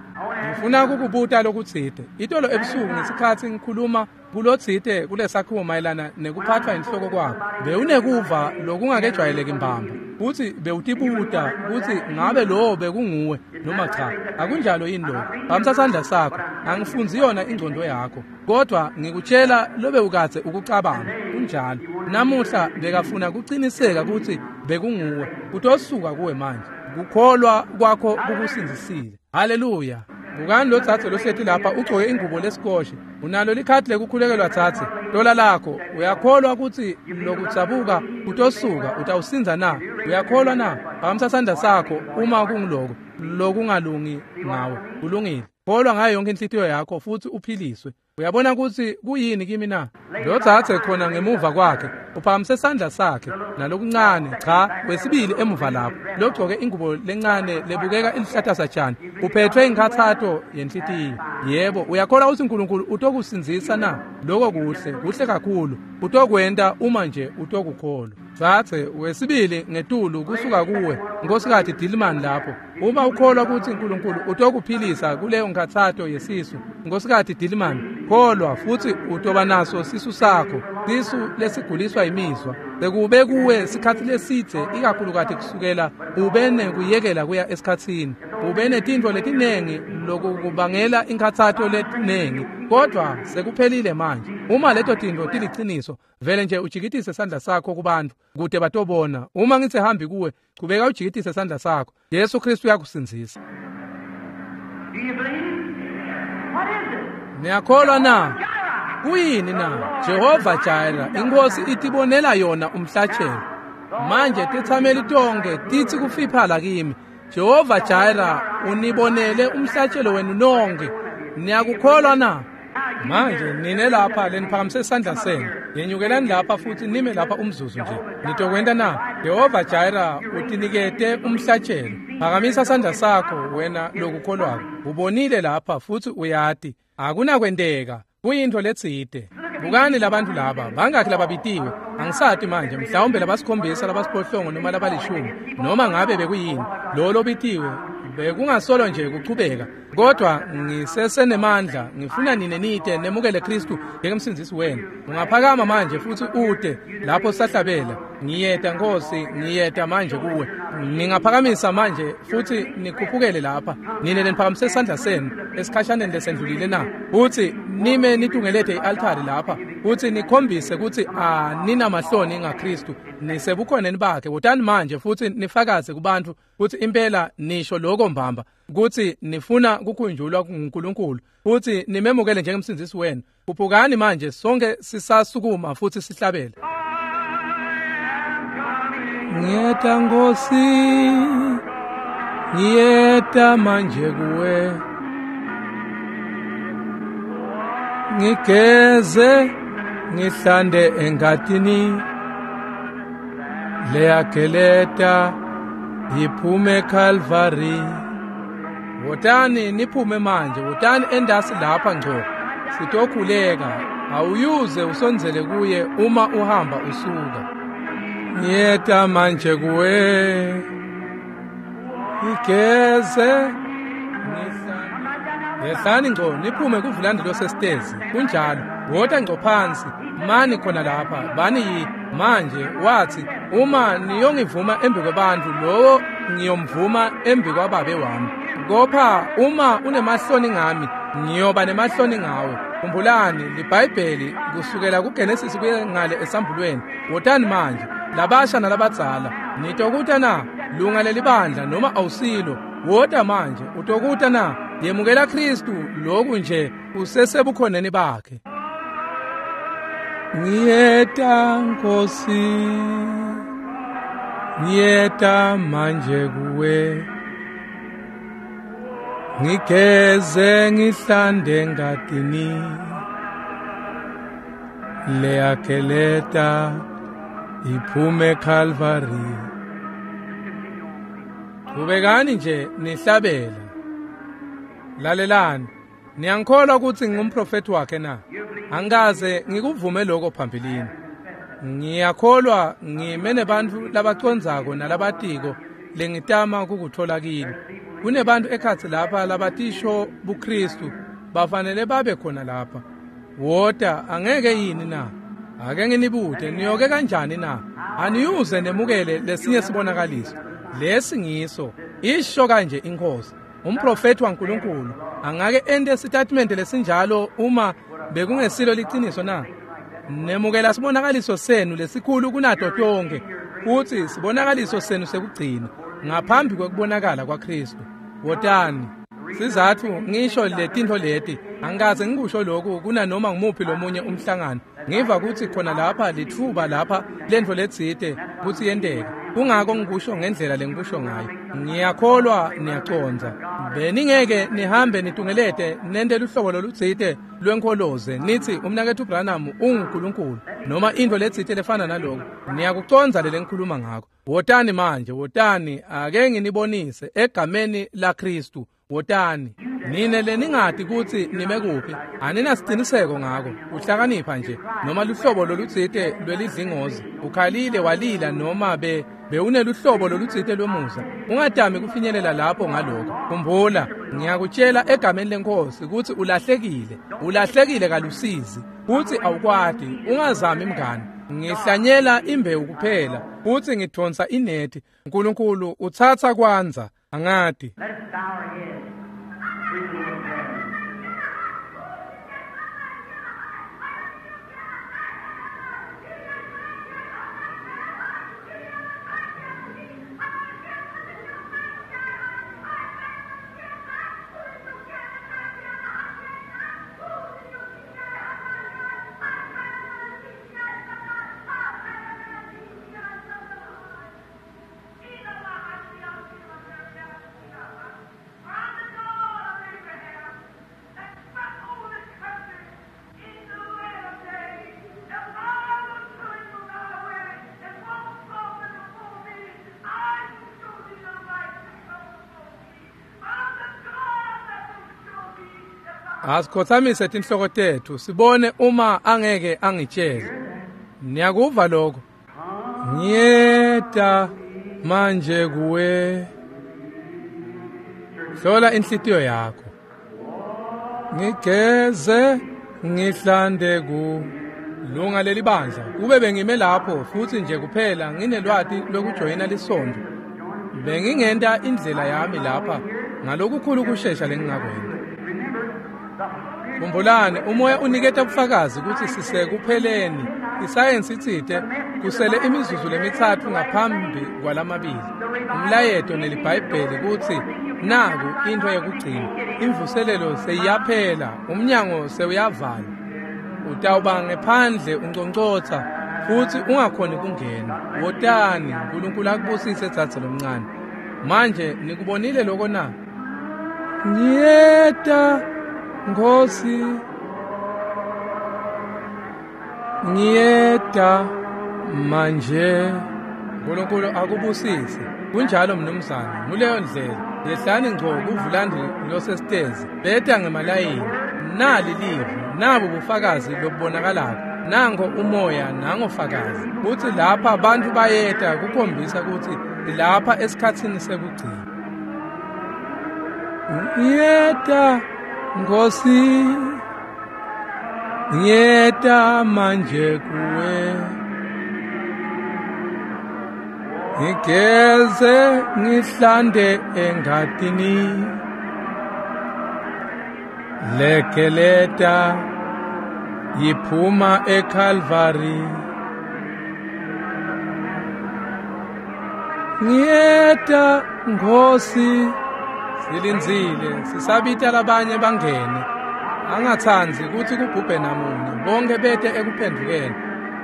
Ngifuna kukubuta lokutsite. Itolo ebusuku ngesikhathi ngikhuluma kulotsite kulesakhiwo mayelana nekuphathwa inhloko kwakho, bewunekuva lokungakejwayeleki mbamba. Futhi bewutibuta ukuthi ngabe lowo bekunguwe noma cha. Akunjalo yini lokho? Phamisa sandla sakho. Angifunzi yona ingcondo yakho, kodwa ngikutshela lobe ukathe ukucabanga. Kunjalo. Namuhla bekafuna kuqiniseka ukuthi bekunguwe. Utosuka kuwe manje. Kukholwa kwakho kukusindzisile. Haleluya. Bukani lo dzadze lohleti lapha ugcoke ingubo lesikoshe. Unalo likhadi lekukhulekelwa dzadze. Tola lakho. Uyakholwa ukuthi lokudzabuka kutosuka, utawusindza na? Uyakholwa na? Phakamisa sandla sakho uma kungiloko lokungalungi ngawe. Kulungile. Kholwa ngayo yonke inhlitiyo yakho futhi uphiliswe. Uyabona ukuthi kuyini kimi na? Lo dzadze khona ngemuva kwakhe uphakamise sandla sakhe nalokuncane, cha, wesibili emuva lapho logcoke ingubo lencane lebukeka ilihlata satshani, uphethwe inkathato yenhlitiyo. Yebo, uyakholwa ukuthi uNkulunkulu utokusindzisa na? Lokho kuhle, kuhle kakhulu. Utokwenta uma nje utokukholwa. Dzadze wesibili ngetulu kusuka kuwe, Nkosikazi Dillman lapho. Uma ukholwa ukuthi uNkulunkulu utokuphilisa kuleyo nkathato yesisu, Nkosikazi Dillman, kholwa futhi utoba naso sisu sakho, sisu lesiguliswa imizwa. Bekube kuwe sikhathi lesidze, ikakhulukati kusukela ube nekuyekela kuya esikhatsini. Ube netintfo letinengi lokubangela inkathato letinengi, kodwa sekuphelile manje. Uma leto tintfo tiliciniso, vele nje ujikitise sandla sakho kubantu kute batobona. Uma ngitse hambi kuwe, chubeka ujikitise sandla sakho. Jesu Kristu uyakusindzisa. Do you believe? What is it? Niyakholwa na? Kuyini na? Jehova Jireh, inkosi itibonela yona umhlatshelo. Manje tethameli tonke titsi kufiphala kimi. Jehova Jireh unibonele umhlatshelo wenu nonke. Niyakukholwa na? Manje nine lapha leniphakamise isandla senu, yenyukelani lapha futhi nime lapha umzuzu nje. Nitokwenta na? Jehova Jireh utinikete umhlatshelo. Phakamisa sandla sakho wena lokukholwako. Ubonile lapha futhi uyati akunakwenteka. Kuyintfo letsite. Bukani labantu laba, bangakhi lababitiwe? Angisati manje, mhlawumbe labasikhombisa, labasiphohlongo noma labalishumi, noma ngabe bekuyini. Lo lobitiwe bekungasolo nje kuchubeka. Kodwa ngisesenemandla, ngifuna nine nite nemukele Kristu njengemsindzisi wenu. Ungaphakama manje futhi ute lapho sahlabela. Ngiyeta Nkosi, ngiyeta manje kuwe. Ningaphakamisa manje futhi nikhuphukele lapha. Nine neniphakamise isandla senu esikhashaneni lesendlulile na? Futhi nime nitungelete i-altari lapha futhi nikhombise ukuthi aninamahloni ngaKristu, nisebukhoneni bakhe. Wotani manje futhi nifakaze kubantu futhi impela nisho lokho mbamba ukuthi nifuna kukhunjulwa nguNkulunkulu futhi nimemukele njengemsindzisi wenu. Khuphukani manje, sonke sisasukuma futhi sihlabele. Ngiyeta Nkosi, ngiyeta manje kuwe, ngigeze ngihlande engatini leyageleta iphume Calvary. Wotani niphume manje, wotani endasi lapha ngco, sitokhuleka. Awuyuze usondzele kuye uma uhamba usuka. Ngiyeta manje kuwe, ngigeze ngihlande. Yehlani ngco niphume kuvulandi losesitezi. Kunjalo, wota ngco phansi, mani khona lapha, bani yi manje. Wathi, uma niyongivuma embi kwabantu, lowo ngiyomvuma embi kwababe wami. Kopha uma unemahloni ngami, ngiyoba nemahloni ngawe. Khumbulani liBhayibheli kusukela kuGenesis kuye ngale esambulweni. Wotani manje, labasha nalabadzala, nitokuta na? Lunga lelibandla noma awusilo, wota manje, utokuta na? Yemukela Kristu lokhu nje usesebukhoneni bakhe. Ngiyeta Nkosi, ngiyeta manje kuwe, ngigeze ngihlande ngatini leyageleta iphume Calvary. Qhubekani nje nihlabela. Lalelani, niyangikholwa ukuthi ngingumprofeti wakhe na? Angikaze ngikuvume lokho phambilini. Ngiyakholwa ngime nebantfu labacondzako nalabatiko lengitama kukuthola kini. Kunebantu ekhatsi lapha labatisho buKristu, bafanele babe khona lapha. Wota, angeke yini na? Ake nginibute, niyoke kanjani na? Aniyuze nemukele lesinye sibonakaliso. Lesi ngiso, isho kanje iNkosi. Umprofeti waNkulunkulu angake ente sitatimende lesinjalo uma bekungesilo liciniso na? Nemukela sibonakaliso senu lesikhulu kunato tonke, futhi sibonakaliso senu sekugcina ngaphambi kwekubonakala kwaKristu. Wotani. Sizathu ngisho letintfo leti, angikaze ngikusho lokhu kunanoma ngumuphi lomunye umhlangano. Ngiva ukuthi khona lapha lithuba lapha lentfo letsite kutsi yenteke. Kungako ngikusho ngendlela lengikusho ngayo. Ngiyakholwa niyacondza. Beningeke nihambe nitungelete nente luhlobo lolutsite lwenkholoze nithi umnaketfu Branham unguNkulunkulu noma intfo letsite lefana naloko. Niyakucondza le lengikhuluma ngako. Wotani manje, wotani, ake nginibonise egameni laKristu. Wotani. Nine leningati kutsi nime kuphi, aninasiciniseko ngako. Uhlakanipha nje noma luhlobo lolutsite lwelidlingozi. Ukhalile walila noma bewuneluhlobo lolutsite lwemusa. Ungatami kufinyelela lapho ngaloko. Khumbula, ngiyakutshela egameni leNkosi kutsi ulahlekile. Ulahlekile kalusizi. Kutsi awukwati, ungazami mngani. Ngihlanyela imbewu kuphela, futsi ngidonsa inethi. uNkulunkulu utsatsa kwandza, angati. Let us bow our heads. Breathe a little prayer. Asikhothamise tinhloko tetfu sibone uma angeke angitshele. Niyakuva lokho? Ngiyeta manje kuwe. Hlola inhlitiyo yakho. Ngigeze ngihlande ku lunga leli bandla. Kube bengime lapho futhi nje kuphela nginelwati lokujoyina lisonto, bengingenta indlela yami lapha ngalokukhulu kushesha lengingakwenta. Khumbulani, umoya uniketa ubufakazi ukuthi sisekupheleni. Isayensi itsite kusele imizuzu lemithathu ngaphambi kwalamabili. Umlayeto neliBhayibheli kutsi naku into yekugcina. Imvuselelo seyiyaphela, umnyango sewuyavalwa. Utawuba ngephandle unconcotsa futhi ungakhoni kungena. Wotani, uNkulunkulu akubusise dzadze lomncane. Manje nikubonile lokho na? Ngiyeta Nkosi, ngiyeta manje. uNkulunkulu akubusise. Kunjalo mnumzane, nguleyo ndlela. Yehlani ngco kuvulandi losesitezi, beta ngemalayini. Nali livi, nabo bufakazi lobubonakalako. Nango umoya, nango fakazi. Kuthi lapha abantu bayeta kukhombisa ukuthi lapha esikhatsini sekugcina. Ngiyeta Nkosi, ngiyeta manje kuwe. Ngigeze ngihlande engatini, lekeleta yiphuma eCalvary. Ngiyeta Nkosi. Silindzile, sisabita labanye bangene. Angatsandzi kutsi kubhubhe namunye, bonke bete ekuphendvukeni.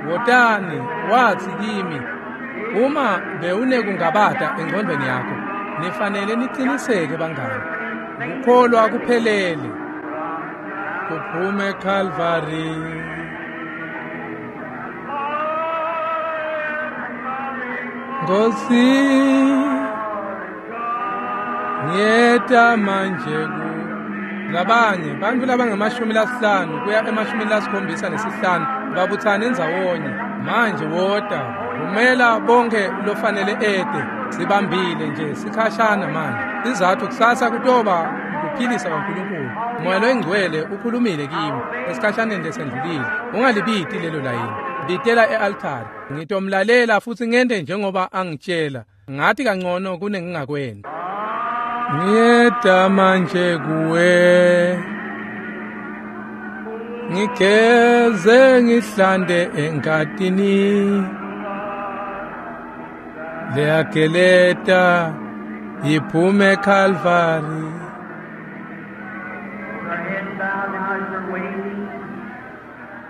Wotani, watsi kimi, uma bewunekungabata engcondvweni yakho, nifanele niciniseke bangani. Kukholwa kuphelele. Kuphume eCalvary. Nkosi, ngiyeta manje ku labanye bantfu labangamashumi lasihlanu kuya emashumini lasikhombisa nesihlanu babutsane ndzawonye. Manje wota, vumela bonke lofanele ete. Sibambile nje sikhashana manje. Sizathu kusasa kutoba kuphilisa kwaNkulunkulu. Moya loyingcwele ukhulumile kimi esikhashaneni lesendlulile. Ungalibiti lelo layini, bitela e-altari. Ngitomlalela futhi ngente njengoba angitshela. Ngathi kangcono kunengingakwenta. Ngiyeta manje kuwe, ngigeze ngihlande engatini, leyageleta iphume eCalvary.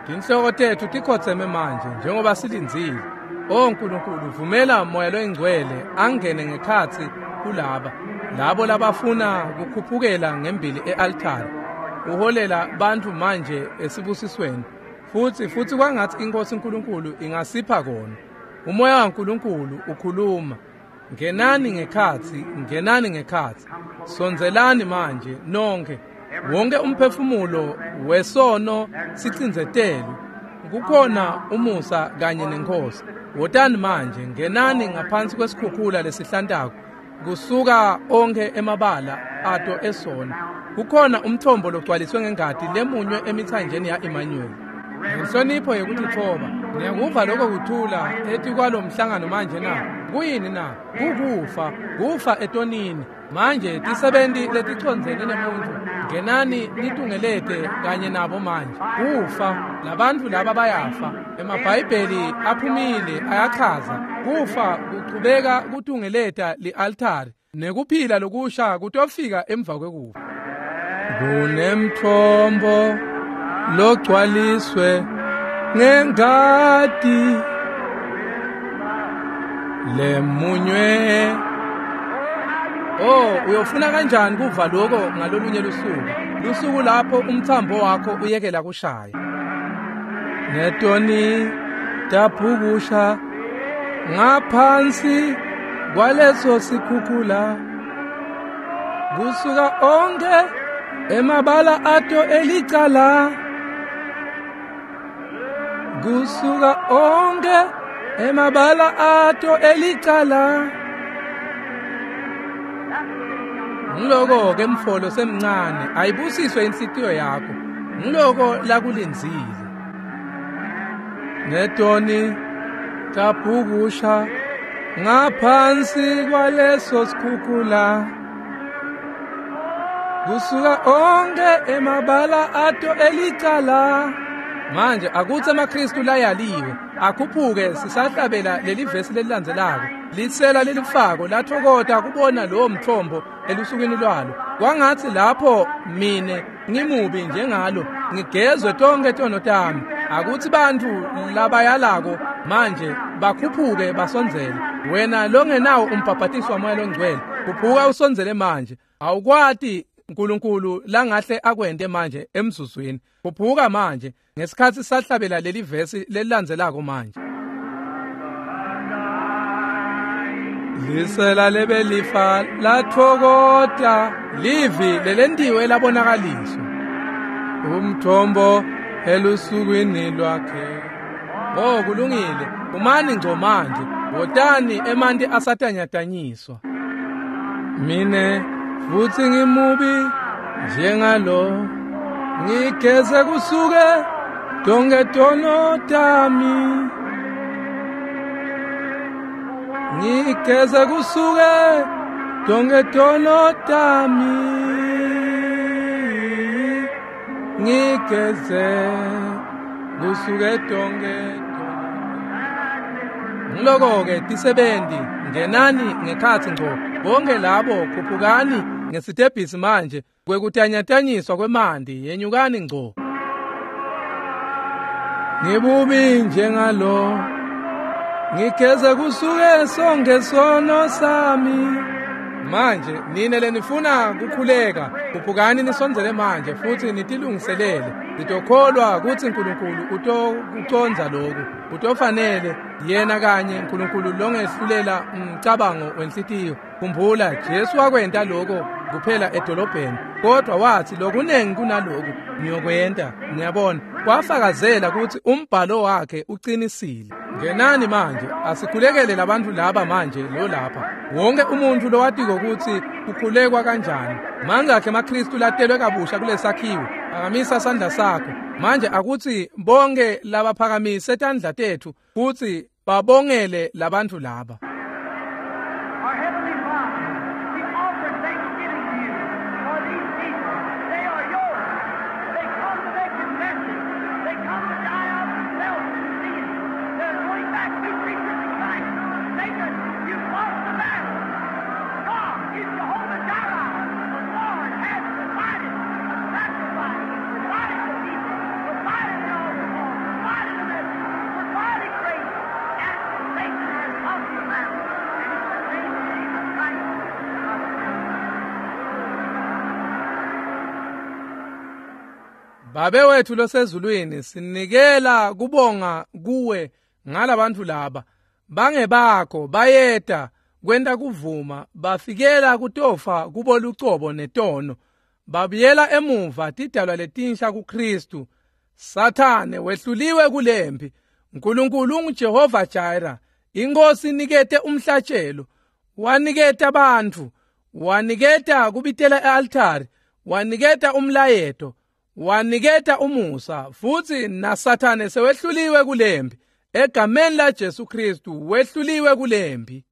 Tinhloko tethu tikhotseme manje njengoba silindzile. O Nkulunkulu, vumela moya loyingcwele angene ngekhatsi kulaba labo labafuna kukhuphukela ngembili e-altari. Uholela bantfu manje esibusisweni. Futhi kwangathi inkosi uNkulunkulu ingasipha kona. Umoya waNkulunkulu ukhuluma. Ngenani ngekhatsi, ngenani ngekhatsi. Sondzelani manje nonke. Wonke umphefumulo wesono sicindzetelwe. Kukhona umusa kanye nenkosi. Wotani manje, ngenani ngaphansi kwesikhukhula lesihlantako. Kusuka onke emabala ato esona. Kukhona umthombo logcwaliswe ngengati lemunywe emithanjeni ya-Emmanuel. Ngenhlonipho yekutitfoba, niyakuva lokho kuthula etikwalo mhlangano manje na? Kuyini na? Kukufa, kufa etonini. Manje tisebenti leticondzene nemuntfu, ngenani nitungelete kanye nabo manje. Kufa, labantfu laba bayafa. EmaBhayibheli aphumile ayachaza. Kufa kuchubeka kutungeleta li-altari, nekuphila lokusha kutofika emva kwekufa. Kunemthombo logcwaliswe ngengati lemunywe. Oh, uyofuna kanjani kuva lokho ngalolunye lusuku? Lusuku lapho umthambo wakho uyekela kushaya. Netoni taphukusha ngaphansi kwaleso sikhukhula. Kusuka onke emabala ato elicala. Kusuka onke emabala ato elicala. Ngiloko-ke mfolo semncane, ayibusiswe inhlitiyo yakho. Ngiloko lakulindzile. Netoni tabhukusha ngaphansi kwaleso sikhukhula. Kusuka onke emabala ato elicala. Manje akutsi emaKristu layaliwe akhuphuke sisahlabela leli vesi lelilandzelako. Lisela lelifako lathokota kubona lowo mthombo elusukwini lwalo. Kwangatsi lapho mine ngimubi njengalo ngigezwe tonke tono tami. Akutsi bantfu labayalako manje bakhuphuke basondzele. Wena longenawo umbhabhatiso waMoya Longcwele, khuphuka usondzele manje. Awukwati uNkulunkulu langahle akwente manje emzuzwini. Khuphuka manje ngesikhatsi sahlabela leli vesi lelilandzelako manje. Lisela lebelifa lathokota livi lelentiwe labonakaliswa. Umthombo elusukwini lwakhe. Oh, kulungile. Umani ngco manje. Wotani emanti asatanyatanyiswa. Mine futsi ngimubi njengalo, ngigeze kusuke tonke tono tami. Ngigeze kusuke tonke tono tami. Ngigeze kusuke tonke tono. Ngiloko-ke tisebenti, ngenani ngekhatsi ngco. Bonke labo khuphukani ngesitebhisi manje kwekutanyatanyiswa kwemanti, yenyukani ngco. Ngibubi njengalo, ngigeze kusuke sonke sono sami. Manje nine lenifuna kukhuleka, khuphukani nisondzele manje futhi nitilungiselele. Nitokholwa kutsi uNkulunkulu utokucondza lokhu. Utofanele yena kanye uNkulunkulu longehlulela umcabango wenhlitiyo. Khumbula Jesu wakwenta lokho kuphela edolobheni, kodwa wathi lokunengi kunaloku ngiyokwenta. Niyabona, kwafakazela kutsi umbhalo wakhe uqinisile. Ngenani manje, asikhulekele labantu laba manje lo lapha. Wonke umuntu lowatiko kutsi kukhulekwa kanjani. Mangakhe emaKristu latelwe kabusha kulesakhiwo, phakamisa sandla sakho. Manje akutsi bonke labaphakamise tandla tetfu futsi babongele labantu laba. Our Heavenly Father, we offer thanksgiving to you for these people. They are yours. They come to make confession. They come to die out of self and sin. They're going back to creatures of Christ. Satan, you've lost the battle. God is Jehovah Jireh. The Lord has provided a sacrifice, provided the people, provided the altar call, provided the message, provided grace, and Satan has lost the battle. And in the name of Jesus Christ, Babe wethu losezulwini, sinikela kubonga kuwe ngalabantu laba. Bangebakho bayeta kwenta kuvuma, bafikela kutofa kubo lucobo netono. Babuyela emuva tidalwa letinsha kuKristu. Sathane wehluliwe kulempi. uNkulunkulu unguJehova Jireh. Inkosi inikete umhlatshelo, waniketa bantfu, waniketa kubitela e-altari, waniketa umlayeto, waniketa umusa, futsi naSathane sewehluliwe kulempi. Egameni la Jesu Kristu wehluliwe kulempi.